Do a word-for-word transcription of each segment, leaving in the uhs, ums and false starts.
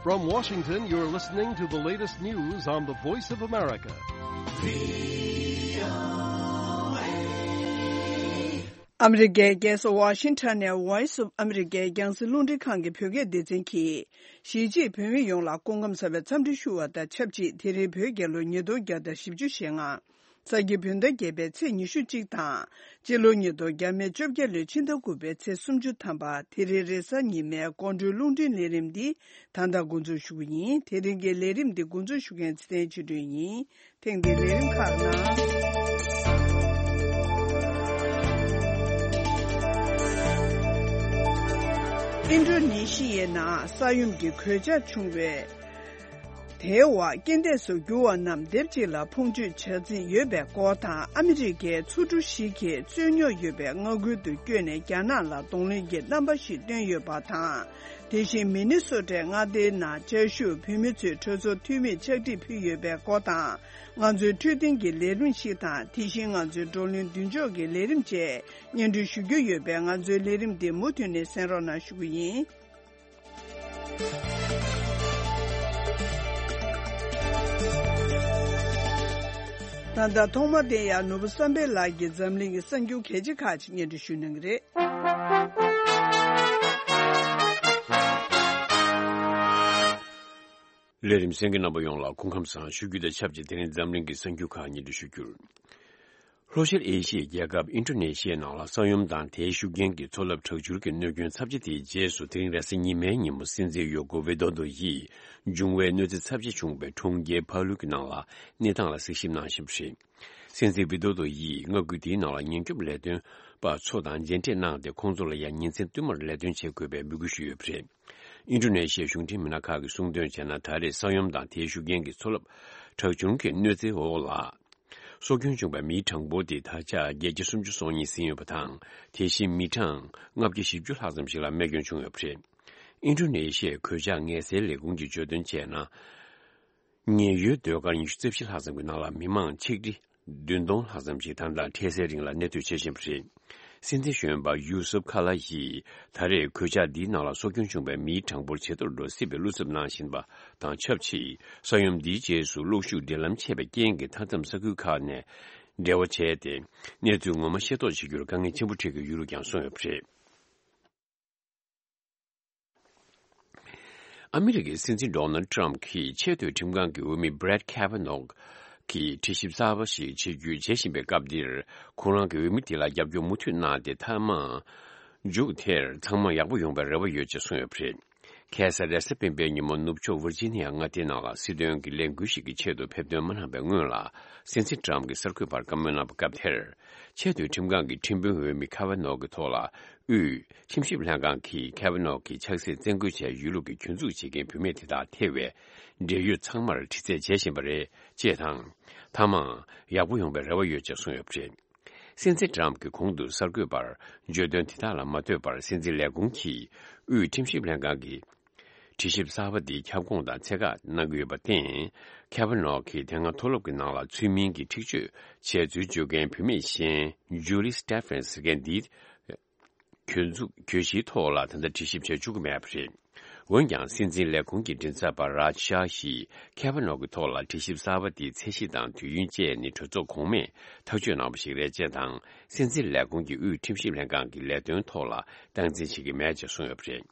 From Washington, you're listening to the latest news on the Voice of America. ཨ་མི་རི་ཀའི་རྒྱལ་ས་ཝ་ཤིང་ཊོན་ནས་Voice of America རྒྱང་སྲིང་རླུང་འཕྲིན་ཁང་གི་བོད་སྐད་སྡེ་ཚན་གྱིས། གཞིས་བྱེས་བོད་མི་ཡོངས་ལ་སྐུ་ཁམས་བཟང་བའི་འཚམས་འདྲི་ཞུ་བ་དང་ཆབས་ཅིག་དེ་རིང་བོད་རྒྱལ་ལོ་ཉིས་སྟོང་བརྒྱ་དང་བཞི་བཅུ་ཞེ་ལྔ། ས་ཁྱི་བོད་ཟླ་བརྒྱད་པའི་ཚེས་ཉི་ཤུ་གཅིག་དང་། སྤྱི་ལོ་ཉིས་སྟོང་བརྒྱ་མེད་བཅོ་བརྒྱད་ལོའི་ཕྱི་ཟླ་དགུ་པའི་ཚེས་སུམ་ཅུ་ཐམ་པ། དེ་རིང་རེས་གཟའ་ཉི་མའི་དགོང་དྲོའི་རླུང་འཕྲིན་ལས་རིམ་འདི་ད་ལྟ་འགོ་འཛུགས་ཞུ་གི་ཡིན། དེ་རིང་གི་ལས་རིམ་འདི་འགོ་འཛུགས་ཞུ་མཁན་ཚེ་བརྟན་ཆོས་སྒྲོན་ཡིན། ཐེངས་འདིའི་ལས་རིམ་ཁག་ནང་། ཨིན་ཌོ་ནེ་ཤི་ཡའི་ནང་ས་ཡོམ་གྱི་གོད་ཆག་བྱུང་བའི། དེའི་འོག་རྐྱེན་འདས་སུ་གྱུར་བ་རྣམས་སྡེབ་གཅིག་ལ་ཕོངས་སྤྱོད་བྱ་རྩིས་ཡོད་པའི་སྐོར་དང་། ཨ་མི་རི་ཀའི་མཚོ་གྲུ་ཞིག་གིས་རྩོད་རྙོག་ཡོད་པའི་མངའ་ཁུལ་དུ་བསྐྱོད་ནས་རྒྱ་ནག་ལ་གདོང་ལེན་གྱི་རྣམ་པ་ཞིག་བསྟན་ཡོད་པ་དང་། དེ་བཞིན་མི་ནི་སོ་ཊའི་མངའ་སྡེའི་ནང་བཅའ་བཞུགས་བོད་མི་ཚོས་གྲོས་ཚོགས་འཐུས་མིར་ཕྱག་བྲིས་ཕུལ་ཡོད་པའི་སྐོར་དང་། ང་ཚོའི་འཕྲོད་བསྟེན་གྱི་ལས་རིམ་ཞིག་དང་། དེ་བཞིན་ང་ཚོའི་བགྲོ་གླེང་མདུན་ལྕོག་གི་ལས་རིམ་བཅས་སྙན་སྒྲོན་ཞུ་རྒྱུ་ཡོད་པས། ང་ཚོའི་ལས་རིམ་འདི་མུ་མཐུད་ནས་གསན་རོགས་གནང་ཞུ་གི་ཡིན། ད་ལྟ་ཐོག་མར་དེ་ཡང་ནོར་བུ་བསམ་འཕེལ་ལགས་ཀྱིས་འཛམ་གླིང་གི་གསར་འགྱུར་གལ་ཆེ་ཁག་ཅིག་སྙན་སྒྲོན་ཞུ་གནང་གི་རེད། ལས་རིམ་གསན་མཁན་རྣམ་པ་ཡོངས་ལ་སྐུ་ཁམས་བཟང་ཞུ་རྒྱུ་དང་ཆབས་ཅིག་དེ་རིང་འཛམ་གླིང་གི་གསར་འགྱུར་ཁག་སྙན་སྒྲོན་ཞུ་རྒྱུར། ལྷོ་ཤར་ཨེ་ཤི་ཡའི་རྒྱལ་ཁབ་ཨིན་ཌོ་ནེ་ཤི་ཡའི་ནང་ལ་ས་ཡོམ་དང་དེའི་ཤུགས་རྐྱེན་གྱིས་མཚོ་རླབས་དྲག་འཕྱུར་གྱི་གནོད་སྐྱོན་ཚབས་ཆེ་དེའི་རྗེས་སུ། དེ་རིང་རེས་གཟའ་ཉི་མའི་ཉིན་མོ་སྲིད་འཛིན་ཡོ་ཀོ་ཝི་དོ་དོ་ཡིས་འབྱུང་བའི་གནོད་འཚེ་ཚབས་ཆེ་བྱུང་བའི་གྲོང་ཁྱེར་ཕ་ལུ་གི་ནང་ལ་གནས་སྟངས་ལ་གཟིགས་ཞིབ་གནང་བཞིན་པ་རེད། སྲིད་འཛིན་བི་དོ་དོ་ཡིས་མངའ་ཁུལ་དེའི་ནང་ལ་ཉེན་སྐྱོབ་ལས་དོན་པ་ཚོ་དང་མཇལ་འཕྲད་གནང་སྟེ། ཁོང་ཚོ་ལ་ཡང་ཉིན་མཚན་བསྟུད་མར་ལས་དོན་བྱེད་དགོས་པའི་འབོད་སྐུལ་ཞུས་ཡོད་པ་རེད། ཨིན་ཌོ་ནེ་ཤི་ཡའི་གཞུང་འབྲེལ་མི་སྣ་ཁག་གིས་གསུངས་དོན་བྱས་ན། ད་རེས་ས་ཡོམ་དང་དེའི་ཤུགས་རྐྱེན་གྱིས་མཚོ་རླབས་དྲག་འཕྱུར་གྱི་གནོད་འཚེའི་འོག་ལ། སྲོག་སྐྱོན་བྱུང་བའི་མིའི་གྲངས་འབོར་དེ་ད་ཆ་བརྒྱད་བརྒྱ་སུམ་ཅུ་སོ་གཉིས་ཟིན་ཡོད་པ་དང་། དེ་བཞིན་མི་གྲངས་ལྔ་བརྒྱ་བཞི་བཅུ་ལྷག་ཙམ་ཞིག་ལ་རྨས་སྐྱོན་བྱུང་ཡོད་པ་རེད། ཨིན་ཌོ་ནེ་ཤི་ཡའི་གོད་ཆག་ངལ་སེལ་ལས་ཁུངས་ཀྱིས་བརྗོད་དོན་བྱས་ན། ཉེན་གཡོལ་སྡོད་སྒར་ཉི་ཤུ་རྩ་བཞི་ལྷག་ཙམ་གྱི་ནང་ལ་མི་མང་ཆིག་ཁྲི་བདུན་སྟོང་ལྷག་ཙམ་ཞིག་ད་ལྟ་འཕྲལ་སེལ་རིང་ལ་གནས་སྡོད་བྱེད་བཞིན་པ་རེད། སྲིད་འཛིན་གཞོན་པ་ཡུ་སུབ་ཁ་ལ་ཡིས་ད་རེས་གོད་ཆག་འདིའི་ནང་ལ་སྲོག་སྐྱོན་བྱུང་བའི་མིའི་གྲངས་འབོར་ཇེ་མཐོར་འགྲོ་སྲིད་པའི་བློ་འཚབ་གནང་བཞིན་པ་དང་ཆབས་ཅིག་ས་ཡོམ་འདིའི་རྗེས་སུ་གློག་ཤུགས་སྒྲིག་ལམ་ཆད་པའི་རྐྱེན་གྱིས་མཐའ་མཚམས་ས་ཁུལ་ཁག་ནས་འབྲེལ་བ་བྱས་ཏེ། གནས་ཚུལ་ངོ་མ་ཤེས་རྟོགས་བྱེད་རྒྱུར་དཀའ་ངལ་ཆེན་པོ་འཕྲད་ཀྱི་ཡོད་ལུགས་ཀྱང་གསུངས་ཡོད་པ་རེད། ཨ་མི་རི་ཀའི་སྲིད་འཛིན་ཌོ་ནལ་ཊམ་གྱིས་ཆེས་མཐོའི་ཁྲིམས་ཁང་གི་འོས་མི་Brett Kavanaugh གིས་དྲི་ཞིབ་གསར་པ་ཞིག་བྱེད་རྒྱུའི་བྱེད་བཞིན་པའི་སྐབས་འདིར། ཁོ་རང་གི་འོས་མི་དེ་ལ་རྒྱབ་སྐྱོར་མུ་མཐུད་གནང་སྟེ། མཐའ་མ་མཇུག་དེར་ཚང་མ་ཡག་པོ་ཡོང་བའི་རེ་བ་ཡོད་ཅེས་གསུངས་ཡོད་པ་རེད། ཁ་སང་རེས་གཟའ་སྤེན་པའི་ཉིན་མོ། ནུབ་ཕྱོགས་ཝིར་ཇི་ནི་ཡ་མངའ་སྡེའི་ནང་ལ་སྲིད་དོན་གྱི་ལས་འགུལ་ཞིག་གི་ཆེད་དུ་ཕེབས་ཐོན་མ་གནང་བའི་སྔོན་ལ། སྲིད་འཛིན་ཊམ་གྱིས་གསར་འགོད་པར་བཀའ་མོལ་གནང་བའི་སྐབས་དེར། ཆེས་མཐོའི་ཁྲིམས་ཁང་གི་ཁྲིམས་དཔོན་འོས་མི་ཁ་ཝ་ནོ་གི་ཐོག་ལ། དབུས་ཁྲིམས་ཞིབ་ལྷན་ཁང་གིས་ཁ་ཝ་ནོ་གི་ཆགས་སྲེད་བཙན་རྒོལ་བྱས་ཡོད་ལུགས་ཀྱི་གྱོད་འཛུགས་བྱེད་མཁན་བུད་མེད་དེ་དག་ཐེ་བའི་འབྲེལ་ཡོད་ཚང་མར་དྲི་རྩད་བྱེད་བཞིན་པ་རེད་ཅེས་དང་། མཐའ་མ་ཡག་པོ་ཡོང་བའི་རེ་བ་ཡོད་ཅེས་གསུངས་ཡོད་པ་རེད། སྲིད་འཛིན་ཊམ་གྱིས་གོང་དུ་གསར་འགོད་པར་བརྗོད་དོན་དེ་དག་ལ་མ་ལྟོས་པར། སྲིད་འཛིན་ལས་ཁུངས་ཀྱིས་དབུས་ཁྲིམས་ཞིབ་ལྷན་ཁང་གི་དྲི་ཞིབ་གསར་པ་འདི་ཁྱབ་ཁོངས་དང་ཚད་བཀག་གནང་གི་ཡོད་པར་བརྟེན། ཁ་ཝ་ནོ་གིས་དེ་སྔ་མཐོ་སློབ་ཀྱི་ནང་ལ་ཚུལ་མིན་གྱི་འཁྲིག་སྤྱོད་བྱས་ཚུལ་བརྗོད་མཁན་བུད་མེད་གཞན་Julie Stephens་ཟེར་མཁན་འདིའི་གྱོད་འཛུགས་གྱོད་གཞིའི་ཐོག་ལ་ད་ལྟ་དྲི་ཞིབ་བྱེད་བཅུག་གི་མེད་པ་རེད། འོན་ཀྱང་། སྲིད་འཛིན་ལས་ཁུངས་ཀྱི་མགྲིན་ཚབ་པ་Raj Shah་ཡིས་ཁ་ཝ་ནོ་གི་ཐོག་ལ་དྲི་ཞིབ་གསར་པ་དེའི་ཚད་གཞི་དང་དུས་ཡུན་བཅས་ནི་གྲོས་ཚོགས་གོང་མས་ཐག་གཅོད་གནང་བ་ཞིག་རེད་ཅེས་དང་། སྲིད་འཛིན་ལས་ཁུངས་ཀྱིས་དབུས་ཁྲིམས་ཞིབ་ལྷན་ཁང་གི་ལས་དོན་ཐོག་ལ་སྟངས་འཛིན་བྱེད་ཀྱི་མེད་ཅེས་གསུངས་ཡོད་པ་རེད།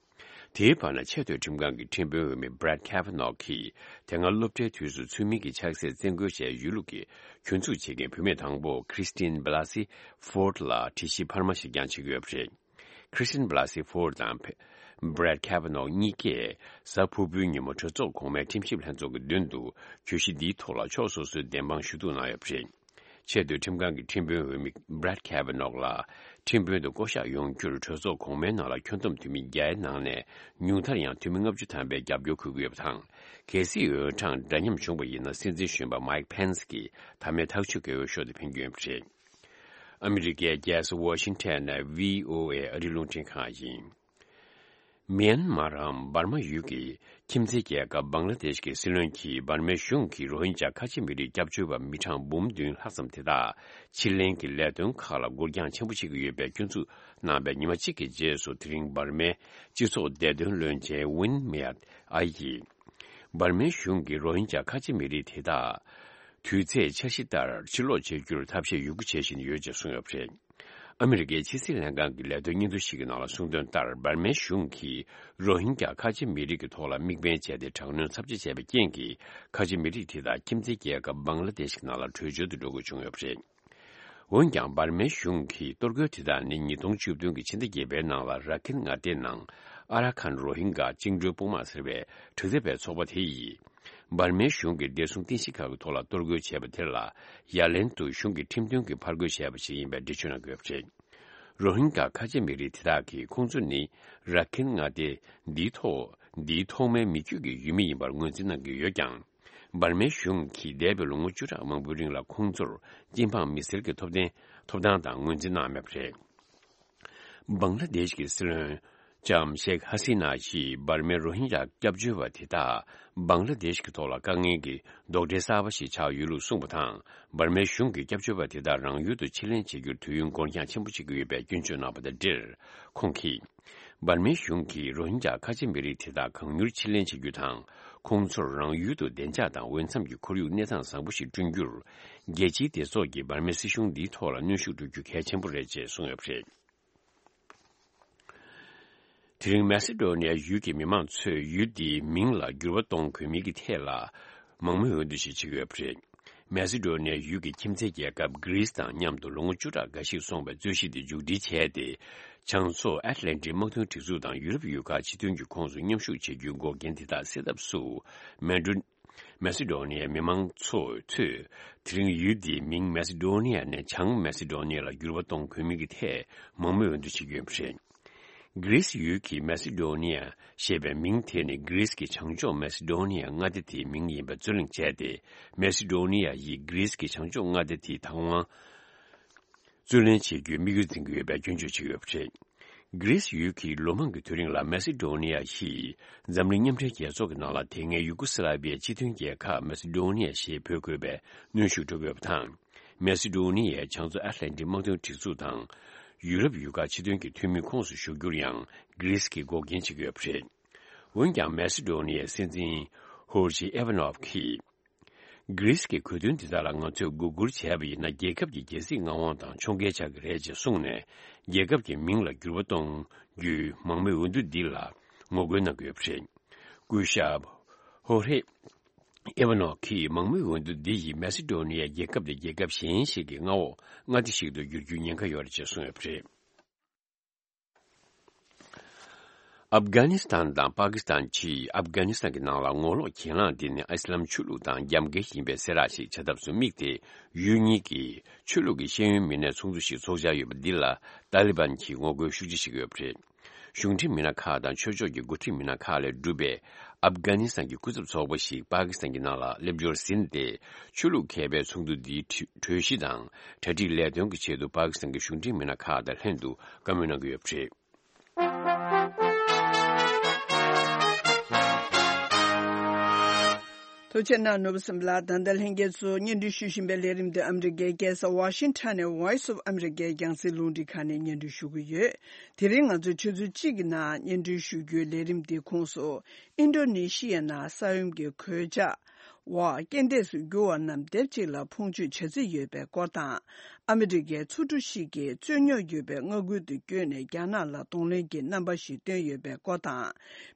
དེའི་བར་ན། ཆེས་མཐོའི་ཁྲིམས་ཁང་གི་ཁྲིམས་དཔོན་འོས་མི་Brett Kavanaugh་གིས་དེ་སྔ་སློབ་གྲྭའི་དུས་སུ་ཚུལ་མིན་གྱི་ཆགས་སྲེད་བཙན་རྒོལ་བྱས་ཡོད་ལུགས་ཀྱི་གྱོད་འཛུགས་བྱེད་མཁན་བུད་མེད་དང་པོ་Christine Blasey Ford་ལ་དྲི་ཞིབ་འཕར་མ་ཞིག་ཀྱང་བྱེད་ཀྱི་ཡོད་པ་རེད། Christine Blasey Ford་དང་Brett Kavanaugh་གཉིས་ཀས་གཟའ་ཕུར་བུའི་ཉིན་མོ་གྲོས་ཚོགས་གོང་མའི་ཁྲིམས་ཞིབ་ལྷན་ཚོགས་ཀྱི་མདུན་དུ་གྱོད་གཞི་འདིའི་ཐོག་ལ་ཕྱོགས་སོ་སོའི་བདེན་དཔང་ཞུ་གཏུག་གནང་ཡོད་པ་རེད། ཆེས་མཐོའི་ཁྲིམས་ཁང་གི་ཁྲིམས་དཔོན་འོས་མི་Brett Kavanaugh་ལ་ཁྲིམས་དཔོན་དུ་བསྐོ་གཞག་ཡོང་རྒྱུར་གྲོས་ཚོགས་གོང་མའི་ནང་ལ་ཁྱོན་བསྡོམས་འཐུས་མི་བརྒྱ་ནང་ནས་ཉུང་མཐར་ཡང་འཐུས་མི་ལྔ་བཅུ་ཐམ་པས་རྒྱབ་སྐྱོར་འཁོད་ཀྱི་ཡོད་པ་དང་། གལ་སྲིད་འོས་གྲངས་འདྲ་མཉམ་བྱུང་བ་ཡིན་ན། སྲིད་འཛིན་གཞོན་པ་Mike Pence་གིས་མཐའ་མའི་ཐག་གཅོད་ཀྱི་འོས་ཤོག་དེ་འཕེན་རྒྱུ་ཡིན་པ་རེད། ཨ་མི་རི་ཀའི་རྒྱལ་ས་ཝ་ཤིང་ཊོན་ནས་བྷི་ཨོ་ཨེ་ཨ་རིའི་རླུང་འཕྲིན་ཁང་ཡིན། མེན་མཱར་འམ་འབར་མ་ཡུལ་གྱི་ཁྱིམ་མཚེས་རྒྱལ་ཁབ་བང་ལ་དེཤ་གི་སྲིད་བློན་གྱིས་འབར་མའི་གཞུང་གིས་རོ་ཧིན་ཇཱ་ཁ་ཆེ་མི་རིགས་སྐྱབས་བཅོལ་བ་མི་གྲངས་འབུམ་བདུན་ལྷག་ཙམ་དེ་དག་ཕྱིར་ལེན་གྱི་ལས་དོན་ཁག་ལ་འགུལ་རྐྱང་ཆེན་པོ་བྱེད་ཀྱི་ཡོད་པའི་སྐྱོན་འཛུགས་གནང་བའི་ཉི་མ་གཅིག་གི་རྗེས་སུ། དེ་རིང་འབར་མའི་སྤྱི་ཚོགས་བདེ་དོན་བློན་ཆེན་ཝིན་མེ་ཡར་ཨའི་ཡིས། འབར་མའི་གཞུང་གིས་རོ་ཧིན་ཇཱ་ཁ་ཆེ་མི་རིགས་དེ་དག་དུས་ཚད་འཆར་གཞི་ལྟར་ཕྱིར་ལོག་བྱེད་རྒྱུར་ཐབས་ཤེས་ཡོད་རྒུ་བྱེད་བཞིན་ཡོད་ཅེས་གསུངས་ཡོད་པ་རེད། ཨ་མི་རི་ཀའི་ཕྱི་སྲིད་ལྷན་ཁང་གི་ལས་དོན་སྙན་ཐོ་ཞིག་གི་ནང་ལ་གསུངས་དོན་ལྟར། འབར་མའི་གཞུང་གིས་རོ་ཧིན་ཇཱ་ཁ་ཆེ་མི་རིགས་ཀྱི་ཐོག་ལ་དམིགས་འབེན་བྱས་ཏེ། དྲག་གནོན་ཚབས་ཆེ་བྱས་པའི་རྐྱེན་གྱིས། ཁ་ཆེ་མི་རིགས་དེ་དག་ཁྱིམ་མཚེས་རྒྱལ་ཁབ་བང་ལ་དེཤ་གི་ནང་ལ་བྲོས་བྱོལ་དུ་འགྲོ་དགོས་བྱུང་ཡོད་པ་རེད། འོན་ཀྱང་། འབར་མའི་གཞུང་གིས་གཏོར་རྒོལ་དེ་དག་ནི་ཉིས་སྟོང་བཅུ་བདུན་གྱི་ཕྱི་ཟླ་བརྒྱད་པའི་ནང་ལ་ར་ཁིན་མངའ་སྡེའི་ནང་ཨ་ར་ཁན་རོ་ཧིན་གྷ་བཅིངས་འགྲོལ་དཔུང་དམག་ཟེར་བའི་དྲག་འཐབ་པའི་ཚོགས་པ་དེ་ཡིས། འབར་མའི་གཞུང་གིས་བདེ་སྲུང་རྟེན་གཞི་ཁག་གི་ཐོག་ལ་གཏོར་རྒོལ་བྱས་པ་དེ་ལ་ཡ་ལན་དུ་གཞུང་གི་ཁྲིམས་མཐུན་གྱི་ཕར་རྒོལ་བྱས་པ་ཞིག་ཡིན་པའི་འགྲེལ་བརྗོད་གནང་གི་ཡོད་པ་རེད། རོ་ཧིན་གྷ་ཁ་ཆེ་མི་རིགས་དེ་དག་གིས་ཁོང་ཚོ་ནི་ར་ཁིན་མངའ་སྡེ་འདིའི་ཐོག་འདིའི་ཐོག་མའི་མི་རྒྱུད་ཀྱི་ཡུལ་མི་ཡིན་པར་ངོས་འཛིན་གནང་གི་ཡོད་ཀྱང་། འབར་མའི་གཞུང་གིས་འདས་པའི་ལོ་ངོ་བཅུ་ཕྲག་མང་པོའི་རིང་ལ་ཁོང་ཚོར་སྐྱིན་འབངས་མི་སེར་གྱི་ཐོབ་ཐང་ཐོབ་ཐང་དང་ངོས་འཛིན་གནང་མེད་པ་རེད། བང་ལ་དེཤ་གི་སྲིད་བློན་ལྕམ་ཤེག་ཧ་སི་ན་ཡིས་འབར་མའི་རོ་ཧིན་ཇཱ་སྐྱབས་བཅོལ་བ་དེ་དག་བང་ལ་དེཤ་གི་ཐོག་ལ་དཀའ་ངལ་གྱི་རྡོག་ཁྲེས་གསར་པ་ཞིག་ཆགས་ཡོད་ལུགས་གསུངས་པ་དང་། འབར་མའི་གཞུང་གིས་སྐྱབས་བཅོལ་བ་དེ་དག་རང་ཡུལ་དུ་ཕྱིར་ལེན་བྱེད་རྒྱུར་དུས་ཡུན་འགོར་འགྱངས་ཆེན་པོ་བྱེད་ཀྱི་ཡོད་པའི་སྐྱོན་བརྗོད་གནང་བ་དང་འབྲེལ། ཁོང་གིས། འབར་མའི་གཞུང་གིས་རོ་ཧིན་ཇཱ་ཁ་ཆེ་མི་རིགས་དེ་དག་གང་མྱུར་ཕྱིར་ལེན་བྱེད་རྒྱུ་དང་། ཁོང་ཚོར་རང་ཡུལ་དུ་བདེ་འཇགས་དང་འོས་འཚམ་གྱི་ཁོར་ཡུག་གནས་སྟངས་བཟང་པོ་ཞིག་བསྐྲུན་རྒྱུར། རྒྱལ་སྤྱིའི་སྡེ་ཚོགས་ཀྱིས་འབར་མའི་སྲིད་གཞུང་འདིའི་ཐོག་ལ་གནོན་ཤུགས་སྤྲོད་རྒྱུ་གལ་ཆེན་པོ་རེད་ཅེས་གསུངས་ཡོད་པ་རེད། དེ་རིང་མེ་སི་ཌོ་ནི་ཡ་ཡུལ་གྱི་མི་མང་ཚོས་ཡུལ་འདིའི་མིང་ལ་འགྱུར་བ་གཏོང་དགོས་མིན་གྱི་ཐད་ལ་མང་མོས་འོས་བསྡུ་ཞིག་བྱེད་ཀྱི་ཡོད་པ་རེད། མེ་སི་ཌོ་ནི་ཡ་ཡུལ་གྱི་ཁྱིམ་མཚེས་རྒྱལ་ཁབ་གྷི་རིས་དང་མཉམ་དུ་ལོ་ངོ་བཅུ་ཕྲག་འགའ་ཞིག་སོང་བའི་རྩོད་གཞི་དེ་མཇུག་སྒྲིལ་བྱས་ཏེ། བྱང་ཕྱོགས་ཨེཊ་ལན་ཊིག་དམག་དོན་སྒྲིག་འཛུགས་དང་ཡུ་རོབ་ཡུལ་ཁག་སྤྱི་མཐུན་གྱི་ཁོངས་སུ་མཉམ་ཞུགས་བྱེད་རྒྱུའི་འགོག་རྐྱེན་དེ་དག་སེལ་ཐབས་སུ། མེ་ཌོ། མེ་སི་ཌོ་ནི་ཡའི་མི་མང་ཚོ་ཚོས་དེ་རིང་ཡུལ་འདིའི་མིང་མེ་སི་ཌོ་ནི་ཡ་ནས་བྱང་མེ་སི་ཌོ་ནི་ཡ་ལ་འགྱུར་བ་གཏོང་དགོས་མིན་གྱི་ཐད་མང་མོས་འོས་བསྡུ་བྱེད་ཀྱི་ཡོད་པ་རེད། གྷི་རིས་ཡུལ་གྱི་མེ་སི་ཌོ་ནི་ཡ་ཞེས་པའི་མིང་དེ་ནི་གྷི་རིས་ཀྱི་བྱང་ཕྱོགས་མེ་སི་ཌོ་ནི་ཡ་མངའ་སྡེ་དེའི་མིང་ཡིན་པ་རྩོད་གླེང་བྱས་ཏེ། མེ་སི་ཌོ་ནི་ཡ་ཡིས་གྷི་རིས་ཀྱི་བྱང་ཕྱོགས་མངའ་སྡེ་དེའི་བདག་དབང་རྩོད་ལེན་བྱེད་རྒྱུའི་དམིགས་ཡུལ་འཛིན་གྱི་ཡོད་པའི་སྐྱོན་བརྗོད་བྱེད་ཀྱི་ཡོད་པ་རེད། གྷི་རིས་ཡུལ་གྱིས་ལོ་མང་གི་དུས་རིང་ལ་མེ་སི་ཌོ་ནི་ཡ་ཡིས་འཛམ་གླིང་མཉམ་འབྲེལ་རྒྱལ་ཚོགས་ཀྱི་ནང་ལ་དེ་སྔའི་ཡུ་གུ་སི་ལ་བི་ཡའི་སྤྱི་མཐུན་རྒྱལ་ཁབ་མེ་སི་ཌོ་ནི་ཡ་ཞེས་འབོད་དགོས་པའི་གནོན་ཤུགས་སྤྲོད་ཀྱི་ཡོད་པ་དང་། མེ་སི་ཌོ་ནི་ཡའི་བྱང་མཚོ་ཨེཊ་ལན་ཊིག་དམག་དོན་སྒྲིག་འཛུགས་དང་། ཡུ་རོབ་ཡུལ་ཁག་སྤྱི་མཐུན་གྱི་འཐུས་མིའི་ཁོངས་སུ་ཞུགས་རྒྱུར་ཡང་གྷི་རིས་ཀྱིས་འགོག་རྐྱེན་བྱེད་ཀྱི་ཡོད་པ་རེད། འོན་ཀྱང་། མེ་སི་ཌོ་ནི་ཡའི་སྲིད་འཛིན་ཧོར་ཇི་ཨེ་ཝ་ནོབ་ཀྱིས། གྷི་རིས་ཀྱི་གོ་དོན་འདི་དག་ལ་ང་ཚོས་སྒུག་སྒུར་བྱས་པ་ཡིན་ན། རྒྱལ་ཁབ་ཀྱི་རྒྱལ་སྲིད་མངའ་དབང་དང་ཕྱོགས་འགལ་ཆགས་ཀྱི་རེད་ཅེས་གསུངས་ནས། རྒྱལ་ཁབ་ཀྱི་མིང་ལ་འགྱུར་བ་གཏོང་རྒྱུའི་མང་མོས་འོས་བསྡུ་འདི་ལ་ངོ་རྒོལ་གནང་གི་ཡོད་པ་རེད། སྐུ་ཞབས་ཧོ་ཧེ་ཨེ་ཝ་ནོ་གིས་མང་མོས་འོས་བསྡུ་འདི་ཡིས་མེ་སི་ཌོ་ནི་ཡ་རྒྱལ་ཁབ་དེ་རྒྱལ་ཁབ་གཞན་ཞིག་གི་མངའ་འོག་མངའ་སྡེ་ཞིག་ཏུ་འགྱུར་རྒྱུའི་ཉེན་ཁ་ཡོད་རེད་ཅེས་གསུངས་ཡོད་པ་རེད། ཨབ་གྷ་ནི་སི་ཐན་དང་པ་ཀི་སི་ཐན་བཅས་ཨབ་གྷ་ནི་སི་ཐན་གྱི་ནང་ལ་ངོ་ལོག་གྱེན་ལངས་དེ་ནི་ཨི་སི་ལམ་ཆོས་ལུགས་དང་རྒྱབ་འགལ་ཡིན་པའི་གསལ་བསྒྲགས་ཤིག་བྱ་ཐབས་སུ་དམིགས་ཏེ། ཡུལ་གཉིས་ཀྱི་ཆོས་ལུགས་ཀྱི་ཤེས་ཡོན་མི་སྣའི་ཚོགས་འདུ་ཞིག་འཚོགས་འཆར་ཡོད་པ་འདི་ལ་ཏཱ་ལི་བན་གྱིས་ངོ་རྒོལ་ཤུགས་ཆེ་བྱེད་ཀྱི་ཡོད་པ་རེད། གཞུང་འབྲེལ་མི་སྣ་ཁག་དང་ཆོས་ཕྱོགས་ཀྱི་འགོ་ཁྲིད་མི་སྣ་ཁག་ལས་གྲུབ་པའི་ཨབ་གྷ་ནི་སི་ཐན་གྱི་སྐུ་ཚབ་ཚོགས་པ་ཞིག་པ་ཀི་སི་ཐན་གྱི་ནང་ལ་སླེབས་འབྱོར་ཟིན་ཏེ། ཆོས་ལུགས་མཁས་པའི་ཚོགས་འདུ་འདིའི་གྲོས་གྲོས་གཞི་དང་གྲ་སྒྲིག་ལས་དོན་གྱི་ཆེད་དུ་པ་ཀི་སི་ཐན་གྱི་གཞུང་འབྲེལ་མི་སྣ་ཁག་དང་ལྷན་དུ་བཀའ་མོལ་གནང་གི་ཡོད་པ་རེད། ཐུགས་རྗེ་གནང་། ནོར་བུ་སེམས་ལགས། ད་ལྟ་ལྷན་རྒྱས་ཚོ་སྙན་སྒྲོན་ཞུ་བཞིན་པའི་ལས་རིམ་དེ་ཨ་མི་རི་ཀའི་རྒྱལ་ས་ཝ་ཤིང་ཊོན་ནས་Voice of America་རྒྱང་སྲིང་རླུང་འཕྲིན་ཁང་ནས་སྙན་སྒྲོན་ཞུ་གི་ཡོད། དེ་རིང་ང་ཚོས་ཆུ་ཚོད་གཅིག་གི་ནང་སྙན་སྒྲོན་ཞུ་རྒྱུའི་ལས་རིམ་འདིའི་ཁོངས་སུ། ཨིན་ཌོ་ནེ་ཤི་ཡའི་ནང་ས་ཡོམ་གྱི་གོད་ཆག་འོག་རྐྱེན་འདས་སུ་གྱུར་བ་རྣམས་སྡེབ་གཅིག་ལ་ཕུང་མཆོད་བྱ་རྩིས་ཡོད་པའི་སྐོར་དང་། ཨ་མི་རི་ཀའི་མཚོ་གྲུ་ཞིག་གིས་རྩོད་རྙོག་ཡོད་པའི་མངའ་ཁུལ་དུ་བསྐྱོད་ནས་རྒྱ་ནག་ལ་གདོང་ལེན་གྱི་རྣམ་པ་ཞིག་བཏོན་ཡོད་པའི་སྐོར་དང་།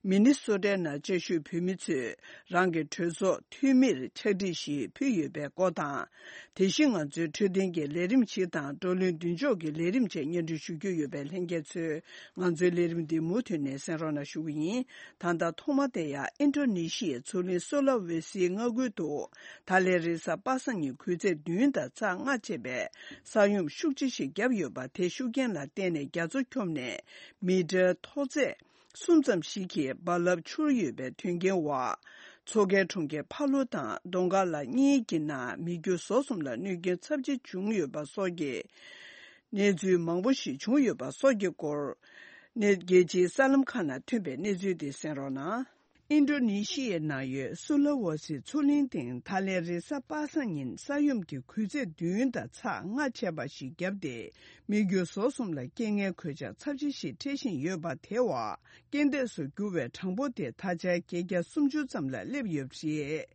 མི་ནི་སོ་ཊའི་ནང་བཅའ་བཞུགས་བོད་མི་ཚོས་རང་གི་གྲོས་ཚོགས་འཐུས་མིར་ཕྱག་བྲིས་ཤིག་ཕུལ་ཡོད་པའི་སྐོར་དང་། དེ་བཞིན་ང་ཚོའི་འཕྲོད་བསྟེན་གྱི་ལས་རིམ་ཞིག་དང་བགྲོ་གླེང་མདུན་ལྕོག་གི་ལས་རིམ་བཅས་སྙན་སྒྲོན་ཞུ་རྒྱུ་ཡོད་པས། ལྷན་རྒྱས་ཚོས་ང་ཚོའི་ལས་རིམ་འདི་མུ་མཐུད་ནས་གསན་རོགས་གནང་ཞུ་གི་ཡིན། ད་ལྟ་ཐོག་མ་དེ་ཡང་ཨིན་ཌོ་ནེ་ཤི་ཡའི་མཚོ་གླིང་སོ་ལ་ཝེ་སིའི་མངའ་ཁུལ་དུ་ད་ལན་རེས་གཟའ་པ་སངས་ཉིན་དགུ་ཚེས་བདུན་དང་ཚེས་ལྔ་བཅས་པའི་ས་ཡོམ་ཤུགས་ཆེ་ཞིག་བརྒྱབ་ཡོད་པ། དེ་ཤུགས་རྐྱེན་ལ་བརྟེན་ནས་རྒྱ་མཚོ་འཁྱོམས་ནས་མི་ཊར་མཐོ་ཚད་གསུམ་ཙམ་ཞིག་གི་རྦ་རླབས་འཕྱུར་ཡོད་པའི་དོན་རྐྱེན་འོག་མཚོ་ཁའི་གྲོང་ཁྱེར་ཕ་ལུ་དང་དོང་ཀ་ལ་གཉིས་ཀྱི་ནང་མི་རྒྱུ་ཟོག་གསུམ་ལ་གནོད་སྐྱོན་ཚབས་ཆེ་བྱུང་ཡོད་པ་སོགས་ཀྱི་གནས་ཚུལ་མང་པོ་ཞིག་བྱུང་ཡོད་པ་སོགས་ཀྱི་སྐོར། གནས་རྒྱལ་སྤྱིའི་གསར་ལམ་ཁག་ནང་ཐོན་པའི་གནས་ཚུལ་དེ་གསན་རོགས་གནང་། ཨིན་ཌོ་ནེ་ཤི་ཡའི་ནང་ཡོད་སུ་ལ་ཝོ་སི་མཚོ་གླིང་སྟེང་ད་ལན་རེས་གཟའ་པ་སངས་ཉིན་ས་ཡོམ་གྱི་སྐུལ་ཚད་བདུན་དང་ཚེག་ལྔ་བྱས་པ་ཞིག་བརྒྱབ་སྟེ། མི་རྒྱུ་ཟོག་གསུམ་ལ་རྐྱེན་ངན་གོད་ཆག་ཚབས་ཆེ་ཞིག་འཕྲད་བཞིན་ཡོད་པ་དེ་བ། རྐྱེན་འདས་སུ་གྱུར་བའི་གྲངས་འབོར་དེ་ད་ཆ་བརྒྱད་བརྒྱ་སུམ་ཅུ་ཙམ་ལ་སླེབས་ཡོད་པ་རེད།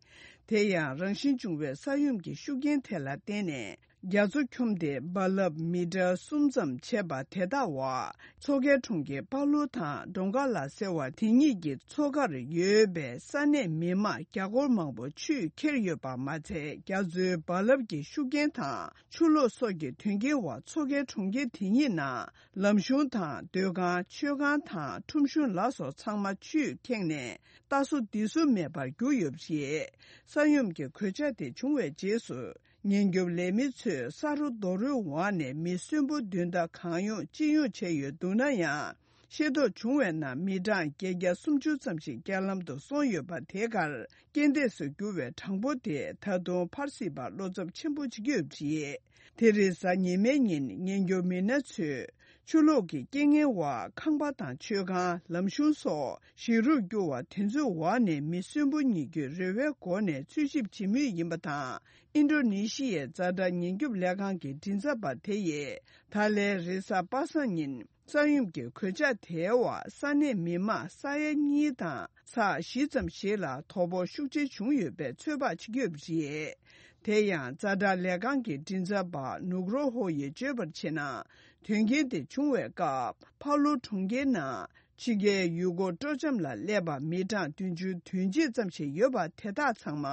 དེ་ཡང་རང་བཞིན་བྱུང་བའི་ས་ཡོམ་གྱི་ཤུགས་རྐྱེན་དེ་ལ་བརྟེན་ནས། རྒྱ་མཚོ་འཁྱོམས་ཏེ་རྦ་རླབས་མི་ཊར་གསུམ་ཙམ་བྱས་པ་དེ་དག་བ། མཚོ་ཁའི་གྲོང་ཁྱེར་པ་ལུ་དང་ཌོང་ཀ་ལ་ཟེར་བ་དེ་གཉིས་ཀྱི་མཚོ་ཁར་ཡོད་པའི་ས་གནས་མི་མང་བརྒྱ་སྐོར་མང་པོ་ཆུས་ཁྱེར་ཡོད་པ་མ་ཚད། རྒྱ་མཚོའི་རྦ་རླབས་ཀྱི་ཤུགས་རྐྱེན་དང་ཆུ་ལོག་སོགས་ཀྱི་དོན་རྐྱེན་འོག་མཚོ་ཁའི་གྲོང་ཁྱེར་དེ་གཉིས་ནང་ལམ་གཞུང་དང་སྡོད་ཁང་། མཆོད་ཁང་དང་ཁྲོམ་གཞུང་ལ་སོགས་ཚང་མ་ཆུས་ཁེངས་ནས་ལྟ་སོ་འདི་སོ་མེད་པར་གྱུར་ཡོད་པ་རེད། ས་ཡོམ་གྱི་གོད་ཆག་དེ་བྱུང་བའི་རྗེས་སུ། ཉེན་སྐྱོབ་ལས་མི་ཚོས་ས་རོ་རྡོ་རོའི་འོག་ནས་མི་གསོན་པོ་བདུན་དང་གང་ཡོང་ཅི་ཡོང་བྱས་ཡོད་འདུག་ན་ཡང་། ཤེས་རྟོགས་བྱུང་བའི་ནང་མི་གྲངས་བརྒྱད་བརྒྱ་སུམ་ཅུ་ཙམ་ཞིག་རྐྱེན་ལམ་དུ་སོང་ཡོད་པ་དེ་གར་རྐྱེན་འདས་སུ་གྱུར་བའི་གྲངས་འབོར་དེ་ད་དུང་འཕར་སྲིད་པར་བློ་འཚབ་ཆེན་པོ་བྱེད་ཀྱི་ཡོད་པ་རེད། དེ་རིང་གཟའ་ཉི་མའི་ཉིན་ཉེན་སྐྱོབ་མི་སྣ་ཚོས་ཆུ་ལོག་གི་རྐྱེན་ངན་འོག་ཁང་པ་དང་མཆོད་ཁང་། ལམ་གཞུང་སོགས་ཞིག་རུབ་གྱུར་བ་དེ་ཚོའི་འོག་ནས་མི་གསོན་པོ་ཉེན་སྐྱོབ་རེ་བའི་སྒོ་ནས་འཚོལ་ཞིབ་བྱེད་མུས་ཡིན་པ་དང་། ཨིན་ཌོ་ནེ་ཤི་ཡའི་ཛ་དྲག་ཉེན་སྐྱོབ་ལས་ཁང་གི་མགྲིན་ཚབ་པ་དེ་ཡིས་ད་ལན་རེས་གཟའ་པ་སངས་ཉིན་ས་ཡོམ་གྱི་གོད་ཆག་དེའི་འོག་ས་གནས་མི་མང་ས་ཡ་གཉིས་དང་ཚེག་བཞི་ཙམ་ཞིག་ལ་དོ་ཕོག་ཤུགས་ཆེ་བྱུང་ཡོད་པའི་ཚོད་དཔག་བྱེད་ཀྱི་ཡོད་པ་རེད། དེ་ཡང་ཛ་དྲག་ལས་ཁང་གི་མགྲིན་ཚབ་པ་ནུག་རོ་ཧོ་ཡིས་བརྗོད་པར་བྱས་ན། དོན་རྐྱེན་དེ་བྱུང་བའི་སྐབས་ཕ་ལུ་གྲོང་ཁྱེར་ནང་ཕྱི་རྒྱལ་ཡུལ་སྐོར་སྤྲོ་འཆམ་ལ་སླེབས་པ་མི་གྲངས་བདུན་ཅུ་དོན་གཅིག་ཙམ་ཞིག་ཡོད་པ་དེ་དག་ཚང་མ་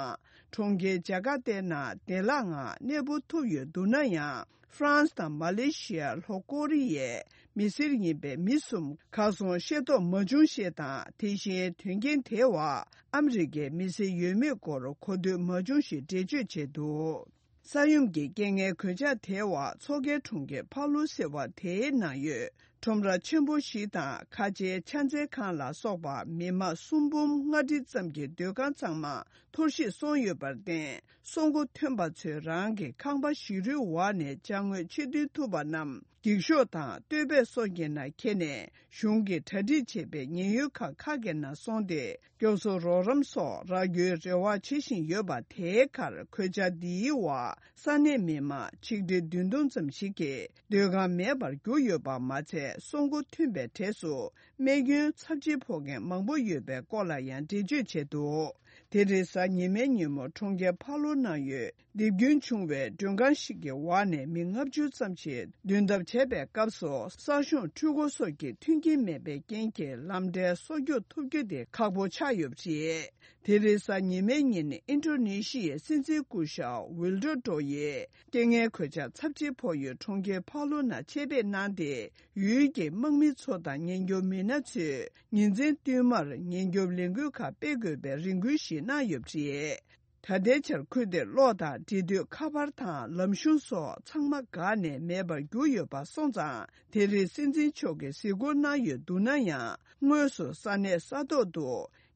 གྲོང་ཁྱེར་ཇ་ཀར་ཏའི་ནང་བདེ་བླག་ངང་གནས་སྤོ་ཐུབ་ཡོད་འདུག་ན་ཡང་། ཧྥ་རན་སི་དང་མ་ལེ་ཤི་ཡ། ལྷོ་ཀོ་རི་ཡའི་མི་སེར་ཡིན་པའི་མི་གསུམ་གར་སོང་ཤེས་རྟོགས་མ་བྱུང་ཞེས་དང་། དེ་བཞིན་དོན་རྐྱེན་དེའི་འོག་ཨ་མི་རི་ཀའི་མི་སེར་ཡོད་མེད་སྐོར་གོ་ཐོས་མ་བྱུང་ཞེས་འགྲེལ་བརྗོད་བྱས་འདུག་ས་ཡོམ་གྱི་རྐྱེན་ངན་གོད་ཆག་དེའི་འོག་མཚོ་ཁའི་གྲོང་ཁྱེར་ཕ་ལུ་ཟེར་བ་དེའི་ནང་ཡོད་ཁྲོམ་ར་ཆེན་པོ་ཞིག་དང་ཁ་ཆེའི་ཕྱག་འཚལ་ཁང་ལ་སོགས་པ་མི་མང་སུམ་འབུམ་ལྔ་ཁྲི་ཙམ་གྱི་སྡོད་ཁང་ཚང་མ་འཐོར་ཞིག་སོང་ཡོད་པར་བརྟེན། སྲུང་འཁོར་ཐོན་པ་ཚོས་རང་གི་ཁང་པ་ཞིག་རུའི་འོག་ནས་ཅ་དངོས་ཕྱིར་ཐོན་ཐུབ་པ་རྣམས་འགྱིག་ཤོག་དང་སྟོད་སྦས་སོགས་ཀྱི་ནང་འཁྱེར་ནས་གཞུང་གིས་གྲ་སྒྲིག་བྱས་པའི་ཉེན་གཡོལ་ཁང་ཁག་གི་ནང་སོང་སྟེ། སྐྱོབ་གསོ་རོགས་རམ་སོགས་རག་རྒྱུའི་རེ་བ་བྱེད་བཞིན་ཡོད་པ། དེའི་ཁར་གོད་ཆག་འདིའི་འོག་ས་གནས་མི་མང་ཆིག་ཁྲི་བདུན་སྟོང་ཙམ་ཞིག་གིས་སྡོད་ཁང་མེད་པར་གྱུར་ཡོད་པ་མ་ཚད། སྲུང་འཁོར་ཐོན་པའི་གྲས་སུ་རྨས་སྐྱོན་ཚབས་ཆེ་ཕོག་མཁན་མང་པོ་ཡོད་པའི་སྐོར་ལ་ཡང་འགྲེལ་བརྗོད་བྱས་འདུག་དེ་རིང་གཟའ་ཉི་མའི་ཉིན་མོ་གྲོང་ཁྱེར་ཕ་ལོ་ནང་ཡོད་རྡིབ་སྐྱོན་བྱུང་བའི་མགྲོན་ཁང་ཞིག་གི་འོག་ནས་མི་ལྔ་བཅུ་ཙམ་ཞིག་འདོན་ཐབས་བྱས་པའི་སྐབས་སུ། ས་གཞུང་འཕྲུལ་འཁོར་སོགས་ཀྱི་མཐུན་རྐྱེན་མེད་པའི་རྐྱེན་གྱིས་ལམ་བྲལ་སོགས་རྒྱུག་ཐུབ་རྒྱུ་དེ་ཁག་པོ་ཆགས་ཡོད་པ་རེད། དེ་རིང་གཟའ་ཉི་མའི་ཉིན་ཨིན་ཌོ་ནེ་ཤི་ཡའི་སྲིད་འཛིན་སྐུ་ཞབས་ཝིལ་ཌོ་ཌོ་ཡིས་རྐྱེན་ངན་གོད་ཆག་ཚབས་ཆེ་ཕོག་ཡུལ་གྲོང་ཁྱེར་ཕ་ལོ་ནང་ཆེད་ཕེབས་གནང་སྟེ། ཡུལ་གྱི་དམག་མི་ཚོ་དང་ཉེན་སྐྱོབ་མི་སྣ་ཚོས་ཉིན་མཚན་བསྟུད་མར་ཉེན་སྐྱོབ་ལས་འགུལ་ཁག་སྤེལ་དགོས་པའི་རེ་སྐུལ་ཞིག་གནང་ཡོད་པ་རེད། ད་ལྟའི་ཆར་ཁུལ་དེར་གློག་དང་འབྲེལ་མཐུད་ཁ་པར་དང་ལམ་གཞུང་སོགས་ཚང་མ་འགག་ནས་མེད་པར་གྱུར་ཡོད་པ་སོང་ཙང་། དེ་རིང་སྲིད་འཛིན་མཆོག་གིས་གཟིགས་སྐོར་གནང་ཡོད་འདུག་ན་ཡང་། དངོས་སུ་ས་གནས་ས་ཐོག་ཏུ་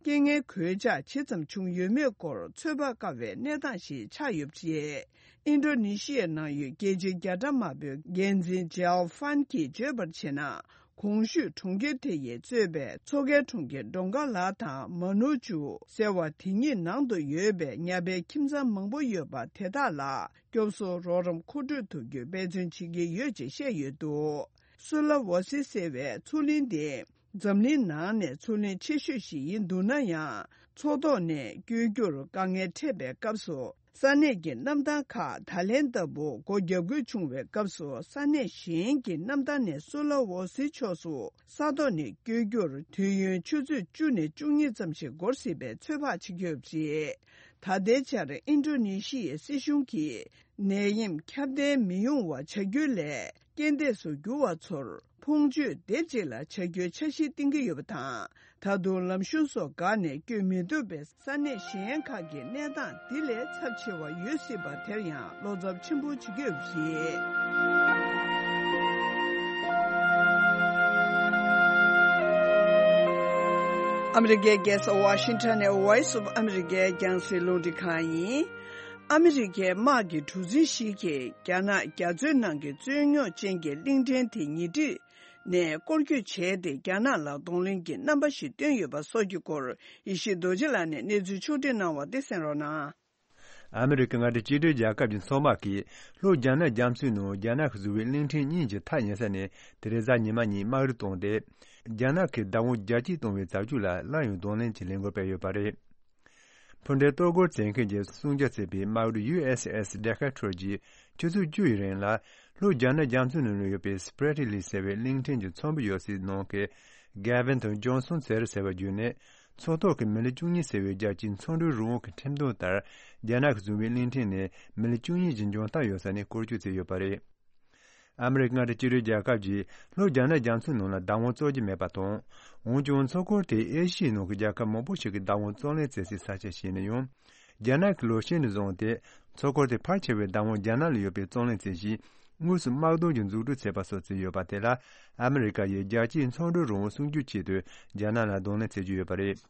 རྐྱེན་ངན་གོད་ཆག་ཇི་ཙམ་བྱུང་ཡོད་མེད་སྐོར་ཚོད་དཔག་དཀའ་བའི་གནས་སྟངས་ཤིག་ཆགས་ཡོད་པ་རེད། ཨིན་ཌོ་ནེ་ཤི་ཡའི་ནང་ཡོད་རྒྱལ་སྤྱིའི་རྒྱ་གྲམ་དམར་པོའི་འགན་འཛིན་ཇའོ་ཧྥན་གྱིས་བརྗོད་པར་བྱས་ན། གོང་ཞུས་གྲོང་ཁྱེར་དེ་ཡིས་གཙོས་པའི་མཚོ་ཁའི་གྲོང་ཁྱེར་ཌོང་ཀ་ལ་དང་མ་ནུ་ཅུ་ཟེར་བ་དེ་གཉིས་ནང་དུ་ཡོད་པའི་ཉ་པའི་ཁྱིམ་ཚང་མང་པོ་ཡོད་པ་དེ་དག་ལ་སྐྱོབ་གསོ་རོགས་རམ་མཁོ་སྤྲོད་ཐུབ་རྒྱུའི་འབད་བརྩོན་བྱེད་ཀྱི་ཡོད་ཅེས་བཤད་ཡོད་འདུག་སུ་ལ་ཝོ་སི་ཟེར་བའི་མཚོ་གླིང་འདི་འཛམ་གླིང་ནང་ནས་མཚོ་གླིང་ཆེ་ཤོས་ཤིག་ཡིན་འདུག་ན་ཡང་། མཚོ་ཐོག་ནས་བསྐྱོད་རྒྱུར་དཀའ་ངལ་འཕྲད་པའི་སྐབས་སུ། ས་གནས་ཀྱི་གནམ་ཐང་ཁག་ད་ལན་ལྟ་བུ་སྒོ་བརྒྱབ་དགོས་བྱུང་བའི་སྐབས་སུ། ས་གནས་གཞན་གྱི་གནམ་ཐང་ནས་སུ་ལ་ཝོ་སི་ཕྱོགས་སུ་ས་ཐོག་ནས་བསྐྱོད་རྒྱུར་དུས་ཡུན་ཆུ་ཚོད་བཅུ་ནས་བཅུ་གཉིས་ཙམ་ཞིག་འགོར་སྲིད་པའི་ཚོད་དཔག་བྱེད་ཀྱི་ཡོད་པ་རེད། ད་ལྟའི་ཆར་ཨིན་ཌོ་ནེ་ཤི་ཡའི་སྲིད་གཞུང་གིས་ནད་ཡམས་ཁྱབ་གདལ་མི་ཡོང་བ་བྱ་རྒྱུ་ལས། རྐྱེན་འདས་སུ་གྱུར་བ་ཚོར་ཕོངས་སྤྱོད་སྡེབ་གཅིག་ལ་བྱ་རྒྱུའི་འཆར་གཞི་བཏིང་གི་ཡོད་པ་དང་། ད་དུང་ལམ་གཞུང་སོགས་འགག་ནས་བསྐྱོད་མི་ཐུབ་པའི་ས་གནས་གཞན་ཁག་གི་གནས་སྟངས་འདི་ལས་ཚབས་ཆེ་བ་ཡོད་སྲིད་པ་དེར་ཡང་བློ་འཚབ་ཆེན་པོ་བྱེད་ཀྱི་ཡོད་པ་རེད། ཨ་མི་རི་ཀའི་རྒྱལ་ས་ཝ་ཤིང་ཊོན་ནས་Voice of America་རྒྱང་སྲིང་རླུང་འཕྲིན་ཁང་ཡིན། ཨ་མི་རི་ཀའི་དམག་གི་གྲུ་གཟིངས་ཤིག་གིས་རྒྱ་ནག་རྒྱ་མཚོའི་ནང་གི་རྩོད་རྙོག་ཅན་གྱི་གླིང་ཕྲན་དེ་ཉེ་འཁྲིས་ ནས་སྐོར་སྐྱོད་བྱས་ཏེ། རྒྱ་ནག་ལ་གདོང་ལེན་གྱི་རྣམ་པ་ཞིག་བསྟན་ཡོད་པ་སོགས་ཀྱི་སྐོར། ཡེ་ཤེས་རྡོ་རྗེ་ལགས་ནས་གནས་ཚུལ་ཕྱོགས་སྒྲིག་གནང་བ་དེ་གསན་རོགས་གནང་། ཨ་མི་རི་ཀའི་མངའ་སྡེ་གཅིག་སྒྲིལ་རྒྱལ་ཁབ་ཀྱི་མཚོ་དམག་གིས་ལྷོ་རྒྱ་ནག་རྒྱ་མཚོའི་ནང་རྒྱ་ནག་གིས་བཟོས་པའི་གླིང་ཕྲན་གཉིས་ཀྱི་མཐའ་ཡན་ས་ནས་ཏེ་རེས་གཟའ་ཉི་མ་ཉིན་དམག་རུ་བཏང་སྟེ། རྒྱ་ནག་གིས་བདག་དབང་རྒྱ་སྐྱེད་གཏོང་བའི་བྱ་སྤྱོད་ལ་སླར་ཡང་གདོང་ལེན་གྱི་ལས་འགུལ་སྤེལ་ཡོད་པ་རེད། འཕུར་མདེལ་གཏོར་རྒོལ་བྱེད་མཁན་གྱི་སྲུང་སྐྱོབ་བྱེད་པའི་དམག་རུ་ཡུ་ཨེས་ཨེས་ཌེ་ཁ་ཁྲོར་གྱིས་ཆུ་ཚོད་བཅུ་ཡི་རིང་ལ་ལྷོ་རྒྱ་ནག་རྒྱ་མཚོའི་ནང་ལ་ཡོད་པའི་སི་པི་རེ་ཊི་ལི་ཟེར་བའི་གླིང་ཕྲན་གྱི་མཚོ་འབུ་ཡོད་སའི་ནང་གི་གེ་ཝན་དང་ཇོན་སོན་ཟེར་ཟེར་བ་བརྒྱུད་ནས། མཚོ་ཐོག་གི་མི་ལི་བཅུ་གཉིས་ཟེར་བའི་རྒྱལ་སྤྱིའི་མཚོ་འགྲུལ་རང་དབང་གི་ཁྲིམས་དོན་ལྟར། རྒྱ་ནག་གིས་བཟུང་བའི་གླིང་ཕྲན་ནས་མི་ལི་བཅུ་གཉིས་ཀྱི་འཇོན་ཐང་ཡོད་ས་ནས་སྐོར་སྐྱོད་བྱས་ཡོད་པ་རེད། ཨ་མི་རི་ཀ་མངའ་སྡེ་གཅིག་སྒྲིལ་རྒྱལ་ཁབ་ཀྱིས་ལྷོ་རྒྱ་ནག་རྒྱ་མཚོའི་ནང་ལ་བདག་དབང་རྩོད་ཀྱི་མེད་པ་དང་། འོན་ཀྱང་མཚོ་ཁོངས་དེ་ཨེ་ཤི་ཡའི་ནང་གི་རྒྱལ་ཁབ་མང་པོ་ཞིག་གིས་བདག་དབང་རྩོད་ལེན་བྱེད་སའི་ས་ཆ་ཞིག་ཡིན་ན་ཡང་། རྒྱ་ནག་གིས་ལོ་ཤས་ནས་བཟུང་སྟེ། མཚོ་ཁོངས་དེ་ཕལ་ཆེ་བའི་བདག་དབང་རྒྱ་ནག་ལ་ཡོད་པའི་རྩོད་ལེན་བྱེད་གཞིས་དངོས་སུ་དམག་དོན་གྱི་འཛུགས་སྐྲུན་བྱས་པ་སོགས་བྱས་ཡོད་པ་དེ་ལ། ཨ་མི་རི་ཀ་ཡིས་རྒྱལ་སྤྱིའི་མཚོ་འགྲུལ་རང་དབང་སྲུང་སྐྱོབ་ཆེད་དུ་རྒྱ་ནག་ལ་གདོང་ལེན་བྱེད་ཀྱི་ཡོད་པ་རེད།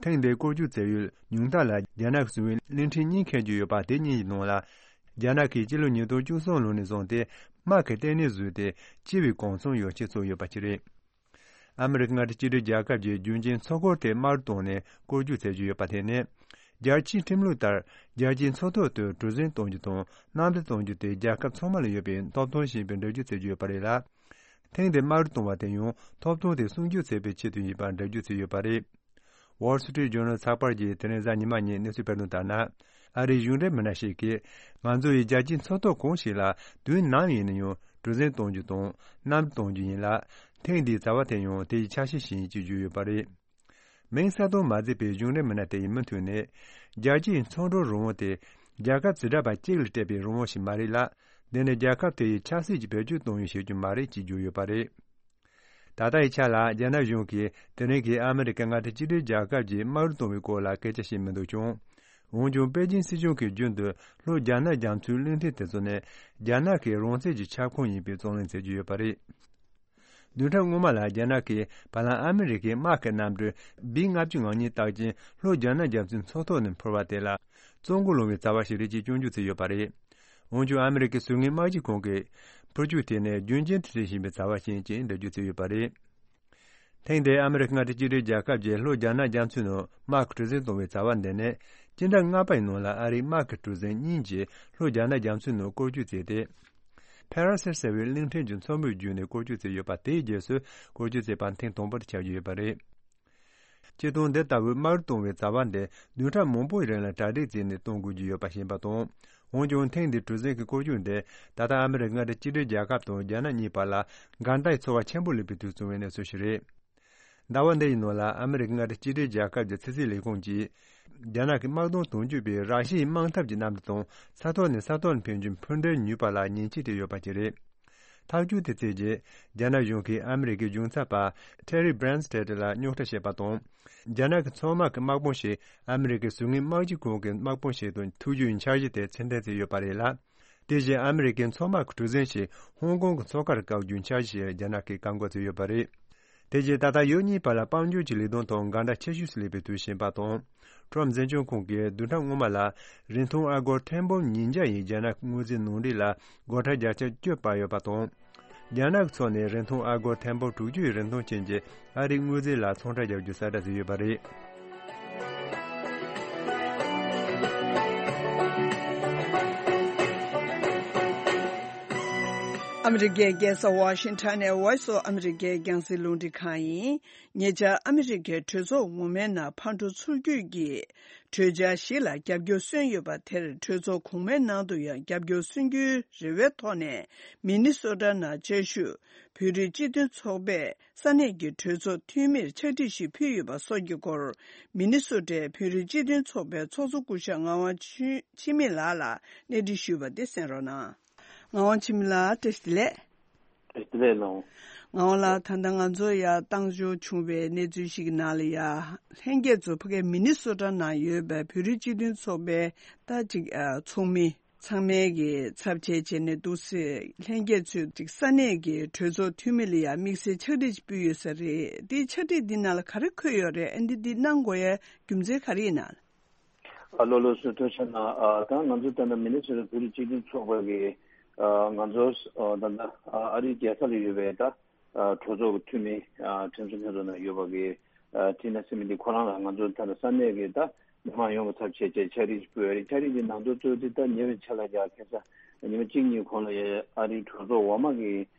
ཐེངས་འདིའི་སྐོར་སྐྱོད་བྱ་ཡུལ་ཉུང་མཐའ་ལ་རྒྱ་ནག་གིས་བཟུང་བའི་གླིང་ཕྲན་གཉིས་འཁེལ་རྒྱུ་ཡོད་པ་དེ་གཉིས་ཀྱི་ནང་ལ། རྒྱ་ནག་གིས་སྤྱི་ལོ་ཉིས་སྟོང་བཅུ་གསུམ་ལོ་ནས་བཟུང་སྟེ་དམག་གི་ལྟེ་གནས་བཟོས་ཏེ་སྤྱི་པའི་གུང་སེང་ཡོ་ཆས་བཙུགས་ཡོད་པ་ཞིག་རེད། ཨ་མི་རི་ཀ་མངའ་སྡེ་གཅིག་སྒྲིལ་རྒྱལ་ཁབ་ཀྱིས་རྒྱུན་གཅིག་མཚོ་ཁོངས་དེ་དམག་རུ་བཏང་ནས་སྐོར་སྐྱོད་བྱེད་ཀྱི་ཡོད་པ་དེ་ནི། རྒྱལ་སྤྱིའི་ཁྲིམས་ལུགས་ལྟར། རྒྱལ་སྤྱིའི་མཚོ་ཐོག་ཏུ་གྲུ་གཟིངས་གཏོང་རྒྱུ་དང་གནམ་གྲུ་གཏོང་རྒྱུ་དེ་རྒྱལ་ཁབ་ཚང་མ་ལ་ཡོད་པའི་ཐོབ་ཐང་ཞིག་ཡིན་པའི་འགྲེལ་བརྗོད་བྱེད་ཀྱི་ཡོད་པ་རེད་ལ། ཐེངས་འདིར་དམག་རུ་གཏོང་བ་དེ་ཡང་ཐོབ་ཐང་དེ་སྲུང་སྐྱོབ་བྱེད་པའི་ཆེད་དུ་ཡིན་པར་འགྲེལ་བརྗོད་བྱས་ཡོད་པ་རེད། Wall Street Journal་ཚགས་པར་གྱིས་དེ་རིང་གཟའ་ཉི་མ་ཉིན་གནས་ཚུལ་སྤེལ་དོན་ལྟར་ན། ཨ་རིའི་གཞུང་འབྲེལ་མི་སྣ་ཞིག་གིས། ང་ཚོ་ཡིས་རྒྱལ་སྤྱིའི་མཚོ་ཐོག་གང་ཞིག་ལ་དུས་ནམ་ཡིན་ན་ཡང་གྲུ་གཟིངས་གཏོང་རྒྱུ་དང་གནམ་གྲུ་གཏོང་རྒྱུ་ཡིན་ལ། ཐེངས་འདིའི་བྱ་བ་དེ་ཡང་དེ་ཡི་ཆ་ཤས་ཤིག་ཡིན་ཅེས་བརྗོད་ཡོད་པ་རེད། མིང་གསལ་སྟོན་མ་མཛད་པའི་གཞུང་འབྲེལ་མི་སྣ་དེ་ཡིས་མུ་མཐུད་ནས། རྒྱལ་སྤྱིའི་མཚོ་འགྲུལ་རང་དབང་དེ། རྒྱལ་ཁབ་བྱེ་བྲག་པ་གཅིག་ལ་སྤྲད་པའི་རང་དབང་ཞིག་མ་རེད་ལ། འདི་ནི་རྒྱལ་ཁབ་དེ་ཡི་ཆབ་སྲིད་ཀྱི་བེད་སྤྱོད་གཏོང་ཡུལ་ཞིག་ཀྱང་མ་རེད་ཅེས་བརྗོད་ཡོད་པ་རེད། ད་ལྟ་ཡི་ཆ་ལ་རྒྱ་ནག་གཞུང་གིས་དེ་རིང་གི་ཨ་མི་རི་ཀའི་མངའ་སྡེ་གཅིག་སྒྲིལ་རྒྱལ་ཁབ་ཀྱི་དམག་རུ་གཏོང་བའི་སྐོར་ལ་སྐད་ཆ་བཤད་མི་འདུག་ཀྱང་། འོན་ཀྱང་པེ་ཅིན་སྲིད་གཞུང་གིས་རྒྱུན་དུ་ལྷོ་རྒྱ་ནག་རྒྱ་མཚོའི་གླིང་ཕྲན་དེ་ཚོ་ནི་རྒྱ་ནག་གི་རང་བཙན་གྱི་ཁྱབ་ཁོངས་ཡིན་པའི་རྩོད་ལེན་བྱེད་ཀྱི་ཡོད་པ་རེད། བདུན་ཕྲག་སྔོན་མ་ལ་རྒྱ་ནག་གིས་བར་ལམ་ཨ་མི་རི་ཀའི་དམག་གི་གནམ་གྲུ་བི་ལྔ་བཅུ་ང་གཉིས་རྟགས་ཅན་ལྷོ་རྒྱ་ནག་རྒྱ་མཚོའི་མཚོ་ཐོག་ནས་འཕུར་བ་དེ་ལ་བཙོན་གོ་ལོང་བའི་བྱ་བ་ཞིག་རེད་ཅེས་སྐྱོན་བརྗོད་བྱས་ཡོད་པ་རེད། འོན་ཀྱང་ཨ་མི་རི་ཀའི་ཟུར་ངོས་དམག་སྤྱི་ཁང་གིས་འཕུར་སྐྱོད་དེ་ནི་རྒྱུན་རྐྱེན་དུ་བྱེད་བཞིན་པའི་བྱ་བ་ཞིག་ཡིན་ཅེས་འགྲེལ་བརྗོད་བྱས་ཡོད་པ་རེད། ཐེངས་འདིའི་ཨ་མི་རི་ཀ་མངའ་སྡེ་གཅིག་སྒྲིལ་རྒྱལ་ཁབ་ཀྱིས་ལྷོ་རྒྱ་ནག་རྒྱ་མཚོའི་ནང་དམག་གི་གྲུ་གཟིངས་གཏོང་བའི་བྱ་བ་འདི་ནི་སྤྱི་ཟླ་ལྔ་པའི་ནང་ལ་ཨ་རིའི་དམག་གི་གྲུ་གཟིངས་གཉིས་ཀྱིས་ལྷོ་རྒྱ་ནག་རྒྱ་མཚོའི་ནང་སྐོར་སྐྱོད་བྱས་ཏེ། ཕེ་ར་སེ་ཟེར་བའི་གླིང་ཕྲན་གྱི་མཚོ་མོའི་བརྒྱུད་ནས་སྐོར་སྐྱོད་བྱས་ཡོད་པ་དེའི་རྗེས་སུ་སྐོར་སྐྱོད་བྱས་པ་ཐེངས་དང་པོ་དེ་ཆགས་ཀྱི་ཡོད་པ་རེད། སྤྱིར་བཏང་འདི་ལྟ་བུའི་དམག་རུ་གཏོང་བའི་བྱ་བ་འདི་བདུན་ཕྲག་མང་པོའི་རིང་ལ་གྲ་སྒྲིག་བྱས་ནས་གཏོང་དགོས་ཀྱི་ཡོད་པ་ཤེས་པ་དང་། འོན་ཀྱང་ཐེངས་འདིའི་གྲུ་གཟིངས་ཀྱི་སྐོར་སྐྱོད་འདི་ད་ལྟ་ཨ་མི་རི་ཀ་མངའ་སྡེ་གཅིག་སྒྲིལ་རྒྱལ་ཁབ་དང་རྒྱ་ནག་གཉིས་བར་ལ་འགལ་ཟླའི་ཚོར་བ་ཆེན་པོ་སླེབས་པའི་དུས་བྱུང་བའི་གནས་ཚུལ་ཞིག་རེད། ཟླ་བ་འདི་ཡི་ནང་ལ་ཨ་མི་རི་ཀ་མངའ་སྡེ་གཅིག་སྒྲིལ་རྒྱལ་ཁབ་ཀྱི་ཕྱི་སྲིད་ལས་ཁུངས་ཀྱིས། རྒྱ་ནག་གི་དམག་དོན་དོན་གཅོད་པས་ར་ཤི་ཡའི་དམག་འཐབ་ཀྱི་གནམ་གྲུ་དང་ས་ཐོག་ནས་ས་ཐོག་ལ་འཕེན་རྒྱུའི་འཕུར་མདེལ་ཉོས་པ་ལ་ཉེས་ཆད་བཀལ་ཡོད་པ་ཞིག་རེད། ཐག་གཅོད་དེ་བྱས་རྗེས། རྒྱ་ནག་གཞུང་གིས་ཨ་མི་རི་ཀའི་གཞུང་ཚབ་པ་Terry Branstad་ལ་རྙོག་དྲ་བཤད་པ་དང་། རྒྱ་ནག་གི་མཚོ་དམག་གི་དམག་དཔུང་ཞིག་ཨ་མི་རི་ཀའི་ཟུར་ངོས་དམག་སྤྱི་ཁང་གི་དམག་དཔུང་ཞིག་ཏུ་ཐུག་རྒྱུའི་འཆར་གཞི་དེ་ཕྱིར་འཐེན་བྱས་ཡོད་པ་རེད་ལ། དེ་བཞིན་ཨ་མི་རི་ཀའི་མཚོ་དམག་གི་གྲུ་གཟིངས་ཤིག་ཧོང་ཀོང་གི་མཚོ་ཁར་བཀག་རྒྱུའི་འཆར་གཞི་ཞིག་རྒྱ་ནག་གིས་བཀག་འགོག་བྱས་ཡོད་པ་རེད། དེ་རྗེས་ད་ལྟ་ཡུལ་གཉིས་བར་ལ་དཔལ་འབྱོར་གྱི་ལས་དོན་ཐོག་འགལ་ཟླ་ཆེ་ཤོས་སུ་སླེབས་པའི་དུས་ཕྱིན་པ་དང་། ཁྲོམ་འཛིན་སྐྱོང་ཁང་གིས་བདུན་ཕྲག་སྔོན་མ་ལ་རིན་ཐང་ཨ་སྒོར་ཐེར་འབུམ་ཉིས་བརྒྱ་ཡི་རྒྱ་ནག་དངུལ་རྩིས་ནང་འགྲིག་ལ་སྒོར་ཁྲལ་བརྒྱ་ཆ་བཅུ་སྤར་ཡོད་པ་དང་། རྒྱ་ནག་གི་ཕྱོགས་ནས་རིན་ཐང་ཨ་སྒོར་ཐེར་འབུམ་དྲུག་ཅུ་ཡི་རིན་ཐང་ཅན་གྱི་ཨ་རིའི་དངུལ་རྩིས་ལ་ཚོང་ཁྲལ་རྒྱག་རྒྱུའི་གསལ་བསྒྲགས་བྱས་ཡོད་པ་རེད། ཨ་མི་རི་ཀའི་རྒྱལ་ས་ཝ་ཤིང་ཊོན་ནས་Voice of America་རྒྱང་སྲིང་རླུང་འཕྲིན་ཁང་ཡིན། ཉེ་ཆར་ཨ་མི་རི་ཀའི་གྲོས་ཚོགས་འོག་མའི་ནང་ཕར་འགྲོ་ཚུར་སྐྱོད་ཀྱི་གྲོས་འཆར་ཞིག་ལ་རྒྱབ་སྐྱོར་སོན་ཡོད་པ་དེར། གྲོས་ཚོགས་གོང་མའི་ནང་དུ་ཡང་རྒྱབ་སྐྱོར་སོན་རྒྱུའི་རེ་བའི་ཐོག་ནས། མི་ནི་སོ་ཊ་ནང་བཅའ་བཞུགས་བོད་རིགས་སྤྱི་མཐུན་ཚོགས་པས་ས་གནས་ཀྱི་གྲོས་ཚོགས་འཐུས་མིར་ཕྱག་བྲིས་ཤིག་ཕུལ་ཡོད་པ་སོགས་ཀྱི་སྐོར། མི་ནི་སོ་ཊའི་བོད་རིགས་སྤྱི་མཐུན་ཚོགས་པའི་ཚོགས་གཙོ་སྐུ་ཞབས་ངག་དབང་ཆོས་འཆི་མེད་ལགས་ལ་གནས་འདྲི་ཞུས་པ་དེ་གསན་རོགས་གནང་། ངག་དབང་འཆི་མེད་ལགས། བཀྲ་ཤིས་བདེ་ལེགས། བཀྲ་ཤིས་བདེ་ལེགས་ལགས། ངག་དབང་ལགས། ད་ལྟ་ང་ཚོ་ཡར་བཏང་འབྱོར་བྱུང་བའི་གནས་ཚུལ་ཞིག་གི་ནང་ལ་ཡ། ལྷན་རྒྱས་ཚོ་ཕ་གིའི་མི་ནི་སོ་ཊ་ནང་ཡོད་པའི་བོད་རིགས་སྤྱི་མཐུན་ཚོགས་པའི་ད་ཅིག་ཨ་ཚོགས་མི་ཚང་མའི་གི་ཚབ་བྱས་བྱས་ནས་འདུག་སེ་ལྷན་རྒྱས་ཚོས་ཅིག་ས་གནས་ཀྱི་གྲོས་ཚོགས་འཐུས་མི་ལ་ཡ་དམིགས་བསལ་ཕྱག་བྲིས་ཅིག་ཕུལ་ཡོད་ས་རེད། དེའི་ཕྱག་བྲིས་འདི་ནང་ལ་ག་རེ་འཁོད་ཡོད་རེད། ཨ་འདི་འདི་གནང་དགོས་ཡའི་རྒྱུ་མཚན་ག་རེ་ཡིན་ན། ཨ་ལོ་ལོ་སུ་ཐུགས་རྗེ་གནང་། ཨ་ད་ང་ཚོ་ད་ལྟ་མི་ནི་སོ་ཊ་བོད་རིགས་སྤྱི་མཐུན་ཚོགས་པ་གི་ ཨ་ང་ཚོ་ཨ་ད་ལྟ་ཨ་ཨ་རིའི་རྒྱལ་ས་ལ་ཡོད་པའི་ད་ཨ་གྲོས་ཚོགས་ཀྱི་འཐུས་མི་ཨ་ཁྲིམས་བཟོ་ལྷན་ཚོགས་ནང་ཡོད་པ་གི་ཨ་ཊི་ན་སི་མི་འདི་ཁོ་རང་ལ་ང་ཚོ་ད་ལྟ་ས་གནས་ཀྱི་ད་མི་མང་ཡོངས་ཀྱི་ཚབ་བྱས་བྱས་ཕྱག་བྲིས་ཕུལ་བ་རེད། ཕྱག་བྲིས་འདི་ནང་དོན་གཙོ་བོ་འདི་ད་ཉེ་བའི་ཆར་ལ་ཡ་ཁ་སང་ཉི་མ་གཅིག་གཉིས་གོང་ལ་ཡ་ཨ་རིའི་གྲོས་ཚོགས་འོག་མ་གི་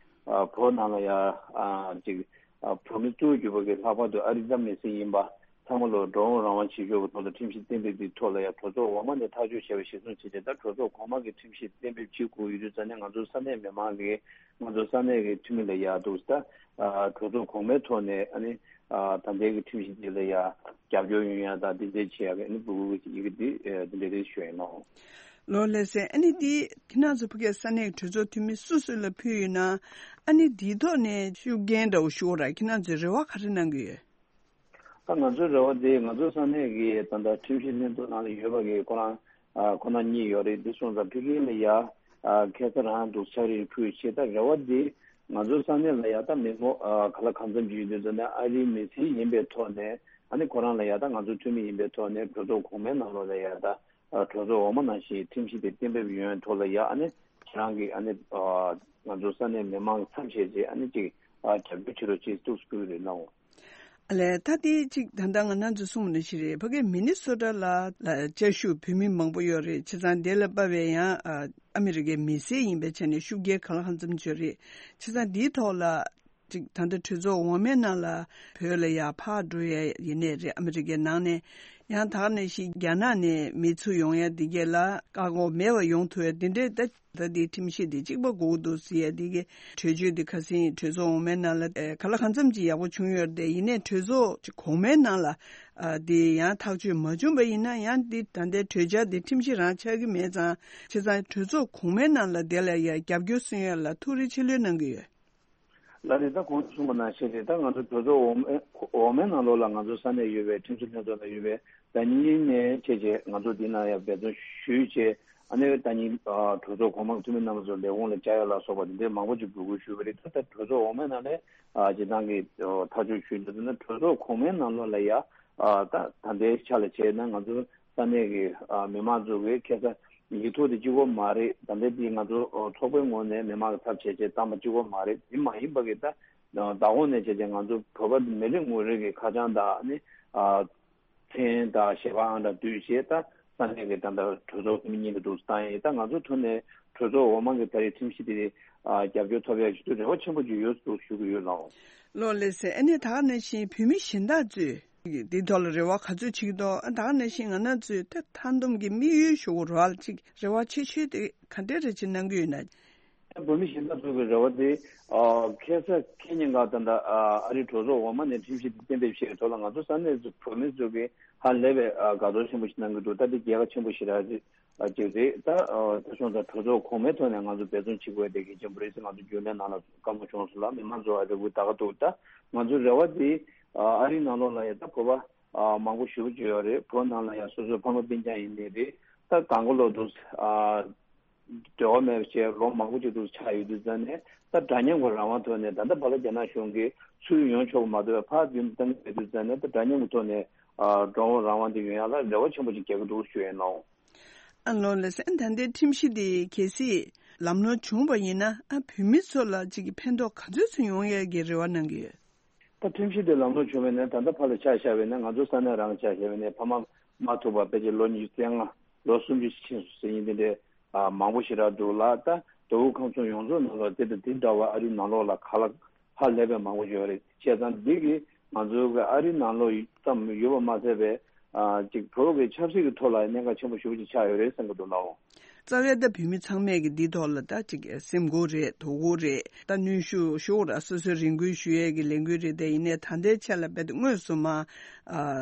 ཨ་བོད་ནང་ལ་ཡ་ཨ་ཅིག་ཨ་བོད་མི་གཙོ་བོ་གྱུར་པ་གི་ལྷག་པར་དུ་ཨ་རི་ཙམ་མི་སེར་ཡིན་པ་ཚང་མ་ལོ་འགྲོ་འོང་རང་དབང་བྱེད་ཕྱོགས་ཀྱི་ཐོག་ལ་ཁྲིམས་གཞི་གཏན་འབེབས་ཀྱི་ཐོག་ལ་ཡང་གྲོས་ཚོགས་འོག་མ་ནས་ཐག་གཅོད་བྱས་པའི་གཞིར་བཟུང་བྱས་ཏེ། ད་གྲོས་ཚོགས་གོང་མ་གི་ཁྲིམས་གཞི་གཏན་འབེབས་བྱེད་དགོས་ཡོད་དུས་ཙང་ནས་ང་ཚོ་ས་གནས་མི་མང་གིས་ང་ཚོ་ས་གནས་ཀྱི་འཐུས་མི་ལ་ཡ་འདུག་ད་གྲོས་ཚོགས་གོང་མའི་ཐོག་ནས་ཨ་ནི་ད་ལྟའི་གི་ཁྲིམས་གཞི་འདི་ལ་ཡ་རྒྱབ་སྐྱོར་ཡོང་ཡ་ད་འདི་འདྲས་བྱེད་ཡ་གི་ཨ་ནི་འབོད་སྐུལ་གྱི་ཡི་གེ་འདི་འདི་འདྲས་རེད་ཞུ་ཡ་ཡིན་ནོ། ལོ་ལགས་སེ། ཨ་ནི་འདི་ཁྱེད་རང་ཚོ་ཕ་གིའི་ས་གནས་གྲོས་ཚོགས་འཐུས་མི་སུ་སུ་ལ་ཕུལ་ཡོད་ན། ཨ་ནི་འདིའི་ཐོག་ནས་ཤུགས་རྐྱེན་འདྲ་བོ་ཞུ་ར་ཁྱེད་རང་ཚོས་རེ་བ་ག་རེ་གནང་གི་ཡོད། ད་ང་ཚོའི་རེ་བ་དེ་ང་ཚོ་ས་གནས་ཀྱི་ད་ལྟ་ཁྲིམས་ཞིབ་ལྷན་ཚོགས་ནང་ལ་ཡོད་པ་གི་ཁོ་རང་ཨ་ཁོ་ན་གཉིས་ཡོད་རེད། འདི་སོང་ཙང་ཕ་གི་ལ་ཡ་ཨ་ཁ་སང་རང་འདུག་ཕྱག་བྲིས་ཕུལ་ཆེད་ད་རེ་བ་དེ་ང་ཚོ་ས་གནས་ལ་ཡ་ད་མི་ངོ་ཨ་ག་ལ་གང་འཚམ་ཅིག་ཡོད་དུས་ཙང་ནས་ཨ་རིའི་མི་སེར་ཡིན་པའི་ཐོག་ནས་ཨ་ནི་ཁོ་རང་ལ་ཡ་ད་ང་ཚོ་འཐུས་མི་ཡིན་པའི་ཐོག་ནས་གྲོས་ཚོགས་གོང་མའི་ནང་ལོགས་ལ་ཡ་ད་ཨ་གྲོས་ཚོགས་འོག་མ་ནང་བཞིན་ཁྲིམས་གཞི་དེ་གཏན་འབེབས་ཡོང་ཐོག་ལ་ཡ་ཨ་ནི་ཁྱེད་རང་གིས་ཨ་ནི་ཨ་ང་ཚོ་ས་གནས་མི་མང་གི་མཚམས་བཞག་རྗེས་ཨ་ནི་ཅིག་ཨ་རྒྱབ་སྐྱོར་བྱེད་རོགས་ཅེས་ཐུགས་སུ་ཕུལ་གི་རེད་ལགས། ཨ་ལས་ད་དེ་ཅིག་ད་ལྟ་ང་རང་ཚོ་གསུངས་པ་ནང་བཞིན་རེད། ཕ་གི་མི་ནི་སོ་ཊ་ལ་ལ་བཅའ་བཞུགས་བོད་མི་མང་པོ་ཡོད་རེད། བྱས་ཙང་དེ་ལ་དཔག་པའི་ཡང་ཨ་ཨ་མི་རི་ཀའི་མི་སེར་ཡིན་པའི་ཆ་ནས་ཤུགས་རྐྱེན་གང་ལ་གང་འཚམ་ཡོད་རེད། བྱས་ཙང་འདིའི་ཐོག་ལ་ཅིག་ད་ལྟ་གྲོས་ཚོགས་འོག་མའི་ནང་ལ་བོད་ལ་ཡར་ཕར་འགྲོ་ཡས་ཡིན་ནའི་རེད། ཨ་མི་རི་ཀའི་ནང་ནས་ཡང་ད་ག་ནང་བཞིན་རྒྱ་ནག་ནས་མི་ཚུར་ཡོང་ཡས་འདི་གས་ལ་བཀག་འགོག་མེད་པ་ཡོང་ཐུབ་ཡས་འདི་འདྲའི་ད་ད་འདི་ཁྲིམས་གཞི་འདི་གཅིག་པ་དགོས་ཀྱི་འདུག་ཟེར་ཡས་འདི་གའི་གྲོས་ཆོད་འདི་ཁ་སང་གྲོས་ཚོགས་འོག་མའི་ནང་ལ་ཨེ་ག་ལ་གང་འཚམ་ཅིག་ཡག་པོ་བྱུང་ཡོད་རེད་དེ། ཡིན་ནའི་གྲོས་ཚོགས་གོང་མའི་ནང་ལ་ཨ་འདི་ཡང་ཐག་གཅོད་མ་བྱུང་བ་ཡིན་ན་ཡང་འདི་ད་ལྟའི་གྲོས་འཆར་འདི་ཁྲིམས་གཞི་རང་ཆགས་ཀྱི་མེད་ཙང་། བྱས་ཙང་གྲོས་ཚོགས་གོང་མའི་ནང་ལ་དེ་ལ་ཡང་རྒྱབ་སྐྱོར་སུན་ཡོད་ལ་ཐུགས་རེ་ཆེ་ལོས་གནང་གི་ཡོད། ལགས་རེད། ད་གོང་དུ་གསུངས་པ་ནང་བཞིན་རེད། ད་ང་ཚོ་གྲོས་ཚོགས་འོག་མའི་འོག་མའི་ནང་ལོགས་ལ་ང་ཚོ་ས་གནས་ཡོད་པའི་ཁྲིམས་བཟོ་ལྷན་ཚོགས་ནང་ཡོད་པའི་ཟླ་ཉིན་ནས་བྱས་རྗེས་ང་ཚོ་འདི་ན་ཡང་འབད་བརྩོན་ཞུས་བྱས་ཨ་ནི་ཟླ་ཉིན་གྲོས་ཚོགས་གོང་མ་འཐུས་མི་རྣམ་པ་ཚོ་ལས་ཁུངས་ལ་བཅར་ཡ་ལ་སོགས་པ་འདི་འདྲའི་མང་པོ་ཅིག་འབོད་སྐུལ་ཞུས་པ་རེད། ད་ལྟ་གྲོས་ཚོགས་འོག་མའི་ནང་ནས་སྤྱི་བཏང་གི་ཐག་གཅོད་ཞུས་འདུག་ན་གྲོས་ཚོགས་གོང་མའི་ནང་ལོགས་ལ་ཡ་ད་ད་ལྟའི་ཆ་ལ་བྱས་ན་ང་ཚོ་ས་གནས་ཀྱི་ཨ་མི་མང་ཚོ་གི་ཁ་སང་ཡིག་ཐོག་དེ་གཅིག་པོ་མ་རེད། ད་ལྟ་དེ་ང་ཚོ་ཨ་ཚོགས་པའི་ངོས་ནས་མི་མང་གི་ཚབ་བྱས་བྱས་བཏང་པ་གཅིག་པོ་མ་རེད། དེ་མ་ཡིན་པ་གི་ད་ཨ་བདག་དབང་ནས་བྱས་བྱས་ང་ཚོ་བོད་པ་མི་རེ་ངོ་རེ་གི་ཁ་བྱང་དང་ནི་ཨ་མཚན་དང་ཞལ་པར་ཨང་གྲངས་བསྡུས་བྱས་ད་ས་གནས་ཀྱི་ད་ལྟ་གྲོས་ཚོགས་འཐུས་མི་གཉིས་ཀྱི་འདུག་བཏང་ཡིན། ད་ང་ཚོ་ཐོག་ནས་གྲོས་ཚོགས་འོག་མ་གི་ད་རེས་ཁྲིམས་གཞི་དེ་ཨ་རྒྱབ་སྐྱོར་ཐོབ་ཡ་ཞུ་དུས་རེ་བ་ཆེན་པོ་ཅིག་ཡོད་འདུག་ཞུ་གི་ཡོད་ལགས། ལོ་ལགས་སེ། ཨ་ནི་ད་ག་ནང་བཞིན་བོད་མི་གཞན་དག་ཚོས་འདིའི་ཐོག་ལ་རེ་བ་ག་ཚོད་བྱེད་ཀྱི་འདུག་ཨ་ད་ག་ནང་བཞིན་ང་རང་ཚོས་ད་མཐའ་སྡོམ་གྱི་དམིགས་ཡུལ་ཞུ་དགོས་རེད་བ། ཅིག་རེ་བ་ཆེ་ཤོས་དེ་ག་འདྲས་རེ་ཅིག་གནང་གི་ཡོད་ན། བོད་མི་གཞན་དག་ཚོ་གི་རེ་བ་དེ་ཨ་ཁ་སང་ཁ་ཉིན་ག་ད་ལྟ་ཨ་རིའི་གྲོས་ཚོགས་འོག་མ་ནས་ཁྲིམས་གཞི་དེ་གཏན་འབེབས་བྱས་ཐོག་ལ་ང་ཚོ་ས་གནས་ཚོ་བོད་མི་ཚོ་གི་ཧ་ལས་པའི་ཨ་དགའ་ཚོར་ཆེན་པོ་ཞིག་གནང་གི་འདུག་ད་དེ་རྒྱལ་ཁ་ཆེན་པོ་ཞིག་རེད། ཅིག་རེད། ད་ཨ་ད་སོང་ཙང་གྲོས་ཚོགས་གོང་མའི་ཐོག་ནས་ང་ཚོ་འབད་བརྩོན་བྱེད་དགོས་དེ་གལ་ཆེན་པོ་རེད་ཟེར་ང་ཚོ་རྒྱུན་ལས་ནང་ལ་བཀའ་མོལ་བྱུང་སོང་ལ་མི་མང་ཚོ་ཨ་རེ་གུ་ད་ག་འདུག་ད་ང་ཚོ་རེ་བ་དེ་ཨ་ཨ་རིའི་ནང་ལོགས་ལ་ཡ་ད་བོད་པ་ཨ་མང་པོ་ཞེ་པོ་ཅིག་ཡོད་རེད། བོད་ནང་ལ་ཡ་སོ་སོའི་ཕ་མ་སྤུན་ཀྱག་ཡིན་ནའི་རེད། ད་གང་ག་ལོ་འདུག་ཨ་འབྲེལ་བ་མེད་པ་བྱས་ལོ་མང་པོ་ཅིག་འདུག་ཆགས་ཡོད་དུས་ཙང་ནས་ད་འདྲ་མཉམ་གྱི་རང་དབང་ཐོག་ནས་ད་ལྟ་བར་ལ་རྒྱ་ནག་གཞུང་གིས་ཚུར་ཡོང་ཆོག་པ་མ་གཏོགས་ཕར་རྒྱུན་བཏང་གི་མེད་དུས་ཙང་ནས་ད་འདྲ་མཉམ་གྱི་ཐོག་ནས་ཨ་འགྲོ་འོང་རང་དབང་དེ་ཡོང་ཡ་ལ་རེ་བ་ཆེན་པོ་ཅིག་རྒྱག་གི་འདུག་ཞུ་ཡས་ནོ། ཨ་ལོ་ལགས་སེ། ཨ་ད་ལྟའི་ཁྲིམས་གཞི་དེ་གལ་སྲིད་ལམ་ལྷོང་བྱུང་བ་ཡིན་ན་ཨ་བོད་མི་ཚོ་ལ་ཅིག་གི་ཕན་ཐོགས་ག་ཚོད་ཚོད་ཡོང་ཡས་ཀྱི་རེ་བ་གནང་གི་ཡོད། ད་ཁྲིམས་གཞི་དེ་ལམ་ལྷོང་བྱུང་བས་ན་ད་ལྟ་ཕར་ལ་ཆ་བཞག་པས་ན་ང་ཚོ་ས་གནས་རང་ཆ་བཞག་པས་ན་ཕ་མ་མ་ཐུག་པ་ཕལ་ཆེར་ལོ་ཉི་ཤུ་རྩ་ལྔ་ལོ་སུམ་ཅུ་ཕྱིན་སོང་ཟེར་མཁན་དེ་འདྲའི་ཨ་མང་པོ་ཞེ་དྲག་འདུག་ལ། ད་དོ་དབུས་ཁམས་གསུམ་ཡོངས་རྫོགས་ནང་ལོགས་དེ་དང་དེ་འདྲ་བ་ཨ་རིའི་ནང་ལོགས་ལ་ག་ལ་ཧ་ལས་པའི་མང་པོ་ཡོད་རེད། བྱས་ཙང་འདི་གིས་ང་ཚོའི་གི་ཨ་རིའི་ནང་ལོགས་ཙམ་ཡོད་པ་མ་ཟད་པའི་ཨ་ཅིག་བོད་ཀྱི་ཆབ་སྲིད་ཀྱི་ཐོག་ལ་གནད་འགག་ཆེན་པོ་ཞེ་པོ་ཅིག་ཆགས་ཡོད་རེད་བསམ་གྱི་འདུག་ལགས། རྩ་བའི་ད་བོད་མི་ཚང་མས་ཀྱི་འདི་ཐོག་ལ་ད་ཅིག་སེམས་ཁུར་རེད། དོ་ཁུར་རེད། ད་གནོན་ཤུགས་ཤུགས་ར་སོ་སོའི་རེ་སྐུལ་ཞུ་ཡས་ཀྱི་ལས་འགུལ་རེད། དེ་ཡིན་ནའི་ད་ལྟའི་ཆ་ལ་རྦད་དེ་དངོས་སུ་མ་ཨ་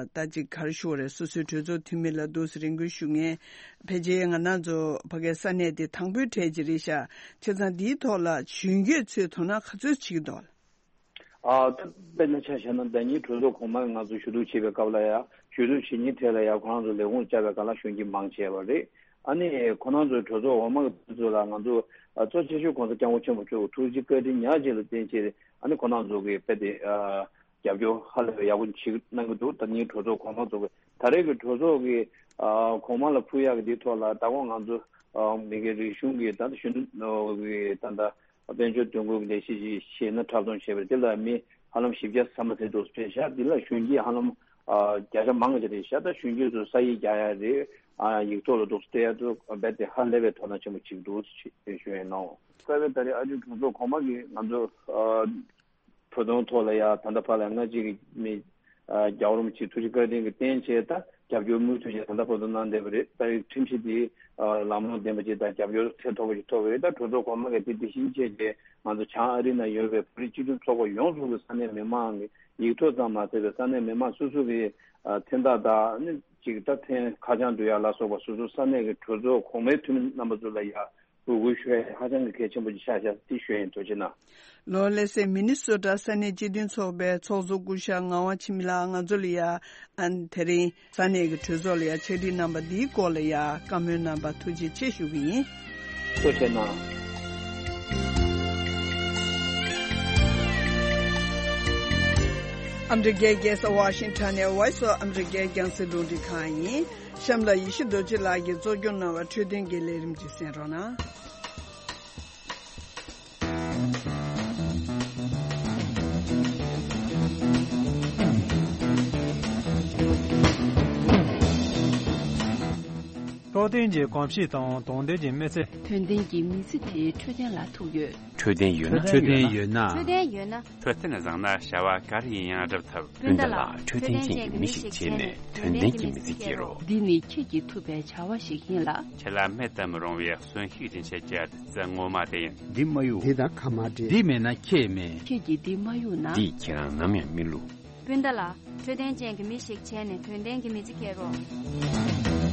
ད་ཅིག་ག་རེ་ཞུ་དགོས་རེད། སོ་སོའི་གྲོས་ཚོགས་འཐུས་མི་ལ་འདུག་སེ་རེ་སྐུལ་ཞུ་མཁན་ཕལ་ཆེར་ང་རང་ཚོ་ཕ་གའི་ས་གནས་དེ་དང་པོའི་གྲས་ཅིག་རེད་ཤག་བྱས་ཙང་འདིའི་ཐོག་ལ་གཞོན་སྐྱེས་ཚོས་དོ་སྣང་ག་ཚོད་བྱེད་ཀྱི་འདུག་ཨ་ད་དཔེར་ན་ཆ་བཞག་ན་ཟླ་ཉིན་གྲོས་ཚོགས་གོང་མ་ང་ཚོ་ཞུ་གཏུག་བྱེད་པའི་སྐབས་ལ་ཡ་ཞུ་གཏུག་བྱེད་མཁན་གྲས་ལ་ཡ་ཁོ་རང་ཚོ་ལས་ཁུངས་བཅར་བའི་སྒང་ལ་གཞོན་སྐྱེས་མང་ཆེ་བ་རེད། ཨ་ནི་ཁོ་རང་ཚོའི་གྲོས་ཚོགས་འོག་མ་གི་དེ་ཚོ་ལ་ང་ཚོ་ཨ་གཙོ་ཆེ་ཤོས་༸གོང་ས་༸སྐྱབས་མགོན་ཆེན་པོ་མཆོག་གི་ཐུགས་རྗེ་བཀའ་དྲིན་ཉག་གཅིག་ལ་བརྟེན་བྱས་ཨ་ནི་ཁོ་རང་ཚོ་གི་དཔེ་དེ་ཨ་རྒྱབ་སྐྱོར་ཧ་ལས་པའི་ཡག་པོ་ཞིག་གནང་གི་འདུག་ད་ནི་གྲོས་ཚོགས་གོང་མ་ཚོ་གི་ད་རེས་ཀྱི་གྲོས་ཚོགས་ཀྱི་ཨ་གོང་མ་ལ་ཕུལ་ཡག་གི་དེའི་ཐོག་ལ་ད་གོང་ང་ཚོ་ ཨ་མི་སྒེར་རིག་གཞུང་གི་ད་ལྟ་གཞོན་ནུ་གི་ད་ལྟ་དཔལ་འབྱོར་དོན་ཁུར་གྱི་ལས་གཞི་ཞིག་ཤེས་ན་འཁྲབ་སྟོན་བྱས་པ་དེ་ལ་མི་ཧ་ལམ་བཞི་བརྒྱ་ས་མ་ཟིན་འདུག་སྤྲད་ཤག་འདི་ལ་གཞོན་སྐྱེས་ཧ་ལམ་ཨ་བརྒྱ་ཆ་མང་ཆེ་རེད་ཤག་ད་གཞོན་སྐྱེས་ཚོ་ས་ཡིག་རྒྱག་ཡ་རེད། ཨ་ཡིག་ཐོག་ལ་འདུག་སྤྲད་ཡ་ཚོ་རྦད་དེ་ཧ་ལས་པའི་དོ་སྣང་ཆེན་པོ་བྱེད་ཀྱི་འདུག་ཞུ་ཡ་ཡིན་ནོ། རྩ་བའི་ད་རེས་ཨ་ཇུ་གྲོས་ཚོགས་གོང་མ་གིས་ང་ཚོ་ཨ་བོད་དོན་ཐོག་ལ་ཡ་ད་ལྟ་བར་ལ་སྔ་ཕྱི་གི་མི་ཨ་རྒྱལ་བ་རིན་པོ་ཆེ་ཐུགས་རྗེ་བཀའ་དྲིན་གྱི་རྟེན་བྱས་ད་རྒྱབ་སྐྱོར་མུ་མཐུད་བྱས་ད་ལྟ་བར་དུ་གནང་བསྡད་པ་རེད། ད་རེས་ཁྲིམས་གཞི་འདི་ཨ་ལམ་ལྷོང་ལྡན་པ་ཅིག་དང་རྒྱབ་སྐྱོར་ཚད་མཐོ་པོ་ཞིག་ཐོབ་པ་རེད། ད་གྲོས་ཚོགས་གོང་མ་གིས་དེ་དེ་བཞིན་བྱས་ཏེ་ང་ཚོ་བྱང་ཨ་རི་ན་ཡོད་པའི་བོད་རིགས་སྤྱི་མཐུན་ཚོགས་པ་ཡོངས་རྫོགས་ཀྱི་ས་གནས་མི་མང་གི་ཡིག་ཐོག་ཙམ་མ་ཟད་པའི་ས་གནས་མི་མང་སོ་སོ་གི་ཨ་མཚན་རྟགས་དང་ནི་ཅིག་ད་མཚན་ཁ་བྱང་འབྲི་ཡག་ལ་སོགས་པ་སོ་སོ་ས་གནས་ཀྱི་གྲོས་ཚོགས་གོང་མའི་འཐུས་མི་རྣམ་པ་ཚོ་ལ་ཡ་འབོད་སྐུལ་ཞུ་ཡ་ཧ་ཅང་གི་གལ་ཆེན་པོ་ཅིག་ཆགས་ཤག་འདི་ཞུ་ཡ་ཡིན། ཐུགས་རྗེ་གནང་། ལོ་ལེ་སེ་མི་ནི་སོ་ཊ་ས་གནས་སྤྱི་མཐུན་ཚོགས་པའི་ཚོགས་གཙོ་སྐུ་ཞབས་ངག་དབང་འཆི་མེད་ལགས་ང་ཚོ་ལ་ཡ་ཨ་དེ་རིང་ས་གནས་ཀྱི་གྲོས་ཚོགས་ལ་ཡ་ཕྱག་བྲིས་གནང་པ་འདིའི་སྐོར་ལ་ཡ་བཀའ་མོལ་གནང་པ་ཐུགས་རྗེ་ཆེ་ཞུ་གི་ཡིན། ཐུགས་རྗེ་གནང་། ཨ་མི་རི་ཀའི་རྒྱལ་ས་ཝ་ཤིང་ཊོན་ནས་Voice of America རྒྱང་སྲིང་རླུང་འཕྲིན་ཁང་ཡིན། གཤམ་ལ་ཡེ་ཤེས་རྡོ་རྗེ་ལགས་ཀྱིས་གཙོ་སྐྱོང་གནང་བའི་འཕྲོད་བསྟེན་གྱི་ལས་རིམ་ཅིག་གསན་རོགས་གནང་། འཕྲོད་བསྟེན་གྱི་གོམས་གཤིས་དང་དོན་ལྡན་གྱི་མི་ཚེ། དོན་ལྡན་གྱི་མི་ཚེ་དེ་འཕྲོད་བསྟེན་ལ་ཐུག་ཡོད། འཕྲོད་བསྟེན་ཡོད་ན། འཕྲོད་བསྟེན་ཡོད་ན། འཕྲོད་བསྟེན་ཡོད་ན། འཕྲོད་བསྟེན་བཟང་ན་བྱ་བ་ག་རེ་ཡིན་ཡང་འགྲུབ་ཐུབ། སྤུན་ཟླ་ལགས་འཕྲོད་བསྟེན་ཅན་གྱི་མི་ཞིག་བྱས་ནས་དོན་ལྡན་གྱི་མི་ཚེ་སྐྱེལ་རོགས། འདི་ནི་ཁྱེད་ཀྱིས་ཐུབ་པའི་བྱ་བ་ཞིག་ཡིན་ལ། ཁྱེད་ལ་མེད་དུ་མི་རུང་བའི་གསོན་ཤུགས་སྦྱིན་བྱེད་ཀྱི་བདུད་རྩི་ངོ་མ་དེ་ཡིན། འདི་མ་གཡུག་འདི་དང་ཁ་མ་འབྲལ། འདི་མེད་ན་ཁྱེད་མེད། ཁྱེད་ཀྱིས་འདི་མ་གཡུག་ན། འདིས་ཁྱེད་རང་ནམ་ཡང་མི་བསླུ། སྤུན་ཟླ་ལགས། འཕྲོད་བསྟེན་ཅན་གྱི་མི་ཞིག་བྱས་ནས་དོན་ལྡན་གྱི་མི་ཚེ་སྐྱེལ་རོགས།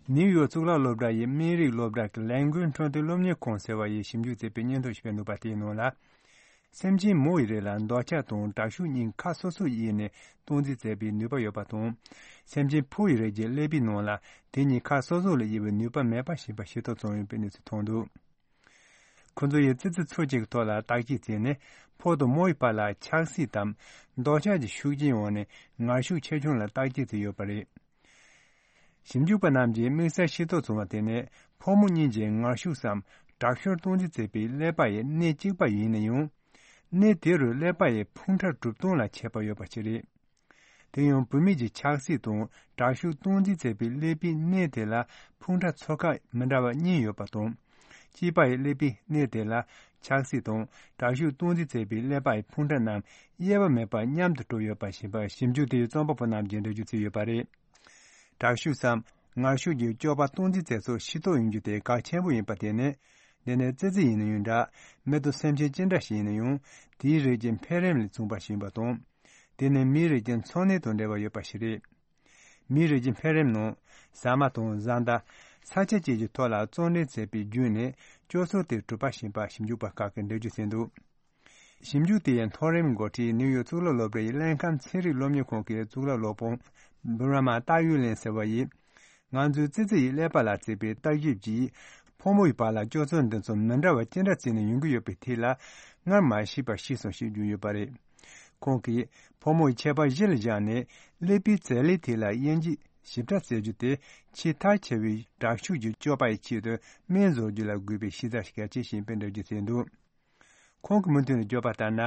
ནིའུ་ཡོག་གཙུག་ལག་སློབ་གྲྭ་ཡི་སྨན་རིགས་སློབ་གྲྭ་གི་ལས་འགུལ་འཕྲོད་བསྟེན་སློབ་གཉེར་ཁང་ཟེར་བ་ཡིས་ཞིབ་འཇུག་བྱས་པའི་སྙན་ཐོ་ཞིག་སྤེལ་འདུག་པ་དེའི་ནང་ལ། སེམས་ཅན་མོ་ཡི་རིགས་ལ་འདོད་ཆགས་དང་དྲག་ཤུགས་གཉིས་ཁ་སོ་སོར་དབྱེ་ནས་སྟངས་འཛིན་མཛད་པའི་ནུས་པ་ཡོད་པ་དང་། སེམས་ཅན་ཕོ་ཡི་རིགས་ཀྱི་ཀླད་པའི་ནང་ལ་དེ་གཉིས་ཁ་སོ་སོ་ལ་དབྱེ་བའི་ནུས་པ་མེད་པ་ཞིག་པ་ཤེས་རྟོགས་བྱུང་ཡོད་པའི་གནས་ཚུལ་ཐོན་འདུག་ཁོ་ཚོ་ཡིས་ཙི་ཙི་ཚོ་གཅིག་གི་ཐོག་ལ་བརྟག་དཔྱད་བྱས་ནས་ཕོ་དང་མོ་ཡི་བར་ལ་ཆགས་སྲེད་དམ་འདོད་ཆགས་ཀྱི་ཤུགས་རྐྱེན་འོག་ནས་ངར་ཤུགས་ཆེ་ཆུང་ལ་བརྟག་དཔྱད་བྱས་ཡོད་པ་རེད། ཞིབ་འཇུག་པ་རྣམས་ཀྱིས་དམིགས་བསལ་ཤེས་རྟོགས་བྱུང་བ་དེ་ནི་ཕོ་མོ་གཉིས་ཀྱི་ངར་ཤུགས་སམ་དྲག་ཤུགས་སྟངས་འཛིན་བྱེད་པའི་ཀླད་པ་ཡི་གནས་གཅིག་པ་ཡིན་ན་ཡང་། གནས་དེ་རུ་ཀླད་པ་ཡི་ཕུང་ཁྲག་གྲུབ་སྟངས་ལ་ཁྱད་པར་ཡོད་པ་ཞིག་རེད། དེ་ཡང་བུད་མེད་ཀྱི་ཆགས་སྲེད་དང་དྲག་ཤུགས་སྟངས་འཛིན་བྱེད་པའི་ཀླད་པའི་གནས་དེ་ལ་ཕུང་ཁྲག་ཚོ་ཁག་མི་འདྲ་བ་གཉིས་ཡོད་པ་དང་། གཅིག་པ་ཡི་ཀླད་པའི་གནས་དེ་ལ་ཆགས་སྲེད་དང་དྲག་ཤུགས་སྟངས་འཛིན་བྱེད་པའི་ཀླད་པ་ཡི་ཕུང་ཁྲག་རྣམས་དབྱེ་བ་མེད་པར་མཉམ་དུ་གྲུབ་ཡོད་པ་ཞིག་པ་ཞིབ་འཇུག་དེའི་རྩོམ་པ་པོ་རྣམས་ཀྱིས་འགྲེལ་བརྗོད་བྱས་ཡོད་པ་རེད། དྲག་ཤུགས་སམ་ངར་ཤུགས་ཀྱི་སྐྱོབ་པ་སྟངས་འཛིན་བྱེད་ཚུལ་ཤེས་རྟོགས་ཡོང་རྒྱུ་དེ་གལ་ཆེན་པོ་ཡིན་པ་དེ་ནི། འདི་ནི་ཙི་ཙི་ཡིན་ན་ཡང་འདྲ། མི་དང་སེམས་ཅན་ཅི་འདྲ་ཞིག་ཡིན་ན་ཡང་དེའི་རིགས་ཀྱི་འཕེལ་རིམ་ལས་མཚོན་པ་ཞིག་ཡིན་པ་དང་། དེ་ནི་མིའི་རིགས་ཀྱི་འཚོ་གནས་དང་འབྲེལ་བ་ཡོད་པ་ཞིག་རེད། མིའི་རིགས་ཀྱི་འཕེལ་རིམ་ནང་ཟ་མ་དང་བཟའ་ཟླ། ས་ཆ་བཅས་ཀྱི་ཐོག་ལ་བརྩོན་ལེན་བྱས་པའི་བརྒྱུད་ནས་སྤྱོད་ཚུལ་དེ་གྲུབ་པ་ཞིག་ཡིན་པ་ཞིབ་འཇུག་པ་ཁག་གིས་འགྲེལ་བརྗོད་བྱས་འདུག་ཞིབ་འཇུག་དེའི་མཐོ་རིམ་འགོ་ཁྲིད་ནིའུ་ཡོག་གཙུག་ལག་སློབ་གྲྭ་ཡི་ལྷན་ཁང་ཚན་རིག་སློབ་གཉེར་ཁང་གི་གཙུག་ལག་སློབ་དཔོན་བྷུ་ར་མ་ཏཱ་ཡུ་ལེན་ཟེར་བ་ཡིས། ང་ཚོའི་ཙི་ཙི་ཡི་ཀླད་པ་ལ་བྱས་པའི་བརྟག་ཞིབ་ཀྱིས་ཕོ་མོ་ཡི་བར་ལ་སྤྱོད་ཚུལ་འདི་ཚོ་མི་འདྲ་བ་ཅི་འདྲ་བྱས་ནས་ཡོང་གི་ཡོད་པའི་ཐད་ལ་སྔར་མ་ཤེས་པ་ཤེས་སོང་ཞེས་བརྗོད་ཡོད་པ་རེད། ཁོང་གིས་ཕོ་མོ་ཡི་ཁྱད་པར་གཞི་ལ་བཞག་ནས་ཀླད་པའི་རྩ་ལས་ཐད་ལ་དབྱེ་འབྱེད་ཞིབ་ཕྲ་བྱེད་རྒྱུ་དེ་ཆེས་མཐར་ཆེ་བའི་དྲག་ཤུགས་ཀྱི་སྤྱོད་པ་ཡི་ཆེད་དུ་སྨན་བཟོ་རྒྱུ་ལ་དགོས་པའི་ཤེས་བྱ་ཞིག་གལ་ཆེ་ཞིང་དཔེ་འགྲེལ་བརྗོད་བྱས་འདུག་ཁོང་གིས་མུ་མཐུད་ནས་བརྗོད་པ་ལྟར་ན།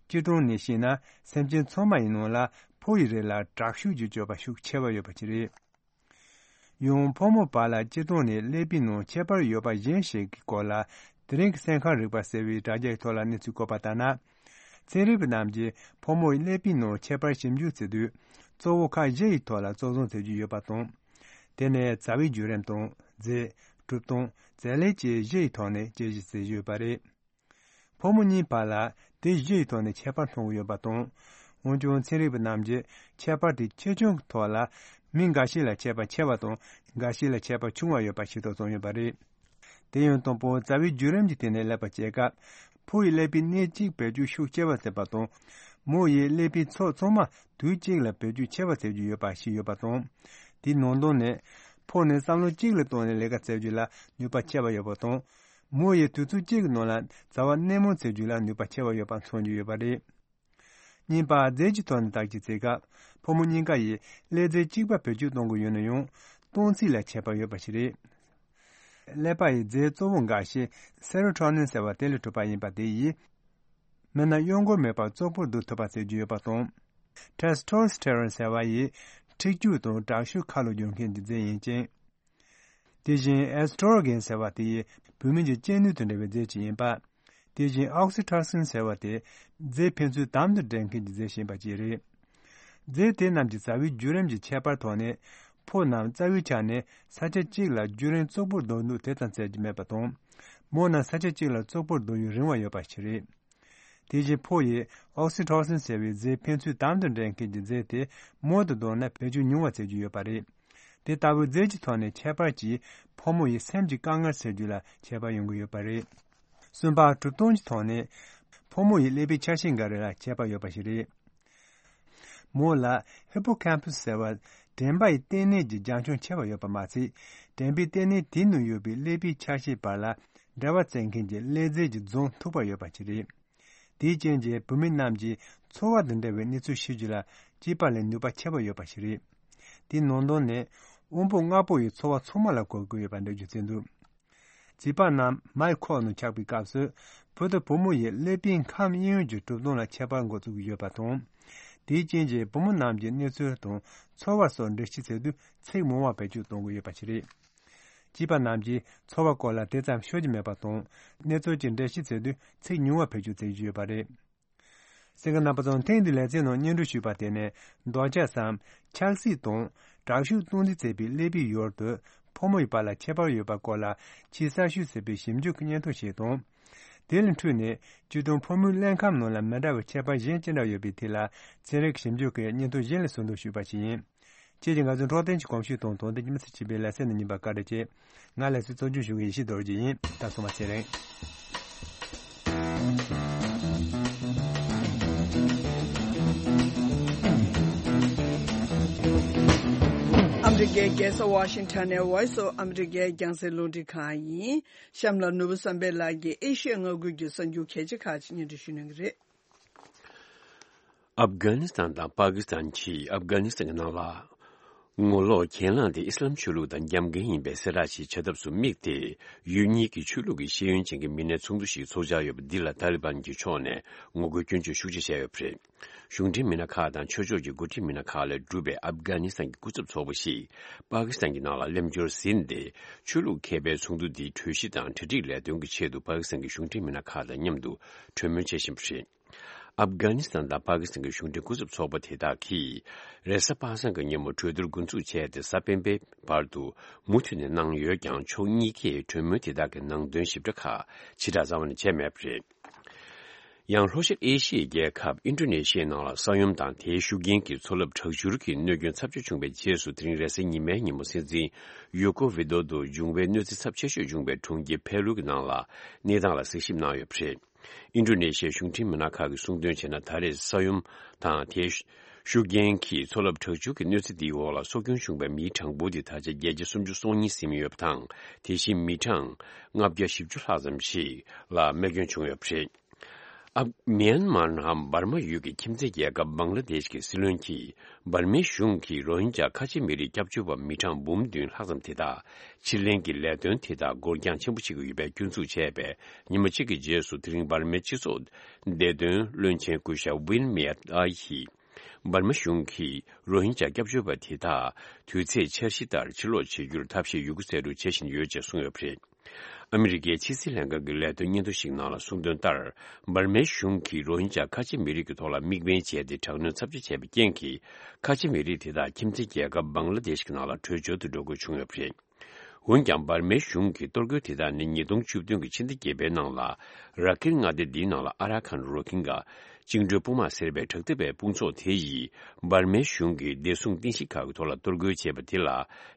སྤྱིར་བཏང་ནས་བཤད་ན་སེམས་ཅན་ཚང་མ་ཡི་ནང་ལ་ཕོ་ཡི་རིགས་ལ་དྲག་ཤུགས་ཀྱི་སྤྱོད་པ་ཤུགས་ཆེ་བ་ཡོད་པ་ཅིག་རེད། ཡང་ཕོ་མོ་བར་ལ་སྤྱིར་བཏང་ནས་ཀླད་པའི་ནང་ཁྱད་པར་ཡོད་པ་གཞན་ཞིག་གི་སྐོར་ལ་དེ་རིང་གི་གསན་ཁང་རིག་པ་ཟེར་བའི་དྲ་རྒྱའི་ཐོག་ལ་གནས་ཚུལ་བཀོད་པ་ལྟར་ན། ཚན་རིག་པ་རྣམས་ཀྱིས་ཕོ་མོ་ཡི་ཀླད་པའི་ནང་ཁྱད་པར་ཞིབ་འཇུག་བྱེད་དུས་གཙོ་བོ་ཁག་བཞི་ཡི་ཐོག་ལ་གཙོ་བཟུང་བྱེད་ཀྱི་ཡོད་པ་དང་། དེ་ནས་རྩ་བའི་བརྒྱུད་རིམ་དང་རྫས། གྲུབ་སྟངས། རྩ་ལས་བཅས་བཞི་ཡི་ཐོག་ནས་དཔྱད་ཞིབ་བྱེད་ཀྱི་ཡོད་པ་རེད། ཕོ་མོ་གཉིས་བར་ལ་དེ་བཞི་ཡི་ཐོག་ནས་ཁྱད་པར་མཐོང་གི་ཡོད་པ་དང་། འོན་ཀྱང་ཚན་རིག་པ་རྣམས་ཀྱིས་ཁྱད་པར་དེ་ཆེ་ཆུང་གི་ཐོག་ལ་མི་འགའ་ཞིག་ལ་ཁྱད་པར་ཆེ་བ་དང་འགའ་ཞིག་ལ་ཁྱད་པར་ཆུང་བ་ཡོད་པ་ཤེས་རྟོགས་བྱུང་ཡོད་པ་རེད། དེ་ཡང་དང་པོ་རྩ་བའི་བརྒྱུད་རིམ་གྱི་སྟེང་ནས་ལབ་པ་བྱེད་སྐབས། ཕོ་ཡི་ཀླད་པའི་གནས་གཅིག་བེད་སྤྱོད་ཤུགས་ཆེ་བ་བྱེད་པ་དང་། མོ་ཡི་ཀླད་པའི་ཚོགས་ཚང་མ་དུས་གཅིག་ལ་བེད་སྤྱོད་ཆེ་བ་བྱེད་རྒྱུ་ཡོད་པ་ཞིག་ཡོད་པ་དང་། དེའི་ནང་དོན་ནི། ཕོ་ནི་བསམ་བློ་གཅིག་ལ་བཏང་ནས་ལས་ཀ་བྱེད་རྒྱུ་ལ་ནུས་པ་ཆེ་བ་ཡོད་པ་དང་། མོ་ཡི་དུས་ཚོད་གཅིག་གི་ནང་ལ་བྱ་བ་སྣེ་མང་བྱེད་རྒྱུ་ལ་ནུས་པ་ཆེ་བ་ཡོད་པ་མཚོན་རྒྱུ་ཡོད་པ་རེད། གཉིས་པ། རྫས་ཀྱི་ཐོག་ནས་བརྟག་དཔྱད་བྱེད་སྐབས། ཕོ་མོ་གཉིས་ཀ་ཡིས་ཀླད་རྫས་གཅིག་པ་བེད་སྤྱོད་གཏོང་གི་ཡོད་ན་ཡང་། གཏོང་ཚིག་ལ་ཁྱད་པར་ཡོད་པ་ཞིག་རེད། ཀླད་པ་ཡི་རྫས་གཙོ་བོ་འགའ་ཞིག་སེ་རོ་ཊོ་ནིན་ཟེར་བ་དེ་ལས་གྲུབ་པ་ཡིན་པ་དེ་ཡིས། མི་སྣ་གཡོ་འགུལ་མེད་པར་བཙོག་པོར་བསྡུ་ཐུབ་པ་ཟེར་རྒྱུ་ཡོད་པ་དང་། ཊེ་སི་ཊོ་སི་ཊེ་རོན་ཟེར་བ་ཡིས་འཁྲིག་སྐྱུག་དང་དྲག་ཤུགས་ཁ་ལོ་སྒྱུར་མཁན་གྱི་རྫས་ཡིན་ཅིང་། དེ་བཞིན་ཨེ་སི་ཊྲོ་གེན་ཟེར་བ་དེ་ཡིས་བུད་མེད་ཀྱི་གཅེས་ནུས་དང་འབྲེལ་བའི་རྫས་ཅིག་ཡིན་པ། དེ་བཞིན་ཨོག་སི་ཊོ་སིན་ཟེར་བ་དེ་རྫས་ཕན་ཚུན་དམ་དུ་འབྲེལ་མཁན་གྱི་རྫས་ཞིག་ཡིན་པ་བཅས་རེད། རྫས་དེ་རྣམས་ཀྱི་རྩ་བའི་བརྒྱུད་རིམ་གྱི་ཁྱད་པར་ཐོག་ནས། ཕོ་རྣམས་རྩ་བའི་ཆ་ནས་ས་ཆ་གཅིག་ལ་བརྒྱུད་རིམ་བཙོག་པོར་བསྡུ་འདུག་དེ་ཙམ་བཙལ་རྒྱུ་མེད་པ་དང་། མོ་རྣམས་ས་ཆ་གཅིག་ལ་བཙོག་པོར་བསྡུ་ཡུན་རིང་བ་ཡོད་པ་ཞིག་རེད། དེ་བཞིན་ཕོ་ཡིས་ཨོག་སི་ཊོ་སིན་ཟེར་བའི་རྫས་ཕན་ཚུན་དམ་དུ་འབྲེལ་མཁན་གྱི་རྫས་དེ་མོ་དང་བསྡུར་ན་བེད་སྤྱོད་ཉུང་བ་བྱེད་རྒྱུ་ཡོད་པ་རེད། དེ་ལྟ་བུའི་རྫས་ཀྱི་ཐོག་ནས་ཁྱད་པར་གྱིས་ཕོ་མོ་ཡི་སེམས་ཀྱི་དཀའ་ངལ་སེལ་རྒྱུ་ལ་ཁྱད་པར་ཡོང་གི་ཡོད་པ་རེད། གསུམ་པ། གྲུབ་སྟངས་ཀྱི་ཐོག་ནས་ཕོ་མོ་ཡི་ཀླད་པའི་ཆ་ཤས་འགའ་རེ་ལ་ཁྱད་པར་ཡོད་པ་ཞིག་རེད། མོ་ལ་ཧི་པོ་ཀེམ་པ་སི་ཟེར་བ་དྲན་པ་ཡི་ལྟེ་གནས་ཀྱི་རྒྱང་མཐོང་ཆེ་བ་ཡོད་པ་མ་ཟད། དྲན་པའི་ལྟེ་གནས་དེའི་ནང་ཡོད་པའི་ཀླད་པའི་ཆ་ཤས་བར་ལ་འབྲེལ་བ་བཙལ་མཁན་གྱི་ཀླད་རྫས་ཀྱི་རྫོང་མཐུག་པ་ཡོད་པ་ཞིག་རེད། དེའི་རྐྱེན་གྱིས་བུད་མེད་རྣམས་ཀྱིས་ཚོར་བ་དང་འབྲེལ་བའི་གནས་ཚུལ་ཤེས་རྒྱུ་ལ་སྐྱེས་པ་ལས་ནུས་པ་ཆེ་བ་ཡོད་པ་ཞིག་རེད། དེའི་ནང་དོན་ནི། དབང་པོ་ལྔ་པོ་ཡི་ཚོར་བ་ཚང་མ་ལ་གོ་དགོས་ཡོད་པ་འགྲེལ་བརྗོད་བྱས་འདུག་བྱིས་པ་རྣམས་མའི་ཁོག་ནང་ཆགས་པའི་སྐབས་སུ། བུ་དང་བུ་མོ་ཡི་ཀླད་པའི་ཁམས་གཡས་གཡོན་གྱི་གྲུབ་སྟངས་ལ་ཁྱད་པར་འགོ་བཙུགས་ཀྱི་ཡོད་པ་དང་། དེའི་རྐྱེན་གྱིས་བུ་མོ་རྣམས་ཀྱིས་གནས་ཚུལ་དང་ཚོར་བ་སོགས་འགྲེལ་བཤད་བྱེད་དུས་ཚིག་མང་བ་བེད་སྤྱོད་གཏོང་གི་ཡོད་པ་ཞིག་རེད། བྱིས་པ་རྣམས་ཀྱིས་ཚོར་བ་སྐོར་ལ་དེ་ཙམ་ཤོད་ཀྱི་མེད་པ་དང་། གནས་ཚུལ་གྱི་འགྲེལ་བཤད་བྱེད་དུས་ཚིག་ཉུང་བ་བེད་སྤྱོད་བྱེད་ཀྱི་ཡོད་པ་རེད། གསན་མཁན་རྣམ་པ་ཚོ། ཐེངས་འདིའི་ལེ་ཚན་ནང་སྙན་སྒྲོན་ཞུས་པ་དེ་ནི། འདོད་ཆགས་སམ། ཆགས་སྲེད་དང་། དྲག་ཤུགས་གཏོང་རྩིས་བྱེད་པའི་ཀླད་པའི་ཡུལ་དུ། ཕོ་མོ་ཡི་བར་ལ་ཁྱད་པར་ཡོད་པ་སྐོར་ལ། ཆེས་གསར་ཤོས་ཟེར་བའི་ཞིབ་འཇུག་གི་སྙན་ཐོ་ཞིག་དང་། དེ་ལས་འཕྲོས་ནས། སྤྱིར་བཏང་ཕོ་མོའི་ཀླད་ཁམས་ནང་ལ་མི་འདྲ་བའི་ཁྱད་པར་གཞན་ཅི་འདྲ་ཡོད་པའི་ཐད་ལ། ཚན་རིག་ཞིབ་འཇུག་གི་སྙན་ཐོ་གཞན་ལས་ཟུར་འདོན་ཞུས་པ་ཞིག་ཡིན། ཁྱེད་ཀྱིས་ང་ཚོའི་འཕྲོད་བསྟེན་གྱི་གོམས་གཤིས་དང་དོན་ལྡན་གྱི་མི་ཚེ་སྐྱིད་པའི་ལེ་ཚན་ནང་ཉན་པར་བཀའ་དྲིན་ཆེ། ང་ལེ་ཚན་གཙོ་སྐྱོང་ཞུ་མཁན་ཡེ་ཤེས་རྡོ་རྗེ་ཡིན། ད་སོང་བ་ཚེ་རིང་། ཨ་མི་རི་ཀའི་རྒྱལ་ས་ཝ་ཤིང་ཊོན་ནས་Voice of America རྒྱང་སྲིང་རླུང་འཕྲིན་ཁང་ཡིན། གཤམ་ལ་ནོར་བུ་བསམ་འཕེལ་ལགས་ཀྱིས་ཨེ་ཤི་ཡ་མངའ་ཁུལ་གྱི་གསར་འགྱུར་གལ་ཆེ་ཁག་ཅིག་སྙན་སྒྲོན་ཞུ་གནང་གི་རེད། ཨབ་གྷ་ནི་སི་ཐན་དང་པ་ཀི་སི་ཐན་གྱིས་ཨབ་གྷ་ནི་སི་ཐན་གྱི་ནང་ལ། ངོ་ལོག་གྱེན་ལངས་དེ་ཨི་སི་ལམ་ཆོས་ལུགས་དང་རྒྱབ་འགལ་ཡིན་པའི་གསལ་བསྒྲགས་ཤིག་བྱ་ཐབས་སུ་དམིགས་ཏེ། ཡུལ་གཉིས་ཀྱི་ཆོས་ལུགས་ཀྱི་ཤེས་ཡོན་ཅན་གྱི་མི་སྣའི་ཚོགས་འདུ་ཞིག་འཚོགས་འཆར་ཡོད་པ་འདི་ལ་ཏཱ་ལི་བན་གྱི་ཕྱོགས་ནས་ངོ་རྒོལ་སྐྱོན་བརྗོད་ཤུགས་ཆེ་བྱས་ཡོད་པ་རེད། གཞུང་འབྲེལ་མི་སྣ་ཁག་དང་ཆོས་ཕྱོགས་ཀྱི་འགོ་ཁྲིད་མི་སྣ་ཁག་ལས་གྲུབ་པའི་ཨབ་གྷ་ནི་སི་ཐན་གྱི་སྐུ་ཚབ་ཚོགས་པ་ཞིག་པ་ཀི་སི་ཐན་གྱི་ནང་ལ་སླེབས་འབྱོར་ཟིན་ཏེ། ཆོས་ལུགས་མཁས་པའི་ཚོགས་འདུ་འདིའི་གྲོས་གཞི་དང་གྲ་སྒྲིག་ལས་དོན་གྱི་ཆེད་དུ་པ་ཀི་སི་ཐན་གྱི་གཞུང་འབྲེལ་མི་སྣ་ཁག་དང་མཉམ་དུ་གྲོས་མོལ་བྱེད་བཞིན་པ་རེད། ཨབ་གྷ་ནི་སི་ཐན་དང་པ་ཀི་སི་ཐན་གྱི་གཞུང་འབྲེལ་སྐུ་ཚབ་ཚོགས་པ་དེ་དག་གིས། རེས་གཟའ་པ་སངས་ཀྱི་ཉིན་མོ་གྲོས་བསྡུར་འགོ་འཛུགས་བྱས་ཏེ། གཟའ་སྤེན་པའི་བར་དུ་མུ་མཐུད་ནས་གནང་ཡོད་ཀྱང་། ཕྱོགས་གཉིས་ཀས་གྲོས་མོལ་དེ་དག་གི་ནང་དོན་ཞིབ་ཕྲ་ཁག་ཕྱི་བསྒྲགས་རྩ་བ་ནས་བྱས་མེད་པ་རེད། ཡང་ལྷོ་ཤར་ཨེ་ཤི་ཡའི་རྒྱལ་ཁབ་ཨིན་ཌོ་ནེ་ཤི་ཡའི་ནང་ལ་ས་ཡོམ་དང་དེའི་ཤུགས་རྐྱེན་གྱིས་མཚོ་རླབས་དྲག་འཕྱུར་གྱི་གནོད་སྐྱོན་ཚབས་ཆེ་བྱུང་བའི་རྗེས་སུ། དེ་རིང་རེས་གཟའ་ཉི་མའི་ཉིན་མོ་སྲིད་འཛིན་ཡོ་ཀོ་ཝི་དོ་དུ་འབྱུང་བའི་གནོད་འཚེ་ཚབས་ཆེ་ཤོས་བྱུང་བའི་གྲོང་ཁྱེར་ཕེ་ལུ་གི་ནང་ལ་གནས་སྟངས་ལ་གཟིགས་ཞིབ་གནང་ཡོད་པ་རེད། ཨིན་ཌོ་ནེ་ཤི་ཡའི་གཞུང་འབྲེལ་མི་སྣ་ཁག་གིས་གསུངས་དོན་བྱས་ན། ད་རེས་ས་ཡོམ་དང་དེའི་ཤུགས་རྐྱེན་གྱིས་མཚོ་རླབས་དྲག་འཕྱུར་གྱི་གནོད་འཚེ་འདིའི་འོག་ལ་སྲོག་སྐྱོན་བྱུང་བའི་མིའི་གྲངས་འབོར་དེ་ད་ཆ་བརྒྱད་བརྒྱ་སུམ་ཅུ་སོ་གཉིས་ཟིན་ཡོད་པ་དང་། དེ་བཞིན་མི་གྲངས་ལྔ་བརྒྱ་བཞི་བཅུ་ལྷག་ཙམ་ཞིག་ལ་རྨས་སྐྱོན་བྱུང་ཡོད་པ་རེད། ཨ། མིའན་མཱར་ནམ་འབར་མ་ཡུལ་གྱི་ཁྱིམ་མཚེས་རྒྱལ་ཁབ་བང་ལ་དེཤ་གི་སྲིད་བློན་གྱིས། འབར་མའི་གཞུང་གིས་རོ་ཧིན་ཇཱ་ཁ་ཆེ་མི་རིགས་སྐྱབས་བཅོལ་བ་མི་གྲངས་འབུམ་བདུན་ལྷག་ཙམ་དེ་དག་ཕྱིར་ལེན་གྱི་ལས་དོན་དེ་དག་འགོར་འགྱངས་ཆེན་པོ་བྱེད་ཀྱི་ཡོད་པའི་སྐྱོན་འཛུགས་བྱས་པའི་ཉིན་མ་གཅིག་གི་རྗེས་སུ། དེ་རིང་འབར་མའི་སྤྱི་ཚོགས་བདེ་དོན་བློན་ཆེན་སྐུ་ཞབས་ཝིན་མེ་ཡར་ཨ་ཡིས། འབར་མ་གཞུང་གིས་རོ་ཧིན་ཇཱ་སྐྱབས་བཅོལ་བ་དེ་དག་དུས་ཚོད་འཆར་གཞི་ལྟར་ཕྱིར་ལོག་བྱེད་རྒྱུར་ཐབས་ཤེས་ཡོད་རྒུ་རྩལ་སྤྲུགས་བྱེད་བཞིན་ཡོད་ཅེས་གསུངས་ཡོད་པ་རེད། ཨ་མི་རི་ཀའི་ཕྱི་སྲིད་ལྷན་ཁང་གི་ལས་དོན་སྙན་ཐོ་ཞིག་ནང་ལ་གསུངས་དོན་ལྟར། འབར་མའི་གཞུང་གིས་རོ་ཧིན་ཇཱ་ཁ་ཆེ་མི་རིགས་ཀྱི་ཐོག་ལ་དམིགས་འབེན་བྱས་ཏེ། དྲག་གནོན་ཚབས་ཆེ་བྱས་པའི་རྐྱེན་གྱིས། ཁ་ཆེ་མི་རིགས་དེ་དག་ཁྱིམ་མཚེས་རྒྱལ་ཁབ་བང་ལ་དེཤ་གི་ནང་ལ་བྲོས་བྱོལ་དུ་འགྲོ་དགོས་བྱུང་ཡོད་པ་རེད། འོན་ཀྱང་། འབར་མའི་གཞུང་གི་གཏོར་རྒོལ་དེ་དག་ནི་ཉིས་སྟོང་བཅུ་བདུན་གྱི་ཕྱི་ཟླ་བརྒྱད་པའི་ནང་ལ། ར་ཁིན་མངའ་སྡེ་འདིའི་ནང་ལ་ཨ་ར་ཁན་རོ་ཧིན་གྷ་བཅིངས་འགྲོལ་དཔུང་དམག་ཟེར་བའི་དྲག་འཐབ་པའི་དཔུང་ཚོགས་དེ་ཡིས། འབར་མའི་གཞུང་གི་བདེ་སྲུང་རྟེན་གཞི་ཁག་གི་ཐོག་ལ་གཏོར་རྒོལ་བྱས་པ་དེ་ལ།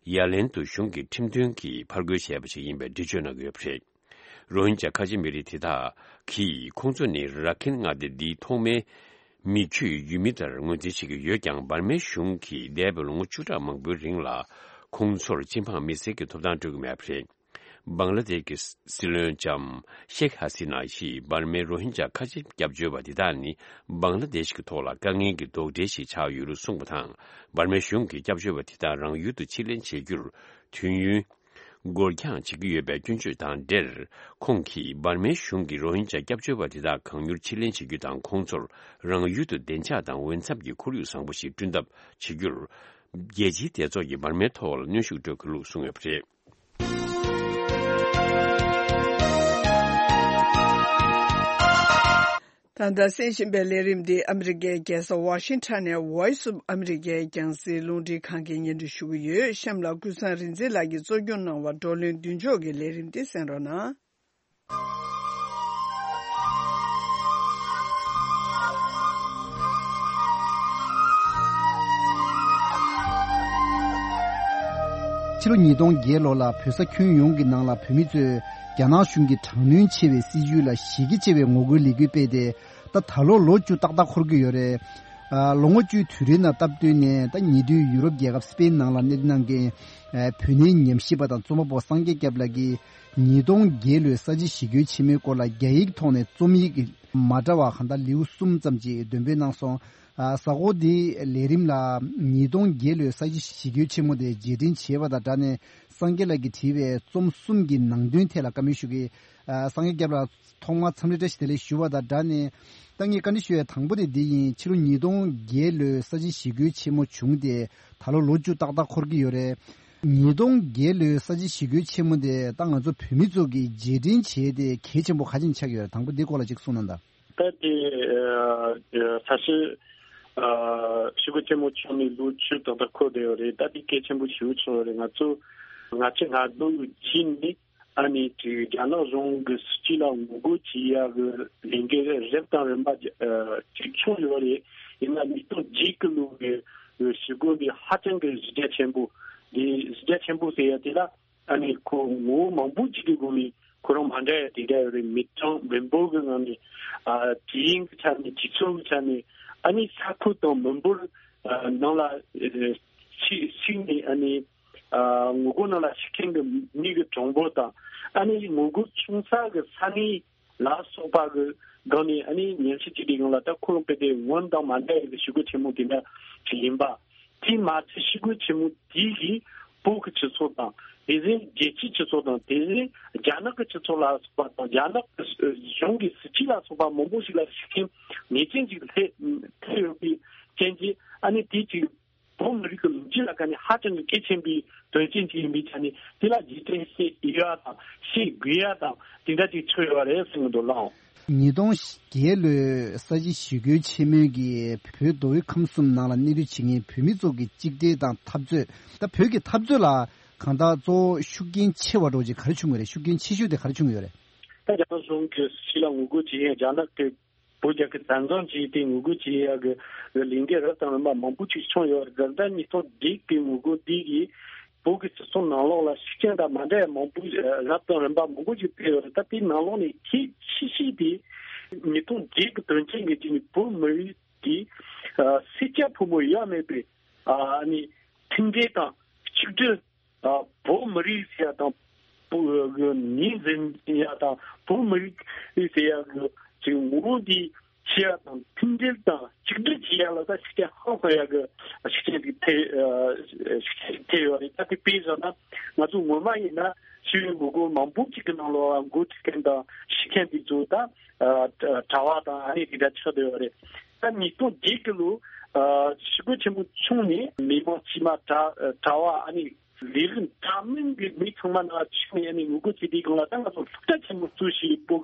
ཡ་ལན་དུ་གཞུང་གི་ཁྲིམས་མཐུན་གྱིས་ཕར་རྒོལ་བྱས་པ་ཞིག་ཡིན་པའི་འགྲེལ་བརྗོད་གནང་གི་ཡོད་པ་རེད། རོ་ཧིན་ཇཱ་ཁ་ཆེ་མི་རིགས་དེ་དག་གིས། ཁོང་ཚོ་ནི་ར་ཁིན་མངའ་སྡེ་འདིའི་ཐོག་མའི་མི་ཆོས་ཡུལ་མི་ལྟར་ངོས་འཛིན་བྱེད་ཀྱི་ཡོད་ཀྱང་། འབར་མའི་གཞུང་གིས་འདས་པའི་ལོ་ངོ་བཅུ་ཕྲག་མང་པོའི་རིང་ལ། ཁོང་ཚོར་སྤྱི་འབངས་མི་སེར་གྱི་ཐོབ་ཐང་སྤྲོད་ཀྱི་མེད་པ་རེད། བང་ལ་དེཤ་གི་སྲིད་བློན་ལྕམ་ཤེག་ཧ་སི་ན་ཡིས་འབར་མའི་རོ་ཧིན་ཇཱ་ཁ་ཆེ་སྐྱབས་བཅོལ་བ་དེ་དག་ནི་བང་ལ་དེཤ་གི་ཐོག་ལ་དཀའ་ངལ་གྱི་རྡོག་འགྲེལ་ཞིག་ཆགས་ཡོད་ལུགས་གསུངས་པ་དང་། འབར་མའི་གཞུང་གིས་སྐྱབས་བཅོལ་བ་དེ་དག་རང་ཡུལ་དུ་ཕྱིར་ལེན་བྱེད་རྒྱུར་དུས་ཡུན་འགོར་འགྱངས་བྱེད་ཀྱི་ཡོད་པའི་སྐྱོན་བརྗོད་དང་འབྲེལ། ཁོང་གིས་འབར་མའི་གཞུང་གིས་རོ་ཧིན་ཇཱ་སྐྱབས་བཅོལ་བ་དེ་དག་གང་མྱུར་ཕྱིར་ལེན་བྱེད་རྒྱུ་དང་། ཁོང་ཚོར་རང་ཡུལ་དུ་བདེ་འཇགས་དང་འོས་འཚམ་གྱི་ཁོར་ཡུག་བཟང་པོ་ཞིག་བསྐྲུན་ཐབས་བྱེད་རྒྱུར། རྒྱལ་སྤྱིའི་སྡེ་ཚོགས་ཀྱིས་འབར་མའི་ཐོག་ལ་གནོན་ཤུགས་སྤྲོད་དགོས་ལུགས་གསུངས་ཡོད་པ་རེད། ད་ལྟ་གསན་བཞིན་པའི་ལས་རིམ་འདི་ཨ་མི་རི་ཀའི་རྒྱལ་ས་ཝ་ཤིང་ཊོན་ནས་Voice of America རྒྱང་སྲིང་རླུང་འཕྲིན་ཁང་གིས་སྙན་སྒྲོན་ཞུ་གི་ཡོད། གཤམ་ལ་ཀུན་བཟང་རིག་འཛིན་ལགས་ཀྱིས་གཙོ་སྐྱོང་གནང་བ་བགྲོ་གླེང་མདུན་ཕྱོགས་ཀྱི་ལས་རིམ་འདི་གསན་རོགས་གནང་། ཕྱི་ལོ་ཉིས་སྟོང་བརྒྱད་ལོ་ལ་བོད་ས་ཁྱོན་ཡོངས་ཀྱི་ནང་ལ་བོད་མི་ཚོས་རྒྱ་ནག་གཞུང་གི་དྲག་གནོན་ཆེ་བའི་སྲིད་བྱུས་ལ་ཞེ་གི་ཆེ་བའི་ངོ་རྒོལ་ལས་འགུལ་སྤེལ་ཏེ། ད་ད་ལོ་ལོ་བཅུ་ཏག་ཏག་འཁོར་གྱི་ཡོད་རེད། ཨ། ལོ་ངོ་བཅུའི་དུས་རིང་ནང་སྟབས་བསྟུན་ནས་ད་ཉེ་དུས་ཡུ་རོབ་རྒྱལ་ཁབ་སི་པེན་ནང་ལ་གནས་སྡོད་གནང་མཁན་ཨ་བོད་གནས་ཉམས་ཞིབ་པ་དང་རྩོམ་པ་པོ་སངས་རྒྱས་སྐྱབས་ལགས་ཀྱིས་ཉིས་སྟོང་བརྒྱད་ལོའི་ས་བྱི་ཞི་རྒོལ་ཆེན་མོའི་སྐོར་ལ་རྒྱ་ཡིག་ཐོག་ནས་རྩོམ་ཡིག་མ་འདྲ་བ་གང་ལྟར་ལེའུ་གསུམ་ཙམ་ཅིག་འདོན་སྤེལ་གནང་སོང་། ཨ། གཟའ་འཁོར་འདིའི་ལས་རིམ་ལ་ཉིས་སྟོང་བརྒྱད་ལོའི་ས་བྱི་ཞི་རྒོལ་ཆེན་མོ་དེ་རྗེས་དྲན་བྱས་པ་དང་སྦྲགས་ནས་སངས་རྒྱས་ལགས་ཀྱིས་བྲིས་པའི་རྩོམ་གསུམ་གྱི་ནང་དོན་ཐད་ལ་བཀའ་མོལ་ཞུ་གི། ཨ། སངས་རྒྱས་སྐྱབས་ལགས། ཐོག་མར་འཚམས་འདྲི་བཀྲ་ཤིས་བདེ་ལེགས་ཞུ་བ་དང་སྦྲགས་ནས། ད་ངས་བཀའ་འདྲི་ཞུ་ཡ་དང་པོ་དེ་འདི་ཡིན། ཕྱི་ལོ་ཉིས་སྟོང་བརྒྱད་ལོའི་ས་བྱི་ཞི་རྒོལ་ཆེན་མོ་བྱུང་སྟེ་ད་ལོ་ལོ་བཅུ་ཏག་ཏག་འཁོར་གྱི་ཡོད་རེད། ཉིས་སྟོང་བརྒྱད་ལོའི་ས་བྱི་ཞི་རྒོལ་ཆེན་མོ་དེ་ད་ང་ཚོ་བོད་མི་ཚོ་གིས་རྗེས་དྲན་བྱས་ཏེ་གལ་ཆེན་པོ་ག་ཅིག་ཆགས་ཡོད་རེད། དང་པོ་འདི་སྐོར་ལ་ཅིག་གསུངས་གནང་དང་། ད་དེ་ཨ་ཨ་ས་བྱི་ཨ་ཞི་རྒོལ་ཆེན་མོ་བྱུང་ནས་ལོ་བཅུ་ཏག་ཏག་འཁོར་བསྡད་ཡོད་རེད། ད་དེ་གལ་ཆེན་པོ་ཞེ་པོ་ཅིག་ཡོད་རེད། ང་ཚོ་ང་ཚོ་ང་ཚོ་གཞིས་ནས། ཨ་ནི་ཅིག་རྒྱ་ནག་གཞུང་གི་སྲིད་བྱུས་ལ་ངོ་རྒོལ་བྱེད་ཡག་གི་ལས་འགུལ་རབ་དང་རིམ་པ་ཅིག་བྱུང་ཡོད་རེད། ཡིན་ན་ཉིས་སྟོང་བརྒྱད་གི་ལོ་གི་ཞི་རྒོལ་འདི་ཧ་ཅང་གི་གཞི་རྒྱ་ཆེན་པོ། འདི་གཞི་རྒྱ་ཆེན་པོ་ཟེར་ཡ་དེ་ལ་ཨ་ནི་ཁོ་ངོ་བོ་མང་པོ་ཅིག་གི་སྒོ་ནས་ཁོ་རང་མ་འདྲ་ཡ་དེ་འདྲ་ཡོད་རེད། མི་གྲངས་མི་འབོར་གི་ངང་ནས། ཨ། དུས་ཡུན་གི་ཆ་ནས། དུས་ཚོད་གི་ཆ་ནས། ཨ་ནི་ས་ཁུལ་དང་མི་འབོར་ཨ་ནང་ལ་ཨ་ཞིག་ཞིག་ནས། ཨ་ནི། ཨ། ངོ་རྒོལ་ནང་ལ་ཞུགས་མཁན་གྱི་མི་གི་གྲངས་འབོར་དང་། ཨ་ནི་ངོ་རྒོལ་བྱུང་ས་གི་ས་གནས་ལ་སོགས་པ་གི་སྒང་ནས། ཨ་ནི་ཉམས་ཞིབ་བྱས་དུས་སྒང་ལ་ད་ཁོ་རང་དཔེ་དེ་སྔོན་དང་མ་འདྲ་བའི་གི་ཞི་རྒོལ་ཆེན་མོ་དེ་འདྲ་ཞིག་ཡིན་པ། དེ་མ་ཚད་ཞི་རྒོལ་ཆེན་མོ་དེ་གིས་བོད་ཀྱི་སྤྱི་ཚོགས་དང་། དེ་བཞིན་རྒྱལ་སྤྱིའི་སྤྱི་ཚོགས་དང་། དེ་བཞིན་རྒྱ་ནག་གི་སྤྱི་ཚོགས་ལ་སོགས་པ་དང་། རྒྱ་ནག་གི་གཞུང་གི་སྲིད་བྱུས་ལ་སོགས་པ་མང་པོ་ཞིག་ལ་ཤུགས་རྐྱེན་ངེས་ཅན་ཞིག་ཐེབས་ཐེབས་ཡོད་པའི་རྐྱེན་གྱིས། ཨ་ནི་དེ་ཅིག་བོད་མི་རིགས་ཀྱི་ལོ་རྒྱུས་ལ་ཁ་ནས་ཧ་ཅང་གི་གལ་ཆེན་པོའི་དོན་རྐྱེན་ཅིག་ཡིན་པའི་ཆ་ནས། དེ་ལ་རྗེས་དྲན་བྱེད་ཡ་དང་། བྱེད་དགོས་ཡ་དང་། དེ་འདྲ་ཅིག་ཆགས་ཡོད་རེད་ཟེར་གྱི་འདུག་ལགས། ཉིས་སྟོང་བརྒྱད་ལོའི་ས་བྱི་ཞི་རྒོལ་ཆེན་མོའི་གི་བོད་མདོ་དབུས་ཁམས་གསུམ་ནང་ལ་གནས་སྡོད་བྱེད་མཁན་བོད་མི་ཚོ་གི་གཅིག་སྒྲིལ་དང་འཐབ་རྩོད། ད་བོད་ཀྱི་འཐབ་རྩོད་ལ་གང་ལྟར་གཙོ་བོ་ཤུགས་རྐྱེན་ཆེ་བ་འདྲ་བོ་ཅིག་ག་རེ་བྱུང་ཡོད་རེད། ཤུགས་རྐྱེན་ཆེ་ཤོས་དེ་ག་རེ་བྱུང་ཡོད་རེད། ད་རྒྱ་ནག་གཞུང་གི་སྲིད་བྱུས་ལ་ངོ་རྒོལ་བྱེད་མཁན། རྒྱ་ནག་གི་བོད་རྒྱལ་ཁབ་བཙན་བཟུང་བྱས་ཏེ་ངོ་རྒོལ་བྱེད་ཡག་གི་ལས་འགུལ་རབ་དང་རིམ་པ་མང་པོ་ཅིག་བྱུང་ཡོད་རེད། ད་ལྟ་ཉིས་སྟོང་བརྒྱད་ཀྱི་ངོ་རྒོལ་འདི་གིས་བོད་ཀྱི་སྤྱི་ཚོགས་ནང་ལོགས་ལ་ཤུགས་རྐྱེན་དང་མ་འདྲ་བ་མང་པོ་རབ་དང་རིམ་པ་མང་པོ་ཅིག་ཕེབས་ཡོད་རེད། ད་དེའི་ནང་ལོགས་ནས་གལ་ཆེ་ཤོས་དེ་ཉིས་སྟོང་བརྒྱད་ཀྱི་དོན་རྐྱེན་གྱི་རྗེས་ནས་བོད་མི་རིགས་ཀྱི་ཨ་སེར་སྐྱ་ཕོ་མོ་ཡོད་མེད་པའི་ཨ་ནི་མཐུན་སྒྲིལ་དང་གཅིག་སྒྲིལ། ཨ་བོད་མི་རིགས་ཟེར་ཡ་དང་། བོད་ངོས་འཛིན་ཡ་དང་། བོད་མི་རིགས་ཟེར་ཡ་གི་ཅིག་ངོ་བོ་འདི་ཤེས་ཡ་དང་། མཐུན་སྒྲིལ་དང་གཅིག་སྒྲིལ་བྱེད་ཡ་ལ་ད་ཤུགས་རྐྱེན་ཧང་སང་ཡ་གི་ཤུགས་རྐྱེན་ཅིག་ཐེབས། ཨ་ཤུགས་རྐྱེན་ཅིག་ཐེབས་ཡོད་རེད། ད་དེ་དཔེ་བཞག་ན་ང་ཚོ་སྔོན་མ་ཡིན་ན་ཤེས་ཡོན་ངོ་རྒོལ་མང་པོ་ཅིག་གི་ནང་ལོགས་འགོ་ཁྲིད་མཁན་དང་ཤེས་མཁན་དེ་ཚོ་ད་ཨ་གྲྭ་བ་དང་ཨ་ནི་དེ་འདྲ་ཆགས་བསྡད་ཡོད་རེད། ད་ཉིས་སྟོང་བརྒྱད་ཀྱི་ལོ་ཨ་ཞི་རྒོལ་ཆེན་པོ་བྱུང་ནས་མི་མང་དཀྱུས་མ་གྲྭ་གྲྭ་བ་ཨ་ནི་ལས་རིགས་འདྲ་མིན་གྱི་མི་ཚང་མ་ནང་ཆིག་ནས་ཨ་ནི་ངོ་རྒོལ་བྱེད་དུས་སྒང་ལ། ད་ང་ཚོ་སློབ་གྲྭ་ཆེན་མོ་གཙོས་བྱས་བོད་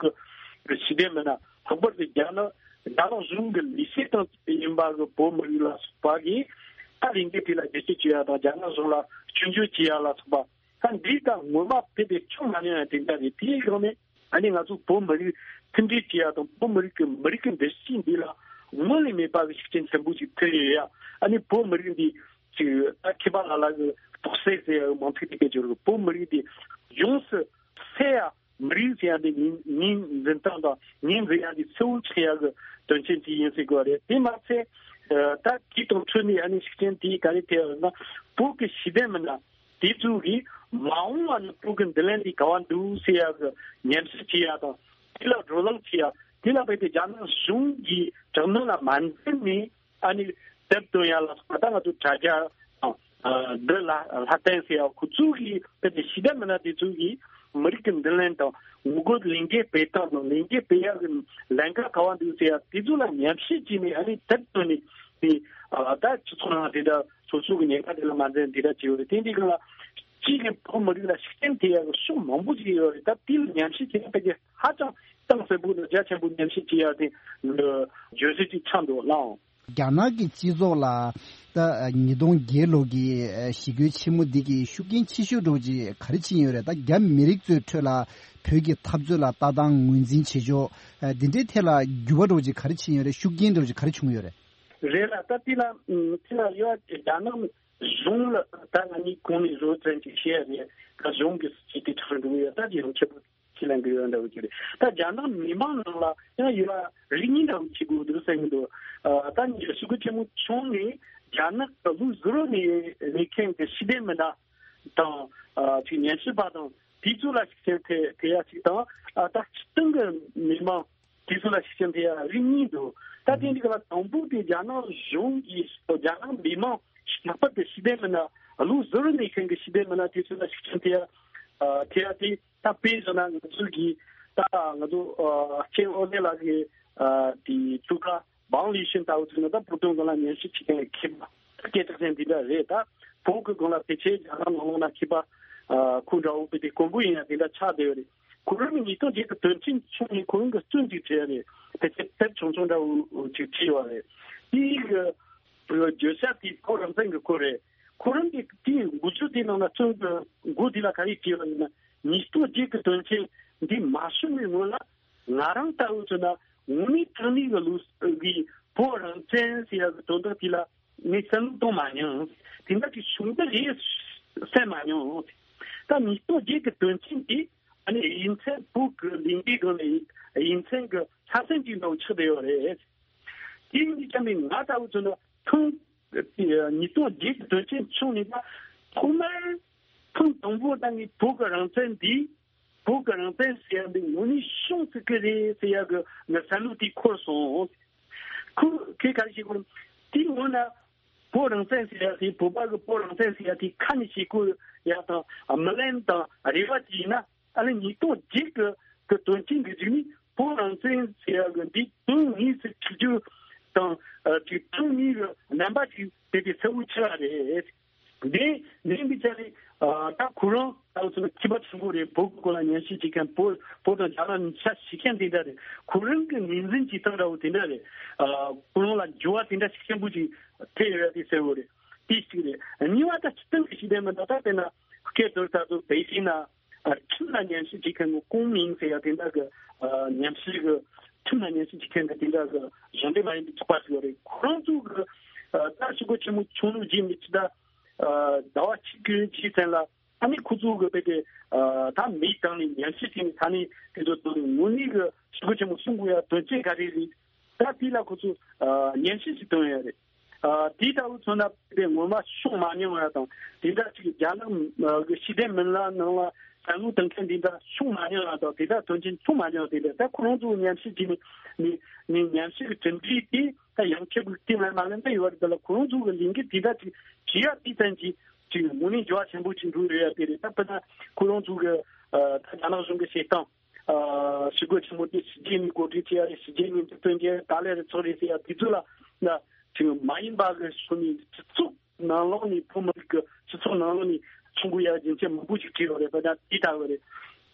ཀྱི་ཞི་བདེ་མི་སྣ། ལྷག་པར་དུ་རྒྱ་ནག་རྒྱ་ནག་གཞུང་གི་ལས་བྱེད་སྟངས་ཡིན་པ་གི་བོད་མི་རིགས་ལ་སོགས་པ་གིས་ད་ལས་འགུལ་དེ་ལ་རྒྱབ་སྐྱོར་བྱེད་ཡ་དང་། རྒྱ་ནག་གཞུང་ལ་སྐྱོན་བརྗོད་བྱེད་ཡ་ལ་སོགས་པ། ད་འདི་ད་ངོ་མ་དཔེ་དེ་བྱུང་མ་མྱོང་ཡ་དེ་འདྲ་རེད། དེའི་སྒང་ནས་ཨ་ནི་ང་ཚོ་བོད་མི་རིགས་མཐུན་སྒྲིལ་བྱེད་ཡ་དང་། བོད་མི་རིགས་ཀྱི་མི་རིགས་ཀྱི་འདུ་ཤེས་འདི་ལ་སྔོན་ལས་མེད་པ་གི་ཤུགས་རྐྱེན་ཆེན་པོ་ཞིག་ཐེབས་ཡོད་ཡ། ཨ་ནི་བོད་མི་རིགས་འདི་ཅིག་ད་མཁས་པ་ལ་ལ་གི་རྟོགས་སད་ཟེར་ཡ་གི་མིང་ཚིག་དེ་སྐད་ཅིག་རེད། བོད་མི་རིགས་འདི་ཡོངས་སུ་སད་ཡ། མི་རིགས་ཟེར་ཡ་འདི་ངོས་ངོས་འཛིན་སྟངས་དང་ངོས་འཛིན་ཡ་འདི་གསལ་བོ་ཆགས་ཡ་གི་དོན་རྐྱེན་དེ་ཡིན་ཟེར་དགོས་པ་རེད། དེ་མ་ཚད་ད་དེ་དང་འཕྲོས་ནས་ཨ་ནི་ཤུགས་རྐྱེན་དེ་ག་རེ་ཐེབས་ཡོད་ན། བོད་ཀྱི་ཞི་བདེ་མི་སྣ་དེ་ཚོ་གིས་ མ་འོངས་པ་ནས་བོད་ཀྱི་མདུན་ལམ་འདི་ག་བ་འདུག་ཟེར་ཡག་གི་ཉམས་ཞིབ་བྱེད་ཡག་དང་། དེ་ལ་བགྲོ་གླེང་བྱེད་ཡག་དེ་ལ་བརྟེན་ཏེ་རྒྱ་ནག་གཞུང་གི་དྲག་གནོན་ལ་མ་འཛེམས་ནས། ཨ་ནི་དེབ་བཏོན་ཡག་ལ་སོགས་པ། ད་ང་ཚོ་དྲ་རྒྱ་དང་། ཨ། འདི་ལ་ལྷ་བསྟན་ཟེར་ཡག་ཁོ་ཚོ་གི་དཔེ་དེ་ཤེས་ལྡན་མི་སྣ་དེ་ཚོ་གིས་མི་རིགས་ཀྱི་མདུན་ལམ་དང་། ངོ་རྒོལ་ལས་འགུལ་སྤེལ་སྟངས་དང་། ལས་འགུལ་སྤེལ་ཡག་གི་ལམ་ཁ་ག་བ་འདུག་ཟེར་ཡག་དེ་ཚོ་ལ་ཉམས་ཞིབ་བྱས་ནས། ཨ་ནི་དེབ་བཏོན་ནས་དེ། ཨ། ད་སྤྱི་ཚོགས་ནང་དེ་འདྲ་སོ་སོ་གི་ཉེན་ཁ་དེ་ལ་མ་འཛེམས་དེ་འདྲ་བྱས་ཡོད་རེད། དེ་འདི་ག་ལ་གཅིག་གི་བོད་མི་རིགས་ལ་ཤུགས་རྐྱེན་ཐེབས་ཡག་གི་ཕྱོགས་མང་པོ་ཞིག་ཡོད་རེད། ད་དེ་ལ་ཉམས་ཞིབ་བྱས་ན་ཕལ་ཆེར་ཧ་ཅང་གཏིང་ཟབ་པོ་དང་རྒྱ་ཆེན་པོ་ཉམས་ཞིབ་བྱེད་ཡག་དེ་བརྗོད་གཞི་ཅིག་ཆགས་འདུག་ལགས། རྒྱ་ནག་གི་སྤྱི་ཚོགས་ལ་ད་ཉིས་སྟོང་བརྒྱད་ལོ་གི་ཞི་རྒོལ་ཆེན་མོ་འདི་གི་ཤུགས་རྐྱེན་ཆེ་ཤོས་འདྲ་བོ་ཅིག་ག་རེ་ཕྱིན་ཡོད་རེད། ད་རྒྱ་མི་རིགས་ཚོའི་ཁྲོད་ལ་བོད་ཀྱི་འཐབ་རྩོད་ལ་ལྟ་སྟངས་ངོས་འཛིན་བྱེད་ཕྱོགས་འདི་འདྲའི་ཐད་ལ་འགྱུར་བ་འདྲ་བོ་ཅིག་ག་རེ་ཕྱིན་ཡོད་རེད། ཤུགས་རྐྱེན་འདྲ་བོ་ཅིག་ག་རེ་བྱུང་ཡོད་རེད། རེད་ལ། ད་དེ་ལ་དེ་ལ་ཡོད་རྒྱ་ནག་གཞུང་ལ་ད་ང་གཉིས་གོང་ནས་བཟོ་ཙམ་ཅིག་བཤད་རེད། ད་གཞུང་གི་སྲིད་ཇུས་དེ་ཁྲིམས་འགྲོ་གི་ཡོད། ད་དེ་ཡང་ཆེ་པོ་ཁས་ལེན་གི་ཡོད་འདྲ་བོ་ཅིག་རེད། ད་རྒྱ་ནག་མི་མང་ནང་ལ་ཡང་ཡོད་རིགས་གཉིས་འདྲ་བོ་ཅིག་དགོས་འདུག་བསམ་གི་འདུག་ཨ། ད་ནི་ཞི་རྒོལ་ཆེན་མོ་བྱུང་ནས་རྒྱ་ནག་གི་ལུགས་ཟུར་ནས་གནས་མཁན་གྱི་ཤེས་ལྡན་མི་སྣ་དང་། ཨ། ཅིག་ཉམས་ཞིབ་པ་དང་དེ་ཚོ་ལ་ཤུགས་རྐྱེན་ཐེབས་ཐེབས་ཡ་ཅིག་དང་། ཨ། ད་སྤྱིར་བཏང་གི་མི་མང་དེ་ཚོ་ལ་ཤུགས་རྐྱེན་ཐེབས་ཡ་རིགས་གཉིས་འདུག་ད་དེ་འདི་ག་ལ་དང་པོ་དེ་རྒྱ་ནག་གཞུང་གིས་རྒྱ་ནག་མི་མང་ལྷག་པར་དུ་ཤེས་ལྡན་མི་སྣ། ལུགས་ཟུར་ནས་མཁན་གྱི་ཤེས་ལྡན་མི་སྣ་དེ་ཚོ་ལ་ཤུགས་རྐྱེན་ཐེབས་ཡ། ཨ། ཐེབས་ཡ་དེ་ད་དཔེ་བཞག་ན་ང་ཚོ་གི་ད་ང་ཚོ། ཨ། ལྕམ་ཨོ་ལེ་ལགས་ཀྱི། ཨ། དེ་ཕྲུ་གུ་བང་ལི་ཤིན་ལྟ་བུ་ཚོ་ནི་ད་བོད་དོན་སྒང་ལ་ཉམས་ཞིབ་བྱེད་མཁན་གྱི་མཁས་པ། ད་སྐད་གྲགས་ཅན་དེ་འདྲ་རེད། ད་བོད་ཀྱི་སྒང་ལ་ཕལ་ཆེར་རྒྱ་ནག་ནང་ལོགས་ན་མཁས་པ། ཨ། ཁོ་འདྲ་བོ་དཔེ་དེ་དཀོན་པོ་ཡིན་ཡ་དེ་འདྲ་ཆགས་བསྡད་ཡོད་རེད། ཁོ་རང་གི་ཉིས་སྟོང་བརྒྱད་ཀྱི་དོན་རྐྱེན་བྱུང་ནས་ཁོ་རང་གི་བཙོན་ཅིག་བྲིས་ཡ་རེད། ཕལ་ཆེར་དེབ་ཆུང་ཆུང་འདྲ་བོ་ཅིག་བྲིས་ཡོད་རེད། དེའི་གི་བརྗོད་བྱ་དེ་བོད་རང་བཙན་གྱི་སྐོར་རེད། ཁོ་རང་གི་དེའི་འགོ་བརྗོད་དེ་ནང་ན་བཙོན་གྱི་འགོ་དེ་ལ་ག་རེ་བྲིས་པ་ཡིན་ན། ཉིས་སྟོང་བརྒྱད་ཀྱི་དོན་རྐྱེན་འདི་མ་བྱུང་བའི་སྔོན་ལ། ང་རང་ལྟ་བུ་ཚོ་ན་དངོས་གནས་དྲང་གནས་ཀྱི་ལུགས་ཀྱི་བོད་རང་བཙན་ཟེར་ཡ་གི་དོན་དག་དེ་ལ་ངས་བསམ་བློ་གཏོང་མ་མྱོང་། དེ་འདྲ་གི་བྱུང་འདི་རེད་བསམ་མ་མྱོང་། ད་ཉིས་སྟོང་བརྒྱད་ཀྱི་དོན་རྐྱེན་དེ་ཨ་ནི་དབྱིན་ཚན་བོད་ཀྱི་ལས་འགུལ་སྒང་ལ་དབྱིན་ཚན་གྱི་ཆ་ཚང་གཅིག་འདྲ་བོ་ཆགས་བསྡད་ཡོད་རེད། དེ་ཡིན་དུས་ཙམ་པའི་ང་ལྟ་བུ་ཚོ་ན་ཐེངས་ཉིས་སྟོང་བརྒྱད་ཀྱི་དོན་རྐྱེན་བྱུང་ནས་ད་ཐོག་མར་ཐེངས་དང་པོ་ད་ངས་བོད་ཀྱི་རང་བཙན་འདི། བོད་ཀྱི་རང་བཙན་ཟེར་ཡ་འདི་དངོས་གནས་བྱུང་སྲིད་ཀྱི་རེད་ཟེར་ཡ་གི་ངའི་བསམ་བློ་དེ་འཁོར་སོང་། ཁོ་ཁོས་ག་རེ་བྱེད་དགོས། དེའི་སྔོན་ན་བོད་རང་བཙན་ཟེར་ཡ་དེ། བོད་པ་གི་བོད་རང་བཙན་ཟེར་ཡ་དེ་ཁ་ནས་བཤད་དགོས་ཡ་དང་། ཨ། སྨོན་ལམ་དང་རེ་བ་ཅིག་ཡིན་ན། ཨ་ནི་ཉིས་སྟོང་བརྒྱད་ཀྱི་གི་དོན་རྐྱེན་གྱི་གཞུག་ནས་བོད་རང་བཙན་ཟེར་ཡ་གི་འདི་དོན་དངོས་སུ་འཁྲིད་རྒྱུ་དང་། ཨ། ཅིག་དོན་དངོས་ཀྱི་རྣམ་པ་ཅིག་དེ་དེ་གསལ་བོ་ཆགས་རེད། འདི་ནས་འདི་ཆ་རེད། ཨ། ད་ཁོ་རང་ད་ཚོ་ན་མཁས་པ་ཆེན་པོ་རེད། བོད་ཀྱི་སྐོར་ལ་ཉམས་ཞིབ་བྱེད་མཁན། བོད་བོད་དང་རྒྱ་ནག་གཉིས་ཆ་ཤེས་མཁན་དེ་འདྲ་རེད། ཁོ་རང་གི་ངོས་འཛིན་བྱེད་སྟངས་འདྲ་བོ་དེ་འདྲ་རེད། ཨ། ཁོ་རང་ལ་འགྱུར་བ་དེ་འདྲ་ཤུགས་ཆེན་པོ་ཅིག་ཐེབས་ཡོད་ཡ་དེ་གསལ་བོ་རེད། དེ་གཅིག་རེད། གཉིས་པ་ད་སྤྱིར་བཏང་གི་ཤེས་ལྡན་མི་སྣ། ད་དཔེར་ན་སྐད་དོད་ལྟར་དུ་པེ་ཅིན་ན། ཨ། ཁྲིམས་ལ་ཉམས་ཞིབ་བྱེད་མཁན་གྱི་ཀུང་མིང་ཟེར་ཡ་དེ་འདྲ་གི། ཨ། ཉམས་ཞིབ་གི། ཁྲིམས་ལ་ཉམས་ཞིབ་བྱེད་མཁན་གྱི་དེ་འདྲ་གི་གཞུང་འབྲེལ་མ་ཡིན་པའི་ཚོགས་པ་ཞིག་ཡོད་རེད། ཁོ་རང་ཚོ་གི། ཨ། ད་ཞི་རྒོལ་ཆེན་མོ་བྱུང་ལུགས་རྗེས་མི་ཅི་ད། ཨ། ཟླ་བ་གཅིག་གི་རྗེས་ཙམ་ལ། ཨ་ནི་ཁོ་ཚོ་གི་དཔེ་དེ། ཨ། ད་མིའི་སྟེང་ནས་ཉམས་ཞིབ་བྱས་ནས་ས་གནས་དེ་ཚོ་དང་དངོས་གནས་གི་ཞི་རྒོལ་ཆེན་མོ་སྲུང་དགོས་ཡ་དོན་རྐྱེན་ག་རེ་རེད། ད་དེ་ལ་ཁོ་ཚོ། ཨ། ཉམས་ཞིབ་ཅིག་བཏོན་ཡོད་རེད། ཨ། དེ་ལྟ་བུ་མཚོན་ན་དེ་ངོ་མ་བྱུང་མ་མྱོང་ཡ་དང་། དེ་འདྲ་ཅིག་རྒྱ་ནག་གི་ཤེས་ལྡན་མི་སྣ་ནང་ལ་བསམ་བློ་གཏོང་མཁན་དེ་འདྲ་བྱུང་མ་མྱོང་ཡ་དང་། དེ་འདྲ་དོན་རྐྱེན་བྱུང་མ་མྱོང་། དེ་འདྲ་ད་ཁོ་རང་ཚོ་ཉམས་ཞིབ་བྱས་ནས་ནས་ནས་ཉམས་ཞིབ་ཀྱི་གྲུབ་འབྲས་དེ་ད་ཡང་ཁྱེད་ཀྱི་སྟེང་ལ་མ་ལན་ད་ཡོད་རེད། ད་ལ་ཁོ་རང་ཚོ་གི་ལས་འགུལ་དེ་འདྲ་ཅིག་བྱེད་ཡ་དེ་ཙམ་གྱིས་ཅིག་དངོས་གནས་འགྱུར་བ་ཆེན་པོ་ཅིག་འགྲོ་རེད་ཡ་དེ་རེད། ད་དཔེར་ན་ཁོ་རང་ཚོ་གི། ཨ། ད་རྒྱ་ནག་གཞུང་གི་བྱེད་སྟངས། ཨ། ཞི་རྒོལ་ཆེན་མོ་དེ་ཕྱི་རྒྱལ་ནས་གོ་སྒྲིག་བྱས་ཡ་རེད། ཕྱི་རྒྱལ་ནས་འཛུགས་སྐྲུན་བྱས་ཡ་རེད། ག་ལེར་རེ་ཚོགས་རེད་ཟེར་ཡ་དེ་ཚོ་ལ་ན་ཅིག་མ་ཡིན་པ་གི་ཕྱོགས་ནས་སྤྱི་ཚོགས་ནང་ལོགས་ནས། བོད་མི་རིགས་ཀྱི་སྤྱི་ཚོགས་ནང་ལོགས་ནས་ཆུང་གུ་ཡ་རྒྱུན་ཆད་མང་པོ་ཞིག་བྲིས་ཡོད་རེད། པ་ད་དེ་ལྟ་བུ་རེད།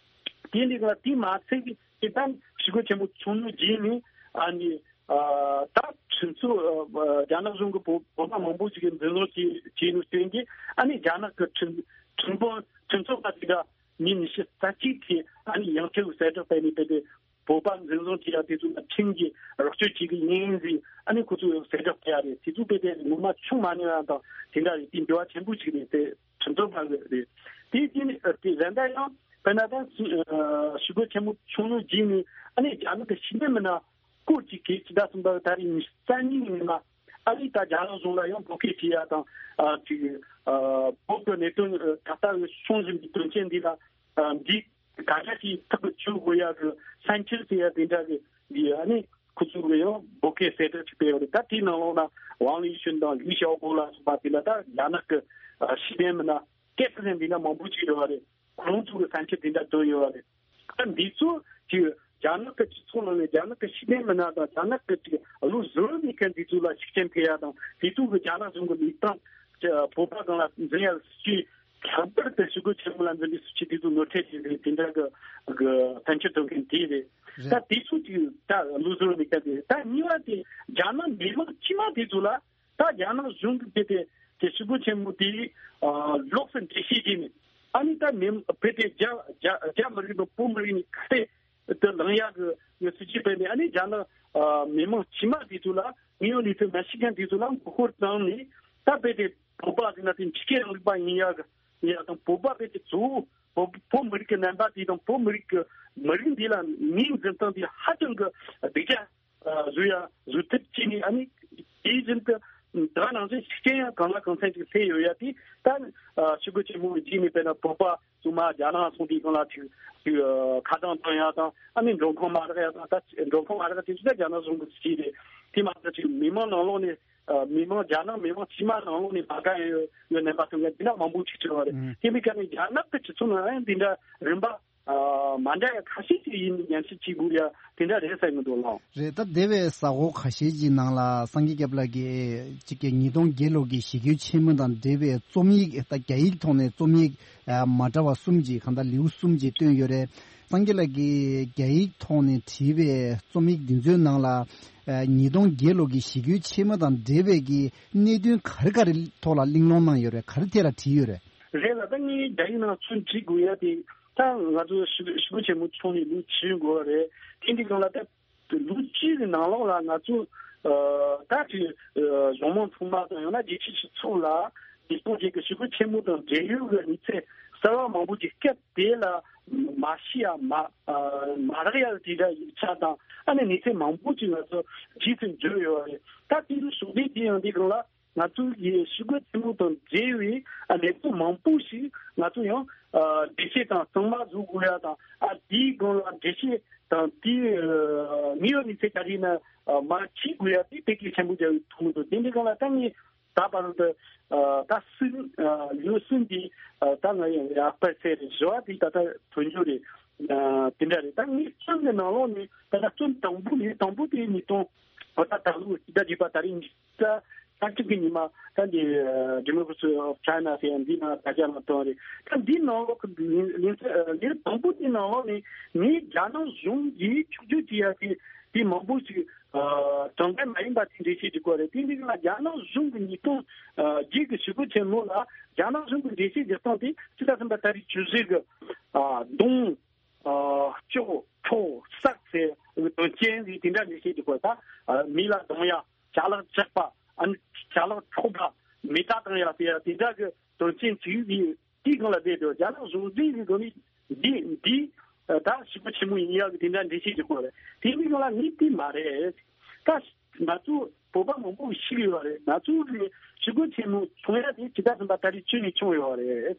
དེ་འདི་ག་དེ་མ་ཚད་ཀྱི་དེ་ད་ཞི་རྒོལ་ཆེན་མོ་བྱུང་ནས་རྗེས་ནས། ཨ་ནི། ཨ། ད་ཁྲིམས་རྩོད། ཨ། རྒྱ་ནག་གཞུང་གི་བོད་བོད་པ་མང་པོ་ཞིག་གིས་འཛིན་བཟུང་བྱས་བྱས་ནས་བསྟན་གྱི། ཨ་ནི་རྒྱ་ནག་གི་ཁྲིམས་ཁྲིམས་དཔོན་ཁྲིམས་རྩོད་པ་དེ་འདྲ་མི་ཉི་ཤུ་རྩ་གཅིག་དེ་ཨ་ནི་ཡང་ཁྲིམས་གསལ་བསྒྲགས་སྤེལ་ནས། དཔེ་དེ་བོད་པ་འཛིན་བཟུང་བྱས་ཡ་དེ་ཚོ་ལ་ཁྲིམས་ཀྱིས་རོགས་སྐྱོར་བྱེད་ཀྱི་ཡིན་ཟེར། ཨ་ནི་ཁོ་ཚོས་གསལ་བསྒྲགས་སྤེལ་ཡ་རེད། དེ་ཚོ་དཔེ་དེ་ངོ་མ་བྱུང་མ་མྱོང་ཡ་དང་དེ་འདྲ་རེད། དེ་འགྱུར་བ་ཆེན་པོ་ཞིག་རེད། དེ་ཁྲིམས་རྩོད་པ་གི་རེད། དེ་དེ་ནི་དེ་གཞན་དག་ཡང་དཔེར་ན་ད་ཞི་རྒོལ་ཆེན་མོ་བྱུང་ནས་རྗེས་ནས། ཨ་ནི་རྒྱ་ནག་གི་ཤེས་ལྡན་མི་སྣ་སྐོར་གྱི་གེ་ཇི་ད་གསུམ་པ་ད་རེས་ཉི་ཤུ་རྩ་གཉིས་ཉིན་མ། ཨ་ནི་ད་རྒྱ་ནག་གཞུང་ལ་ཡང་བོད་སྐད་བྲིས་ཡ་དང་། ཨ་ཅིག་ཨ་བོད་ཀྱི་གནད་དོན་ཨ་ད་ལྟ་བྱུང་བཞིན་པའི་དོན་རྐྱེན་འདི་ལ་ཨ་འདི་ག་འདྲ་ཞིག་ཐག་གཅོད་དགོས་ཡ་གི་ས་འཁྱེར་ཟེར་ཡ་དེ་འདྲ་གི་འདི་ཨ་ནི་ཁོ་ཚོ་གི་ཡང་བོད་སྐད་གསལ་བསྒྲགས་ཅིག་སྤེལ་བ་རེད། ད་དེའི་ནང་ལོགས་ན་ཝང་ལི་ཤུན་དང་ལི་ཞའོ་པོ་ལ་སོགས་པ་དེ་ལ་ད་རྒྱ་ནག་གི་ཨ་ཤེས་ལྡན་མི་སྣ་སྐད་ཆ་ཟེར་འདི་འདྲ་མང་པོ་ཅིག་ཡོད་པ་རེད། ཁོང་ཚོ་གི་ས་འཁྱེར་དེ་འདྲ་བཏོན་ཡོད་པ་རེད། ད་འདི་ཚོ་ཅིག་རྒྱ་ནག་གི་སྤྱི་ཚོགས་ནང་ནས་རྒྱ་ནག་གི་ཤེས་ལྡན་མི་སྣ་དང་རྒྱ་ནག་གི་ཅིག་བློ་གཟུ་བོ་མེད་མཁན་འདི་ཚོ་ལ་ཤུགས་རྐྱེན་ཐེབས་ཡ་དང་། དེ་ཚོ་གི་རྒྱ་ནག་གཞུང་གི་ལུགས་དང་བོད་པ་སྒང་ལ་འཛིན་ཡ་སྲིད་ཇུས། ལྷག་པར་དུ་ཞི་རྒོལ་ཆེན་མོ་ལ་འཛིན་པའི་སྲིད་ཇུས་དེ་ཚོ་ངོ་འཕྲོད་བྱེད་ཀྱི་དེ་འདྲ་གི་གི་ཕན་ཆད་དོན་མཁན་དེ་རེད། རེད། ད་དེ་ཚོ་ཅིག་ད་བློ་གཟུ་བོ་མེད་མཁན་དེ་རེད། ད་གཉིས་པ་དེ་རྒྱ་ནག་མི་མང་དཀྱུས་མ་དེ་ཚོ་ལ་ད་རྒྱ་ནག་གཞུང་གིས་དེ་དེ་དེ་ཞི་རྒོལ་ཆེན་མོ་དེ་ཨ་ལོགས་སུ་འགྲེལ་བཤད་བྱས་ནས། ཨ་ནི་ད་མི་བོད་དེ་རྒྱ་རྒྱ་རྒྱ་མི་རིགས་དང་བོད་མི་རིགས་ནས་ཁ་གཏད་དུ་ལངས་ཡག་གི་ཡོད་སྲིད་ཇུས་སྤེལ་ནས། ཨ་ནི་རྒྱ་ནག་ཨ་མི་མང་དཀྱུས་མ་དེ་ཚོ་ལ་དངོས་ཡོད་གནས་ཚུལ་མ་ཤེས་མཁན་དེ་ཚོ་ལ་མགོ་སྐོར་བཏང་ནས། ད་བོད་དེ་བོད་པ་ཟེར་ན་དེ་འཇིགས་སྐུལ་རིང་ལུགས་པ་ཡིན་ཡག་གི་ཡིན་ཡག་དང་། བོད་པ་བོད་དེ་གཙོ་བོ་བོད་བོད་མི་རིགས་ཀྱི་རྣམ་པ་དེ་དང་བོད་མི་རིགས་ཀྱི་མི་རིགས་འདི་ལ་མིའི་འཛིན་སྟངས་དེ་ཧ་ཅང་གི་སྡུག་ཅག་ཨ་བཟོ་ཡ་བཟོ་ཐབས་བྱས་ནས། ཨ་ནི་དེ་བཞིན་དུ་ད་ནང་བཞིན་ཤུགས་རྐྱེན་ཡང་གང་ལ་གང་འཚམ་ཅིག་སླེབས་ཡོད་ཡ་དེ་ད་ཨ་ཞི་རྒོལ་ཆེན་མོ་གི་རྗེས་ནས་དཔེར་ན་བོད་པ་ཚང་མ་རྒྱ་ནག་སོང་དུས་སྒང་ལ་ཅིག་ཅིག་ཨ་ཁ་གྲངས་བཏང་ཡ་དང་། ཨ་ནི་མགྲོན་ཁང་མ་རག་ཡ་དང་། ད་མགྲོན་ཁང་མ་རག་དེ་ཚོ་ད་རྒྱ་ནག་གཞུང་གི་སྲིད་ཇུས་རེད། དེ་མ་ཟད་ཅིག་མི་མང་ནང་ལོགས་ནས་ཨ་མི་མང་རྒྱ་ནག་མི་མང་དཀྱུས་མ་ནང་ལོགས་ནས་མ་དགའ་ཡ་ཡོད་ཡོད་རྣམ་པ་ཐོན་མཁན་དེ་འདྲ་མང་པོ་ཅིག་བྱུང་བ་རེད། ཨང་། དེ་འདྲའི་སྐབས་ནས་རྒྱ་ནག་གི་སྤྱི་ཚོགས་ནང་ཡང་འདི་འདྲ་རིམ་པ་ཨ་མ་འདྲ་ཡ་ཁ་ཤས་ཅིག་ཡིན་ཉམས་ཞིབ་བྱེད་དགོས་ཡ་དེ་འདྲ་རེད་བསམ་གྱི་འདུག་ལགས། རེད། ད་འདས་པའི་གཟའ་འཁོར་ཁ་ཤས་ཀྱི་ནང་ལ་སངས་རྒྱས་སྐྱབས་ལགས་ཀྱིས་གཅིག་གི་ཉིས་སྟོང་བརྒྱད་ལོ་གི་ཞི་རྒོལ་ཆེན་མོ་དང་འབྲེལ་བའི་རྩོམ་ཡིག་ད་རྒྱ་ཡིག་ཐོག་ནས་རྩོམ་ཡིག་ཨ་མ་འདྲ་བ་གསུམ་ཅིག་གང་ལྟར་ལེའུ་གསུམ་ཅིག་བཏོན་ཡོད་རེད། སངས་རྒྱས་ལགས་ཀྱིས་རྒྱ་ཡིག་ཐོག་ནས་བྲིས་པའི་རྩོམ་ཡིག་འདི་ཚོའི་ནང་ལ་ཨ་ཉིས་སྟོང་བརྒྱད་ལོ་གི་ཞི་རྒོལ་ཆེན་མོ་དང་འབྲེལ་བའི་གི་གནད་དོན་ག་རེ་ག་རེ་ཐོག་ལ་གླེང་སློང་གནང་ཡོད་རེད། ག་རེ་ཐད་ལ་བྲིས་ཡོད་རེད། རེད་ལགས། ད་ངས་རྒྱ་ཡིག་ནང་ཚུར་བྲིས་དགོས་ཡ་དེ་ད་ང་ཚོ་ཞི་ཞི་རྒོལ་ཆེན་མོ་བྱུང་ནས་ལོ་བཅུ་འགོར་བ་རེད། དེ་འདི་སྒང་ལ་ད་ལོ་བཅུ་གི་ནང་ལོགས་ལ་ང་ཚོ་ཨ་ད་ཅིག་ཨ་གཞུང་མང་ཚང་མ་དང་ཡང་ན་རྒྱལ་སྤྱིའི་སྤྱི་ཚོགས་ལ་ཉིས་སྟོང་བརྒྱད་ཀྱི་ཞི་རྒོལ་ཆེན་མོ་དང་འབྲེལ་ཡོད་ཀྱི་གནས་ཚུལ་གསར་བ་མང་པོ་ཅིག་སྐབས་དེ་ལ་མ་ཤེས་ཡ་མ་ཨ་མ་རག་ཡ་དེ་འདྲ་ཡིག་ཆ་དང་། ཨ་ནི་གནས་ཚུལ་མང་པོ་ཅིག་ང་ཚོ་རྗེས་སུ་འཇུག་ཡོད་རེད། ད་དེ་ཚོ་ཕྱོགས་བསྡུས་བྱས་ཡོང་དུས་སྒང་ལ། ང་ཚོ་གི་ཞི་རྒོལ་ཆེན་མོ་དང་འབྲེལ་བའི་ཨ་གནད་དོན་མང་པོ་ཞིག་ང་ཚོ་ཡང་ཨ་འགྲེལ་བཤད་དང་གཙང་མ་བཟོ་དགོས་ཡ་དང་། ཨ་དེའི་སྒང་ལ་འགྲེལ་བཤད་དང་། དེའི་ཨ་དངོས་ཡོད་གནས་ཚུལ་ག་རེ་ཡིན་ན་ཨ་མར་ཁྲིད་དགོས་ཡ་དེ་དེ་གལ་ཆེན་པོ་རྒྱག་ཐུབ་མི་འདུག་དེ་འདྲའི་སྒང་ལ་ད་ངས་ད་བར་དུ་ཨ་ད་སྲིད་ཨ་ལོ་གསུམ་གྱི་ཨ་ད་ང་ཡང་ཡག་པར་ཟེར་རེད། བཟོ་བ་དེ་ད་ལྟ་ཐོན་རྒྱུ་རེད། ཨ་དེ་འདྲ་རེད། ད་ངས་རྩོམ་གྱི་ནང་ལོགས་ནས་ད་ལྟ་རྩོམ་དང་པོ་ནས་དང་པོ་དེ་ཉིས་སྟོང་ཨ་ད་ད་ལོ་ཕྱི་ཟླ་བརྒྱད་པ་ད་རེས་ཉིས་ད་ས་ཁྲིམས་ཀྱི་ཉི་མ་ད་འདི་Democracy of China ཟེར་ཡ་འདི་ནང་དྲ་རྒྱ་ནང་བཏོན་རེད། ད་འདི་ནང་ལོགས་ཀྱི་ལན་ལན་ལན་དང་པོ་འདི་ནང་ལོགས་ནས་ངས་རྒྱ་ནག་གཞུང་གིས་ཕྱོགས་བསྒྱུར་བྱེད་ཡ་དེ་དེ་མང་པོ་ཞིག་ཨ་དྲང་བདེན་མ་ཡིན་པ་དེ་འགྲེལ་བཤད་བྱེད་དགོས་རེད། དེ་འདི་ལ་རྒྱ་ནག་གཞུང་གི་ཉིས་སྟོང་བརྒྱད་ཀྱི་ཞི་རྒོལ་ཆེན་མོ་ལ་རྒྱ་ནག་གཞུང་གི་འགྲེལ་བཤད་བྱེད་སྟངས་དེ་ཕྱི་ཟླ་གསུམ་པ་ད་རེས་བཅུ་བཞི་གི་ཨ་གདོང་། ཨ་གཅོད་འཕྲོག་བསགས་ཟེར་དོན་རྐྱེན་ཟེར་དེ་འདྲ་ལས་བྱེད་ཀྱི་སྐོར་དང་། ཨ་མི་ལ་རྡུང་ཡ། ཅ་ལག་བཅག་པ། ཨ་ནི་ཅ་ལག་འཕྲོག་པ། མེ་མདའ་བཏང་ཡ་ཟེར་ཡ་དེ་འདྲ་གི་དོན་རྐྱེན་ཅིག་གི་དེའི་སྒང་ལ་བསྡད་དུས་རྒྱ་ནག་གཞུང་འཛིན་གྱི་སྒང་ནས་འདི་འདི་ཨ་ད་ཞི་རྒོལ་ཆེན་མོ་ཡིན་ཡ་གི་དེ་འདྲ་འགྲེལ་བཤད་ཀྱི་སྐོར་རེད། དེ་མིན་སྒང་ལ་ངས་དེ་མ་རེད། ད་ང་ཚོ་བོད་པ་མང་པོ་ཞིག་ཡོད་རེད། ང་ཚོ་གི་ཞི་རྒོལ་ཆེན་མོ་བྱུང་ཡ་དེ་ཕྱི་ཟླ་གསུམ་པ་ད་རེས་བཅུ་ནས་བྱུང་ཡོད་རེད།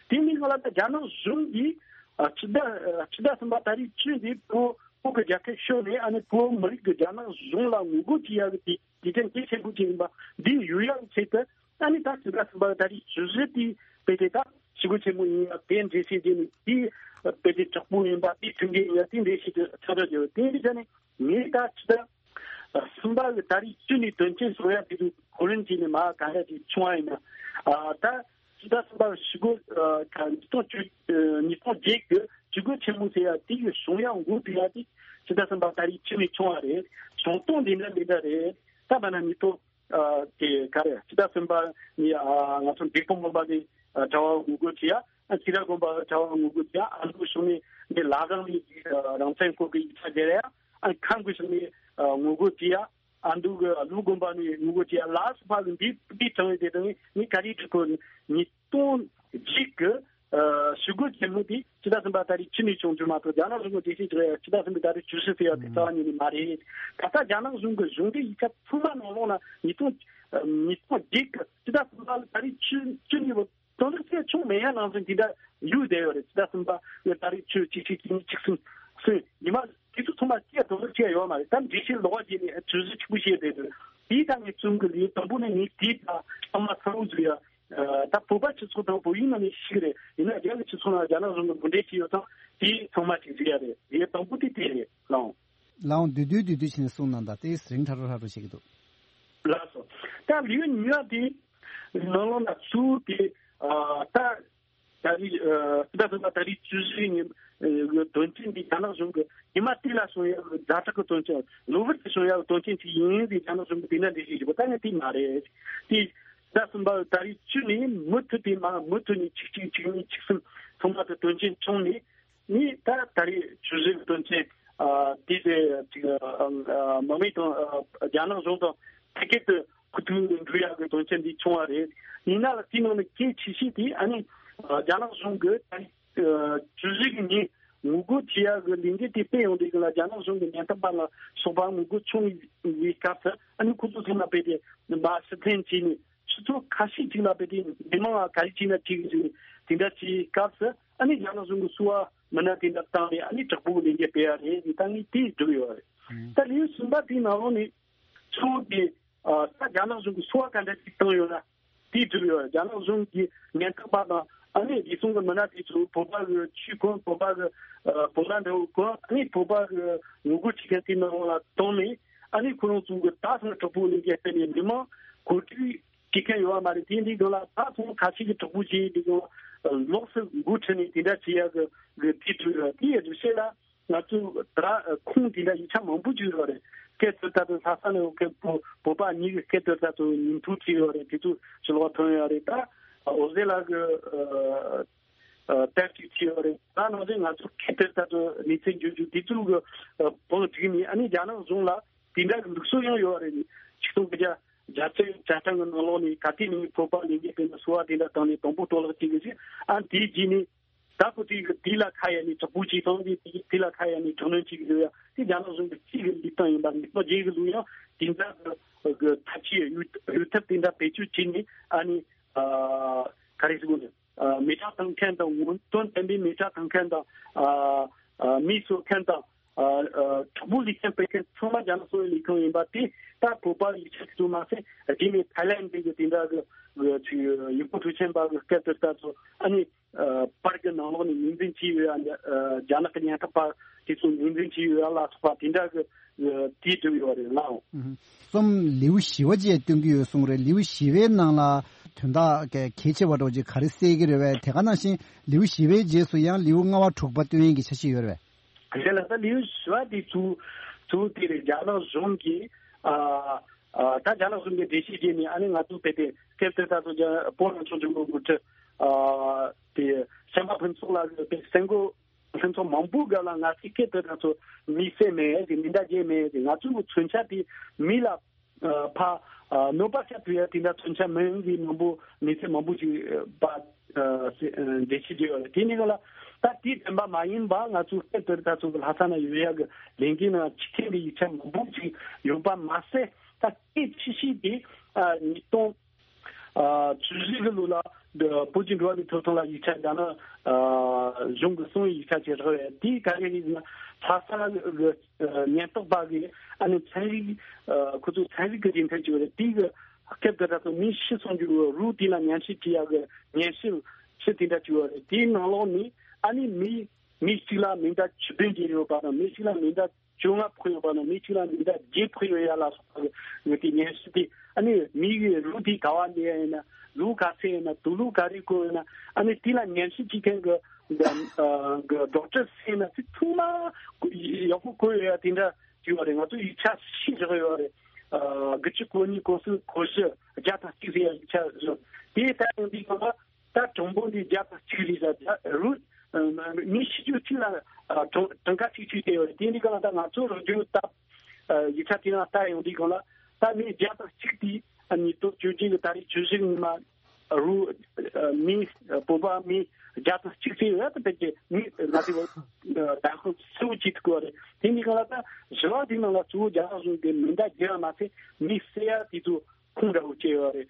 དེ་མིན་སྒང་ལ་ད་རྒྱ་ནག་གཞུང་གིས་ཨ་ཕྱི་ཟླ་ཨ་ཕྱི་ཟླ་གསུམ་པ་ད་རེས་བཅུ་འདི་བོད་བོད་ཀྱི་རྒྱལ་ཁབ་ཤོར་ནས་ཨ་ནི་བོད་མི་རིགས་ཀྱི་རྒྱ་ནག་གཞུང་ལ་ངོ་རྒོལ་བྱེད་ཡག་གི་དེ་དེ་དོན་གལ་ཆེན་པོ་ཅིག་ཡིན་པ་འདི་ཡོད་ཡག་གི་ཆེད་དུ། ཨ་ནི་ད་ཕྱི་ཟླ་གསུམ་པ་ད་རེས་བཅུ་བཞི་དེ་དཔེ་དེ་ད་ཞི་རྒོལ་ཆེན་མོ་ཡིན་ཡག་དེ་འགྲེལ་བཤད་བྱས་ནས། དེ་དཔེ་དེ་དྲག་པོ་ཡིན་པ་དེ་མཐུན་རྐྱེན་ཡིན་ཡག་དེ་འགྲེལ་བཤད་དེ་ཚོད་དྲག་བྱས་ཡོད། དེ་འདི་ཆ་ནས་ངས་ད་ཕྱི་ཟླ་གསུམ་པ་གི་ད་རེས་བཅུ་ནས་དོན་རྐྱེན་བཟོ་ཡ་དེ་ཚོ་གོ་རིམ་བྱས་ནས་མ་ག་འདྲ་ཅིག་བྱུང་བ་ཡིན་ན། ཨ་ད་ཕྱི་ཟླ་གསུམ་པ་ཞི་རྒོལ་ཨ་ད་ཉིས་སྟོང་བཅུ་ཨ་ཉིས་སྟོང་བརྒྱད་ཀྱི་ཞི་རྒོལ་ཆེན་མོ་ཟེར་ཡ་དེ་གི་བྱུང་ཡ་འགོ་ཁྲིད་ཡ་དེ་ཕྱི་ཟླ་གསུམ་པ་ད་རེས་བཅུ་ནས་བྱུང་བ་རེད། བྱུང་སྟངས་འདི་འདྲ་འདི་འདྲ་རེད། ད་བར་ན་ཉིས་སྟོང་ཨ་དེ་ག་རེ་ཕྱི་ཟླ་གསུམ་པ་ནས་ཨ་ང་ཚོ་འབྲས་སྤུངས་དགོན་པ་ནས་ཨ་གྲྭ་བ་ངོ་རྒོལ་བྱེད་ཡ། ཨ་ཁྱི་ར་དགོན་པ་གྲྭ་བ་ངོ་རྒོལ་བྱེད་ཡ། ཨ་མདོ་གཞུང་ནས་ནས་ལ་དྭགས་ནས་ཨ་རང་བཙན་སྐོར་གྱི་ཡིག་ཆ་སྟེར་ཡ། ཨ་ཁམས་ཀྱི་གཞུང་ནས་ཨ་ངོ་རྒོལ་བྱེད་ཡ། ཨ་མདོ་གི་ཨ་ལུང་དགོན་པ་ནས་ངོ་རྒོལ་བྱེད་ཡ་ལ་སོགས་པ་གི་འདི་འདི་དྲངས་ཡོད་དེ་དང་ནི་ག་རེ་འདྲི་གོ་ཉིས་སྟོང་གཅིག་གི་ ཞུ་སྒོ་ཆེན་མོ་དེ་ཕྱི་ཟླ་གསུམ་པ་ད་རེས་ཕྱི་ནས་བྱུང་རྒྱུ་མ་གཏོགས། རྒྱ་ནག་གཞུང་གི་འགྲེལ་བཤད་རྒྱག་ཡ་ཕྱི་ཟླ་གསུམ་པའི་ད་རེས་བཅུ་བཞི་ཟེར་ཡ་དེ་རྩ་བ་ཉིད་ནས་མ་རེད། ད་ལྟ་རྒྱ་ནག་གཞུང་གི་གཞུང་འབྲེལ་ཡིག་ཆ་ཚང་མ་ནང་ལོགས་ན་ཉིས་སྟོང་ཉིས་སྟོང་བརྒྱད་ཀྱི་ཕྱི་ཟླ་གསུམ་པ་ལ་ད་རེས་ཕྱི་ཕྱི་ནས་དོན་དག་ཆེ་ཆུང་མེད་ཡ་ནང་བཞིན་དེ་འདྲ་ཡོད་བསྡད་ཡོད་རེད། ཕྱི་ཟླ་གསུམ་པ་ད་རེས་ཕྱི་གཅིག་གཅིག་གཉིས་གཅིག་གསུམ་གསུམ་ཉི་མ་དེ་ཚོ་ཚང་མ་སྐྱེ་དོན་དག་ཆེ་ཡོད་མ་རེད། ད་འགྲེལ་བཤད་ལོགས་ཀ་བྱས་ནས་བཅུ་བཞི་གཅིག་པུ་བཤད་བསྡད་ཡོད། དེའི་ཐད་ངས་གསུང་གི་ལས་དང་པོ་ནས་ངས་དེའི་ཐད་ཚང་མ་ཚང་བོ་བཟོས་ཡ། ད་བོད་པ་སྤྱི་ཚོགས་དང་བོད་ཡིག་ནང་ནས་ཤེས་ཀྱི་རེད། ཡིན་ན་རྒྱ་གི་སྤྱི་ཚོགས་ནང་རྒྱ་ནག་གཞུང་གི་འགོ་འདྲེན་བྱས་ཡོད་ཙང་དེ་ཚང་མ་ཅིག་གཟིགས་ཡ་རེད། ངས་དང་པོ་དེ་དེ་རེད་ལགས། ལགས་འོང་། བསྡུས་བསྡུས་བསྡུས་བསྡུས་བྱས་ནས་གསུངས་གནང་དང་། དེ་རིང་ཁྲ་རོ་ཁྲ་རོ་བྱེད་ཀྱི་འདུག་ལགས་སོ། ད་ལིའུ་ཉི་མ་དེ་ནང་ལོགས་ན་གཙོ་བོ་དེ་ད་ད་རེས་ད་ད་ད་རེས་བཅུ་བཞི་ཉིན་དོན་ཚན་འདི་རྒྱ་ནག་གཞུང་གི་ཉི་མ་དེ་ལ་བྱུང་ཡ་གི་ཛ་དྲག་གི་དོན་ཚན། གློ་བུར་དུ་བྱུང་ཡ་གི་དོན་ཚན་ཅིག་ཡིན་ཟེར་རྒྱ་ནག་གཞུང་གི་དེ་འདྲ་འགྲེལ་བཤད་བྱེད་པ་ད་ངས་དེ་མ་རེད། དེ་ཟླ་གསུམ་པ་ད་རེས་བཅུ་ནས་མུ་མཐུད་དེ་མ་མུ་མཐུད་ནས་གཅིག་གཅིག་གཅིག་གཉིས་གཅིག་གསུམ་ཚང་མ་དུ་དོན་ཚན་བྱུང་ནས། ནི་ད་ད་རེས་བཅུ་བཞི་གི་དོན་ཚན་དེ་དེ་ཅིག་མི་མེད་དང་རྒྱ་ནག་གཞུང་དང་ཐད་ཀར་དུ་ཁུ་ཐུག་འགྲོ་ཡག་གི་དོན་ཚན་འདི་བྱུང་བ་རེད། ཡིན་ན་ལ་དེའི་ནང་ནས་གལ་ཆེ་ཤོས་དེ་ཨ་ནི་རྒྱ་ནག་གཞུང་གི་ད་རེས་བཅུ་བཞི་གི་ཉིན་ངོ་རྒོལ་བྱེད་ཡག་གི་ལས་འགུལ་དེ་སྤེལ་ཡོང་དུས་ལ་རྒྱ་ནག་གཞུང་གི་ཉེན་རྟོག་པ་ལ་སོགས་པ་ངོ་རྒོལ་བྱུང་བའི་སྐབས་སུ་ཨ་ནི་ཁོ་ཚོ་ཚང་མ་སྤེལ་ཏེ་མ་ཕྱིར་འཐེན་བྱས་ནས། ཆུ་ཚོད་ཁ་ཤས་ཅིག་ལ་དཔེ་དེ་མི་མང་ལ་ག་རེ་བྱས་ན་འགྲིག་གི་རེད། དེ་འདྲ་བྱས་སྐབས་སུ་ཨ་ནི་རྒྱ་ནག་གཞུང་གི་སོ་པ་མི་སྣ་དེ་འདྲ་བཏང་ནས་ཨ་ནི་དྲག་པོ་གི་ལས་འགུལ་སྤེལ་ཡ་རེད་ཟེར་ད་ངས་དེ་བསྒྲུབས་ཡོད་རེད། ད་ལེའུ་གསུམ་པ་དེའི་ནང་ལོགས་ནས་ཚུར་དེ་ད་རྒྱ་ནག་གཞུང་གི་སོ་པ་ག་འདྲ་ཅིག་བཏང་ཡོད་ན་དེ་བསྒྲུབས་ཡོད་རེད། རྒྱ་ནག་གཞུང་གི་ཉེན་རྟོག་པ་དང་ཨ་ནི་བདེ་སྲུང་གི་མི་སྣ་དེ་ཚོ་བོད་པ་གི་ཆོས་ཁོངས་བོད་པ་གི་བོད་ནང་འདྲ་བོ་ཁོངས་ཨ་ནི་བོད་པ་གི་ངོ་རྒོལ་བྱེད་མཁན་དེ་ནང་ལ་བཏང་ནས་ཨ་ནི་ཁོ་རང་ཚོ་གི་ད་སོང་དྲག་པོ་ལས་འགུལ་སྤེལ་ནས་མི་མང་གོ་སྒྲིག་བྱེད་མཁན་ཡོད་པ་མ་རེད། དེ་འདི་སྒང་ལ་ད་ཚོང་ཁ་ཤས་ཀྱི་དྲག་པོ་བྱས་འདི་སྒང་ལོགས་སུ་འགོ་ཁྲིད་ནས་དེ་འདྲ་བྱེད་ཡག་གི་གི་དེ་དུས་དེའི་རྒྱུ་ཆེ་ལ་ང་ཚོ་ད་ཁུངས་དེ་འདྲ་ཡིག་ཆ་མང་པོ་ཅིག་ཡོད་རེད། སྐད་དོད་ལྟ་དུ་ལྷ་ས་ནས་སྐད་བོད་བོད་པ་གཉིས་ཀྱི་སྐད་དོད་ལྟ་དུ་ཉིན་ཐོ་བྲིས་ཡོད་རེད། དེ་ཚོ་ཕྱི་ལོགས་ཐོན་ཡོད་རེད། ད་འོ་ཟེ་ལ་གི་ཨ་དེབ་ཅིག་བྲིས་ཡོད་རེད། ད་ནང་བཞིན་ང་ཚོ་སྐད་དོད་ལྟ་དུ་གནས་ཚུལ་བརྗོད་རྒྱུ་དེ་ཚོ་གི་ཨ་བང་བསྒྲིགས་ནས་ཨ་ནི་རྒྱ་ནག་གཞུང་ལ་དེ་འདྲ་གི་ལུགས་སྲོལ་ཡང་ཡོད་རེད། ཆིག་སྟོང་དགུ་བརྒྱ་བརྒྱད་ཅུ་གྱ་གྲངས་ཀྱི་ནང་ལོགས་ནས་ག་དུས་ནས་བོད་པ་ལས་འགུལ་སྤེལ་ན་སོ་པ་དེ་འདྲ་བཏང་ནས་དང་པོ་གཏོར་བརླག་བྱེད་གི་ཞིག་ཨ་དེའི་རྗེས་ནས་ད་ཁོ་དེ་གི་དེ་ལ་ཁ་གཡར་ནས་དྲག་པོ་བྱེད་སྟངས་དེ་དེ་ལ་ཁ་གཡར་ནས་དྲག་གནོན་བྱེད་གི་ཡོད་ཡ་དེ་རྒྱ་ནག་གཞུང་གི་གཅིག་གི་ལུགས་སྟངས་ཡིན་པ་ངེས་པར་བརྗེད་གི་ལུགས་ཡང་དེ་འདྲ་གི་ཐབས་ཇུས་ཡོད་ཡོད་ཐབས་དེ་འདྲ་བེད་སྤྱོད་བྱས་ནས་ཨ་ནི་ག་རེ་ཟེར་དགོས་རེད། མེ་སྲེག་བཏང་མཁན་དང་ངོ་དོན་ལྡན་པའི་མེ་སྲེག་བཏང་མཁན་དང་། མི་གསོད་མཁན་དང་། དྲག་པོའི་ལུགས་སྲོལ་སྤེལ་མཁན་ཚང་མ་རྒྱ་ནག་གསོ་བའི་ལས་ཁུངས་ཡིན་པ་དེ་ད་བོད་པ་ཡིག་ཆ་དེ་ཚོ་མ་ཟད་རྗེས་ནས་ཐའི་ལན་འདི་གི་དེ་འདྲ་གི་ཡུལ་སྐོར་འགྲོ་མཁན་པ་གི་སྐད་དོད་ལྟ་ཚོ་ཨ་ནི་པར་གི་ནང་ལོགས་ནས་ངོས་འཛིན་བྱས་ཡོད་ཡ། རྒྱ་ནག་གི་ཉེན་རྟོག་པ་དེ་ཚོ་ངོས་འཛིན་བྱས་ཡོད་ཡ་ལ་སོགས་པ་དེ་འདྲ་གི་དེ་བསྒྲུབས་ཡོད་རེད་ལགས། གསུམ་ལེའུ་བཞི་བ་བཅས་སྟོན་གྱི་ཡོད་གསུངས་རེད། ལེའུ་བཞི་བའི་ནང་ལ་དོན་དག་གལ་ཆེ་བ་འདྲ་བོ་ཅིག་ག་རེ་གསལ་གྱི་རེད་བས། དེ་ག་ནང་བཞིན་ལེའུ་བཞི་བའི་རྗེས་སུ་ཡང་ལེའུ་ལྔ་བ་དྲུག་པ་སྟོན་ཡས་ཀྱི་འཆར་གཞི་ཡོད་རེད་བས། དེ་ལ་ད་ལེའུ་བཞི་བ་དེ་ཚུ་ཚུ་དེ་རེད། རྒྱ་ནག་གཞུང་གིས་ཨ་ཨ་ད་རྒྱ་ནག་གཞུང་གིས་འགྲེལ་བཤད་བྱས་ནས་ཨ་ནི་ང་ཚོ་དཔེ་དེ་སྐབས་དེར་ད་ཚོ་རྒྱ་བོད་རང་སྐྱོང་ལྗོངས་ཀྱི་འགོ་ཁྲིད་ཨ་དེ་བྱམས་པ་ཕུན་ཚོགས་ལགས་ཀྱིས་དཔེ་གསར་འགོད་ལྷན་ཚོགས་མང་པོའི་སྐབས་ལ་ང་ཚོས་སྐད་དོད་ལྟ་ཚོ་མི་བསད་མེད་ཟེར། མེ་མདའ་བརྒྱབ་མེད་ཟེར། ང་ཚོའི་མཚོན་ཆ་དེ་མི་ལ་ཨ་ཕ་ཨ་གནོད་པ་བསྐྱལ་ཐུབ་ཡ་དེ་འདྲ་མཚོན་ཆ་མིན་ཟེར་མང་པོ་མི་ཚེ་མང་པོ་ཞིག་ཨ་ཨ་འགྲེལ་བཤད་བརྗོད་ཡོད་རེད། དེ་ནི་ག་ལ་ད་དེ་བདེན་པ་མ་ཡིན་པ་ང་ཚོའི་སྐད་དོད་ལྟ་ཚོ་གི་ལྷ་ས་ན་ཡོད་ཡ་གི་ལས་འགུལ་ནང་ཕྱི་ཁེངས་ཀྱི་ཡིག་ཆ་མང་པོ་ཞིག་ཡོད་པ་མ་ཟད། ད་སྐད་ཆ་ཤིག་དེ་ཨ་ཉིས་སྟོང་ཨ་བཅུ་བཞི་གི་ལོ་ལ་འདི་བོད་ཀྱི་འགྲོ་བ་མིའི་ཐོབ་ཐང་ལ་ཡིག་ཆ་རྒྱ་ནག་ཨ་གཞུང་གི་གསང་བའི་ཡིག་ཆ་ཅིག་རག་ཡོད། དེའི་ག་རེ་རེད་ཟེར་ན་ལྷ་ས་གི་ཨ་ཉེན་རྟོག་པ་གིས་ཨ་ནི་ཚན་རིག་ཨ་ཁོ་ཚོ་ཚན་རིག་གི་རྗེས་མཐུན་ཅིག་ཡོད་རེད། དེའི་གི་སྐབས་དེ་དག་ཏུ་མི་ཤི་སོང་རྒྱུ་རུ་དེ་ལ་ཉམས་ཞིབ་བྱེད་ཡག་གི་ཉམས་ཞིབ་ཕྱི་དེ་འདྲ་ཅིག་ཡོད་རེད། དེའི་ནང་ལོགས་ནས་ཨ་ནི་མི་མི་གཅིག་ལ་མེ་མདའ་བཅུ་བདུན་བརྒྱབ་ཡོད་པ་དང་མི་གཅིག་ལ་མེ་མདའ་བཅོ་ལྔ་ཕོག་ཡོད་པ་དང་མི་གཅིག་ལ་མེ་མདའ་བརྒྱད་ཕོག་ཡོད་ཡ་ལ་སོགས་པ་གི་དེ་ཉམས་ཞིབ་དེ་ཨ་ནི་མི་གི་ལུག་དེ་ག་བ་ལས་ཡིན་ན་ལུག་ག་ཚད་ཡིན་ན་དུག་ལོག་ག་རེ་བཀོལ་ཡིན་ན་ཨ་ནི་དེ་ལ་ཉམས་ཞིབ་བྱེད་མཁན་གི་གི་ཌོག་ཊར་ཟེར་ན་དེ་ཚང་མ་ཡག་པོ་བཀོད་ཡོད་ཡ་དེ་འདྲ་ཅིག་ཡོད་རེད། ང་ཚོ་ཡིག་ཆ་ཤེས་བཞག་ཡོད་རེད། དགུ་བཅུ་གོ་གཉིས་གོ་གསུམ་གོ་བཞི་བརྒྱ་དང་གཅིག་ཟེར་ཡ་ཡིག་ཆ་བཟོ་དེ་ལྟ་ཡོང་དུས་གང་ལ། ད་གྲངས་འབོར་འདི་བརྒྱ་དང་གཅིག་རེད་ཟེར། རུ་མི་ཤི་རྒྱུ་གཅིག་ལ་ཨ་གྲངས་གྲངས་ཀ་གཅིག་བཅུ་དེ་ཡོད་རེད། དེ་འདི་ག་ལ་ད་ང་ཚོ་རུ་རྒྱུ་ད་ཡིག་ཆ་དེ་རང་ལྟ་ཡོང་དུས་གང་ལ་ད་མི་བརྒྱ་དང་གཅིག་དེ་ཉིས་སྟོང་བཅུ་བདུན་གི་ད་རེས་བཅུ་བཞི་ཉི་མ་ རུ་མི་བོད་པ་མི་བརྒྱ་དང་གཅིག་ཙམ་ཡོད་ད། ཕལ་ཆེར་མི་ང་ཚོའི་ད་ཁོ་གཙོ་བོ་གཅིག་ཐུག་པ་རེད། དེ་ནི་གང་ལ་ད་བཞི་བ་དེ་ནང་ལ་གཙོ་བོ་རྒྱ་ནག་གཞུང་གི་མེ་མདའ་བརྒྱབ་པ་མ་ཚད་མི་བསད་ཡ་དེ་ཚོ་ཁུངས་འདྲ་བོ་བཅད་ཡོད་རེད།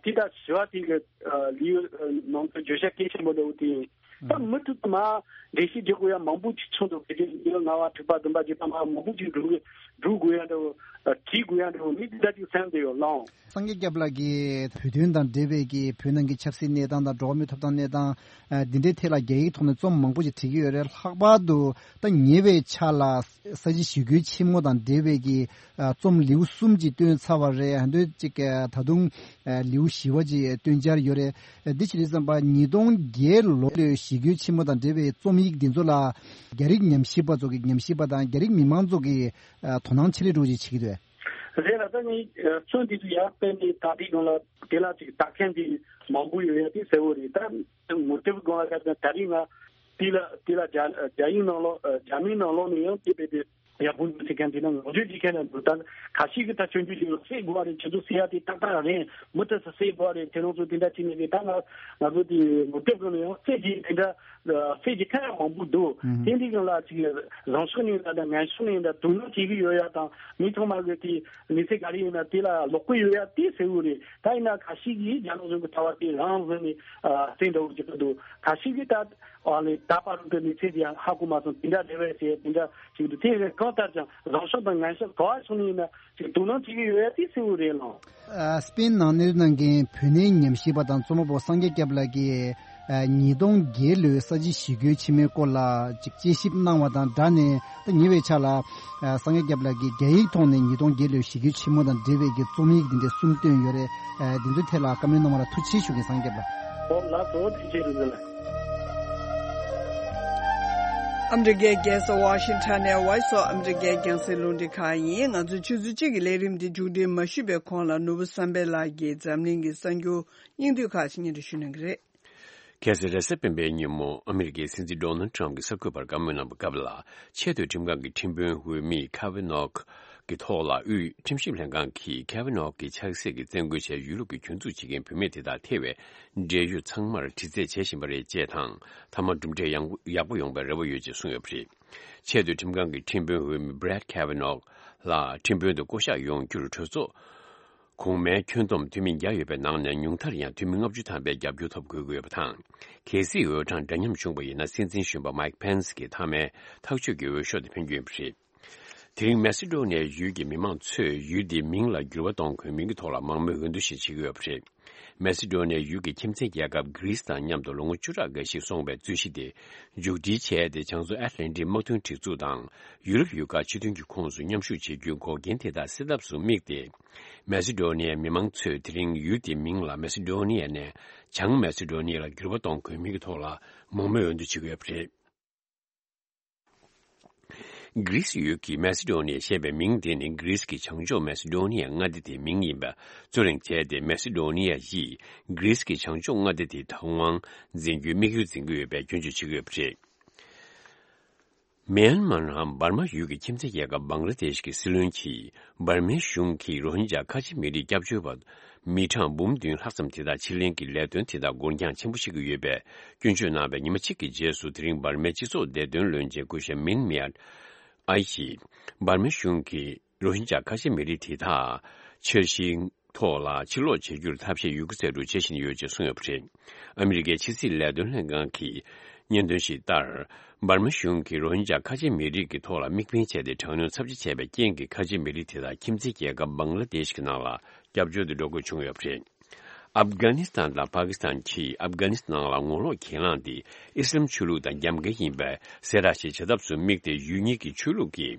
དེ་ད་བཞི་བ་དེ་གི་ལིའུ་ནང་དུ་བརྗོད་བྱ་གལ་ཆེན་པོ་འདྲ་བོ་དེ་ཡིན། ད་མུ་མཐུད་དུ་མ་འགྲེལ་བཤད་རྒྱག་དགོས་ཡ་མང་པོ་ཅིག་བྱུང་འདུག་ཕལ་ཆེར་ལྔ་པ་དྲུག་པ་བདུན་པ་བརྒྱད་པ་ལྔ་པ་མང་པོ་ཅིག་འགྲོ་གི་འགྲོ་དགོས་ཡ་འདྲ་བོ་བྲིས་དགོས་ཡ་འདྲ་བོ་མི་དེ་འདྲ་ཅིག་བསམ་བསྡད་ཡོད་ལགས། སངས་རྒྱས་སྐྱབས་ལགས་ཀྱིས་བོད་དོན་དང་འབྲེལ་བའི་གི་བོད་ནང་གི་ཆབ་སྲིད་གནས་སྟངས་དང་འགྲོ་བ་མིའི་ཐོབ་ཐང་གནས་སྟངས་ཨ་འདི་འདྲའི་ཐད་ལ་རྒྱ་ཡིག་ཐོག་ནས་རྩོམ་མང་པོ་ཞིག་བྲིས་ཀྱི་ཡོད་རེད། ལྷག་པར་དུ་ད་ཉེ་བའི་ཆར་ལ་ས་བྱི་ཞི་རྒོལ་ཆེན་མོ་དང་འབྲེལ་བའི་གི་ཨ་རྩོམ་ལེའུ་གསུམ་ཅིག་བཏོན་ཚར་བ་རེད། ཨ་འདོད་ཅིག་ཨ་ད་དུང་ཨ་ལེའུ་བཞི་བ་ཅིག་བཏོན་འཆར་ཡོད་རེད། ཨ་འདི་ཕྱིར་བསམ་པ་ཉིས་སྟོང་བརྒྱད་ལོ་ལོའི་ཞི་རྒོལ་ཆེན་མོ་དང་འབྲེལ་བའི་རྩོམ་ཡིག་འདི་ཚོ་ལ་རྒྱ་རིགས་ཉམས་ཞིབ་པ་ཚོ་གི་ཉམས་ཞིབ་པ་དང་རྒྱ་རིགས་མི་མང་ཚོ་གི་ཨ་དོ་སྣང་ཆེ་ལེ་འགྲོ་ཅིག་བྱེད་ཀྱི་འདུག་རེད་ལ། ད་ནི་ཨ་རྩོམ་འདི་ཚོ་ཡར་སྤེལ་ནས་ད་ལྟའི་སྒང་ལ་དེ་ལ་ཅིག་ལྟ་མཁན་དེ་མང་པོ་ཡོད་ཡ་དེ་གསལ་བོ་རེད། ད་ངོ་དེབ་སྒང་ལ་ད་ད་རིང་ང་དེ་ལ་དེ་ལ་རྒྱ་རྒྱ་ཡིག་ནང་ལོགས་ཨ་རྒྱ་མིའི་ནང་ལོགས་ནས་ཡང་དེ་དཔེ་དེ་ཡག་པོ་འདུག་ཟེར་མཁན་དེ་ན་ངོ་སྤྲོད་བྱེད་མཁན་ལ་འདུག་ད་ཁ་ཤས་ཀྱིས་ད་སྐྱོན་བརྗོད་བྱེད་ལ་བསད་དགོས་པ་རེད། ཁྱེད་ཚོ་བསད་ཡ་དེ་ཏག་ཏག་རེད། མུ་མཐུད་དུ་བསད་དགོས་པ་རེད། དེ་རང་ཚོ་དེ་འདྲ་བྱས་ནས་རེད། ད་ང་ང་ཚོ་དེ་ངོ་དེབ་སྒང་ལ་ཡང་བསད་ཀྱི་དེ་འདྲ་བསད་ཀྱི་ཁ་ཡ་མང་པོ་འདུག་ཨུམ། དེ་འདྲའི་སྒང་ལ་ཅིག་རང་ཕྱོགས་ནས་ད་ལྟ་ངན་ཕྱོགས་ནས་ད་དོ་སྣང་བྱེད་ཀྱི་ཡོད་ཡ་དང་མི་ཚང་མ་གི་དེ་མི་ཚེ་ག་རེ་ཡིན་ན་དེ་ལ་ལོག་གི་ཡོད་ཡ་དེ་གསལ་བོ་རེད། ད་ཡིན་ན་ཁ་ཤས་ཀྱིས་རྒྱ་ནག་གཞུང་གི་ལྟ་བ་དེ་རང་བཟུང་ནས་ཨ་བསད་འདྲ་བོ་ཅིག་གི་འདུག་ཁ་ཤས་ཀྱིས་ད་ཨ་ལས་ད་བར་དུ་མི་ཚེ་དེ་ཡང་ཧ་གོ་མ་སོང་། དེ་འདྲ་རེད་བས་ཟེར་དེ་འདྲ་ཅིག་འདུག་དེ་རེད། གང་ལྟར་ཀྱང་རང་ཕྱོགས་དང་ངན་ཕྱོགས་ག་བ་ཕྱོགས་ནས་ཡིན་ན་ཅིག་དོ་སྣང་བྱེད་ཀྱི་ཡོད་ཡ་དེ་གསལ་བོ་རེད་ལགས། ཨ་སྤེན་ནང་གནས་གནང་མཁན་བོད་གནས་ཉམས་ཞིབ་པ་དང་རྩོམ་པ་པོ་སངས་རྒྱས་སྐྱབས་ལགས་ཀྱིས་ཨ་ཉིས་སྟོང་བརྒྱད་ལོའི་ས་བྱི་ཞི་རྒོལ་ཆེན་མོའི་སྐོར་ལ་ཅིག་དཔྱད་ཞིབ་གནང་བ་དང་སྦྲགས་ནས། ད་ཉེ་བའི་ཆར་ལ་ཨ་སངས་རྒྱས་སྐྱབས་ལགས་ཀྱིས་རྒྱ་ཡིག་ཐོག་ནས་ཉིས་སྟོང་བརྒྱད་ལོའི་ཞི་རྒོལ་ཆེན་མོ་དང་འབྲེལ་བའི་གི་རྩོམ་ཡིག་འདི་འདྲ་གསུམ་བཏོན་ཡོད་རེད། ཨ་འདི་ཚོའི་ཐད་ལ་བཀའ་མོལ་གནང་བ་ལ་ཐུགས་རྗེ་ཆེ་ཞུ་གི་སངས་རྒྱས་སྐྱབས་ལགས། ཨོ་ལགས་སོ། ཐུགས་རྗེ་ཆེ་ལགས། ཨ་མི་རི་ཀའི་རྒྱལ་ས་ཝ་ཤིང་ཊོན་ནས་Voice of America་རྒྱང་སྲིང་རླུང་འཕྲིན་ཁང་ཡིན། ང་ཚོའི་ཆུ་ཚོད་གཅིག་གི་ལས་རིམ་འདི་མཇུག་སྒྲིལ་མ་ཞུས་པའི་གོང་ལ་ནོར་བུ་བསམ་འཕེལ་ལགས་ཀྱིས་འཛམ་གླིང་གི་གསར་འགྱུར་སྙིང་བསྡུས་ཁག་ཅིག་སྙན་སྒྲོན་ཞུ་གནང་གི་རེད། ཁ་སང་རེས་གཟའ་སྤེན་པའི་ཉིན་མོ་ཨ་མི་རི་ཀའི་སྲིད་འཛིན་ཌོ་ནལ་ཊམ་གྱིས་གསར་འགོད་པར་བཀའ་མོལ་གནང་བའི་སྐབས་ལ། ཆེས་མཐོའི་ཁྲིམས་ཁང་གི་ཁྲིམས་དཔོན་འོས་མི་ཁ་ཝེ་ནོག་གི་ཐོག་ལ་དབུས་ཁྲིམས་ཞིབ་ལྷན་ཁང་གིས་ཁ་ཝེ་ནོག་གི་ཆགས་སྲེད་ཀྱི་བཙན་རྒོལ་བྱས་ཡོད་ལུགས་ཀྱི་སྐྱོན་འཛུགས་བྱེད་མཁན་བུད་མེད་དེ་དག་ཐེ་བའི་འབྲེལ་ཡོད་ཚང་མར་དྲི་རྩད་བྱེད་བཞིན་པ་རེད་ཅེས་དང་། མཐའ་མར་གྲུབ་འབྲས་ཡག་པོ་ཡོང་པའི་རེ་བ་ཡོད་ཅེས་གསུངས་ཡོད་པ་རེད། ཆེས་མཐོའི་ཁྲིམས་ཁང་གི་ཁྲིམས་དཔོན་འོས་མི་Brett Kavanaugh་ལ་ཁྲིམས་དཔོན་དུ་བསྐོ་གཞག་ཡོང་རྒྱུར་གྲོས་ཚོགས་གོང་མའི་ཁྱོན་བསྡོམས་འཐུས་མི་བརྒྱ་ཡོད་པའི་ནང་ནས་ཉུང་མཐར་ཡང་འཐུས་མི་ལྔ་བཅུ་ཐམ་པའི་རྒྱབ་སྐྱོར་ཐོབ་དགོས་ཀྱི་ཡོད་པ་དང་། གལ་སྲིད་འོས་གྲངས་འདྲ་མཉམ་བྱུང་བ་ཡིན་ན། སྲིད་འཛིན་གཞོན་པ་Mike Pence་གྱི་མཐའ་མའི་ཐག་གཅོད་ཀྱི་འོས་ཤོག་དེ་འཕེན་རྒྱུ་ཡིན་པ་རེད། དེ་རིང་མེ་སི་ཌོ་ནི་ཡའི་ཡུལ་གྱི་མི་མང་ཚོས་ཡུལ་དེའི་མིང་ལ་འགྱུར་བ་གཏོང་དགོས་མིན་གྱི་ཐོག་ལ་མང་མོས་འོས་བསྡུ་ཞིག་བྱེད་ཀྱི་ཡོད་པ་རེད། མེ་སི་ཌོ་ནི་ཡའི་ཡུལ་གྱི་ཁྱིམ་མཚེས་རྒྱལ་ཁབ་གྷི་རིས་དང་མཉམ་དུ་ལོ་ངོ་བཅུ་ཕྲག་འགའ་ཞིག་སོང་བའི་རྩོད་གཞི་དེ་མཇུག་སྒྲིལ་བྱས་ཏེ། བྱང་མཚོ་ཨེཊ་ལན་ཊིག་དམག་དོན་སྒྲིག་འཛུགས་དང་ཡུ་རོབ་ཡུལ་ཁག་ཕྱིར་ཐོན་གྱི་ཁོངས་སུ་མཉམ་ཞུགས་བྱེད་རྒྱུའི་འགོག་རྐྱེན་དེ་དག་སེལ་ཐབས་སུ་དམིགས་ཏེ། མེ་སི་ཌོ་ནི་ཡའི་མི་མང་ཚོས་དེ་རིང་ཡུལ་དེའི་མིང་ལ་མེ་སི་ཌོ་ནི་ཡ་ནས་བྱང་མེ་སི་ཌོ་ནི་ཡ་ལ་འགྱུར་བ་གཏོང་དགོས་མིན་གྱི་ཐོག་ལ་མང་མོས་འོས་བསྡུ་བྱེད་ཀྱི་ཡོད་པ་རེད། གྷི་རིས་ཡུལ་གྱི་མེ་སི་ཌོ་ནི་ཡ་ཞེས་པའི་མིང་དེ་ནི་གྷི་རིས་ཀྱི་བྱང་ཕྱོགས་མེ་སི་ཌོ་ནི་ཡ་མངའ་སྡེ་དེའི་མིང་ཡིན་པ་རྩོད་གླེང་བྱས་ཏེ། མེ་སི་ཌོ་ནི་ཡ་ཡིས་གྷི་རིས་ཀྱི་བྱང་ཕྱོགས་མངའ་སྡེ་དེའི་བདག་དབང་འཛིན་རྒྱུའི་དམིགས་ཡུལ་འཛིན་གྱི་ཡོད་པའི་སྐྱོན་བརྗོད་བྱེད་ཀྱི་ཡོད་པ་རེད། མེན་མར་ནང་འབར་མ་ཡུལ་གྱི་ཁྱིམ་མཚེས་རྒྱལ་ཁབ་བང་ལ་དེཤ་གྱི་སྲིད་བློན་གྱིས། འབར་མའི་གཞུང་གིས་རོ་ཧིན་ཇཱ་ཁ་ཆེ་མི་རིགས་སྐྱབས་བཅོལ་བ་མི་གྲངས་འབུམ་བདུན་ལྷག་ཙམ་དེ་དག་ཕྱིར་ལེན་གྱི་ལས་དོན་དེ་དག་འགོར་འགྱངས་ཆེན་པོ་བྱེད་ཀྱི་ཡོད་པའི་སྐྱོན་བརྗོད་གནང་བའི་ཉི་མ་གཅིག་གི་རྗེས་སུ། དེ་རིང་འབར་མའི་སྤྱི་ཚོགས་བདེ་དོན་བློན་ཆེན་སྐུ་ཞབས་མིན་མེ་ཨར་ཨའི་ཡིས། འབར་མའི་གཞུང་གིས་རོ་ཧིན་ཇཱ་ཁ་ཆེ་མི་རིགས་དེ་དག་འཆར་གཞིའི་ཐོག་ལ་ཕྱིར་ལོག་བྱེད་རྒྱུར་ཐབས་ཤེས་ཡོད་རྒུ་ཚད་དུ་བྱེད་བཞིན་ཡོད་ཅེས་གསུངས་ཡོད་པ་རེད། ཨ་མི་རི་ཀའི་ཕྱི་སྲིད་ལས་དོན་ལྷན་ཁང་གི་སྙན་ཐོ་ཞིག་ལྟར། འབར་མ་གཞུང་གིས་རོ་ཧིན་ཇཱ་ཁ་ཆེ་མི་རིགས་ཀྱི་ཐོག་ལ་དམིགས་འབེན་བྱས་ཏེ། དྲག་གནོན་ཚབས་ཆེ་བྱས་པའི་རྐྱེན་གྱིས། ཁ་ཆེ་མི་རིགས་དེ་དག་ཁྱིམ་མཚེས་རྒྱལ་ཁབ་བང་ལ་དེཤ་གི་ནང་ལ་སྐྱབས་བཅོལ་དུ་འགྲོ་དགོས་བྱུང་ཡོད་པ་རེད། ཨབ་གྷ་ནི་སི་ཐན་དང་པ་ཀི་སི་ཐན་གྱིས་ཨབ་གྷ་ནི་སི་ཐན་ནང་ལ་ངོ་ལོག་གྱེན་ལངས་དེ་ཨི་སི་ལམ་ཆོས་ལུགས་དང་རྒྱབ་འགལ་ཡིན་པའི་གསལ་བསྒྲགས་ཤིག་བྱེད་ཐབས་སུ་དམིགས་ཏེ། ཡུལ་གཉིས་ཀྱི་ཆོས་ལུགས་ཀྱི་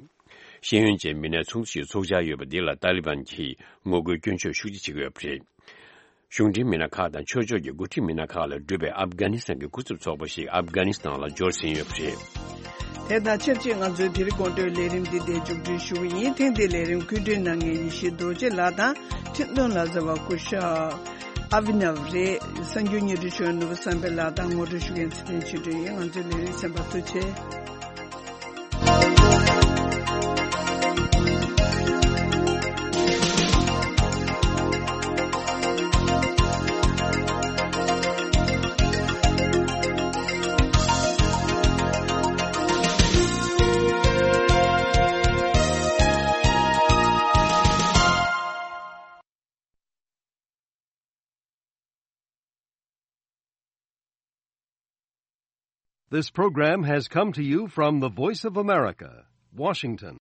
ཤེས་ཡོན་ཅན་མི་སྣའི་ཚོགས་འདུ་ཞིག་འཚོགས་འཆར་ཡོད་པ་འདི་ལ་ཏཱ་ལི་བན་གྱིས་ངོ་རྒོལ་སྐྱོན་བརྗོད་ཤུགས་ཆེ་བྱེད་ཀྱི་ཡོད་པ་རེད། གཞུང་འབྲེལ་མི་སྣ་ཁག་དང་ཆོས་ཕྱོགས་ཀྱི་འགོ་ཁྲིད་མི་སྣ་ཁག་ལས་གྲུབ་པའི་ཨབ་གྷ་ནི་སི་ཐན་གྱི་སྐུ་ཚབ་ཚོགས་པ་ཞིག་ཨབ་གྷ་ནི་སི་ཐན་ལ་འབྱོར་ཟིན་ཡོད་པ་རེད། དེ་དང་ཆབས་ཅིག་ང་ཚོའི་དེ་རིང་དགོང་དྲོའི་ལས་རིམ་འདི་འདིར་མཇུག་སྒྲིལ་ཞུ་གི་ཡིན། ཐེངས་འདིའི་ལས་རིམ་བཀོད་སྒྲིག་གནང་མཁན་ཡེ་ཤེས་རྡོ་རྗེ་ལགས་དང་། ཁྲིམས་དོན་ལ་བཟའ་བ་སྐུ་ཞབས་ཨ་བི་ནབ་རེད། གསར་འགྱུར་སྙན་སྒྲོན་ཞུ་བ་ནོར་བུ་བསམ་འཕེལ་ལགས་དང་ངོ་སྤྲོད་ཞུ་མཁན་ཚེ་བརྟན་ཆོས་སྒྲོན་ཡིན། ང་ཚོའི་ལས་རིམ་གསན་པར་ཐུགས་རྗེ་ཆེ། This program has come to you from the Voice of America, Washington.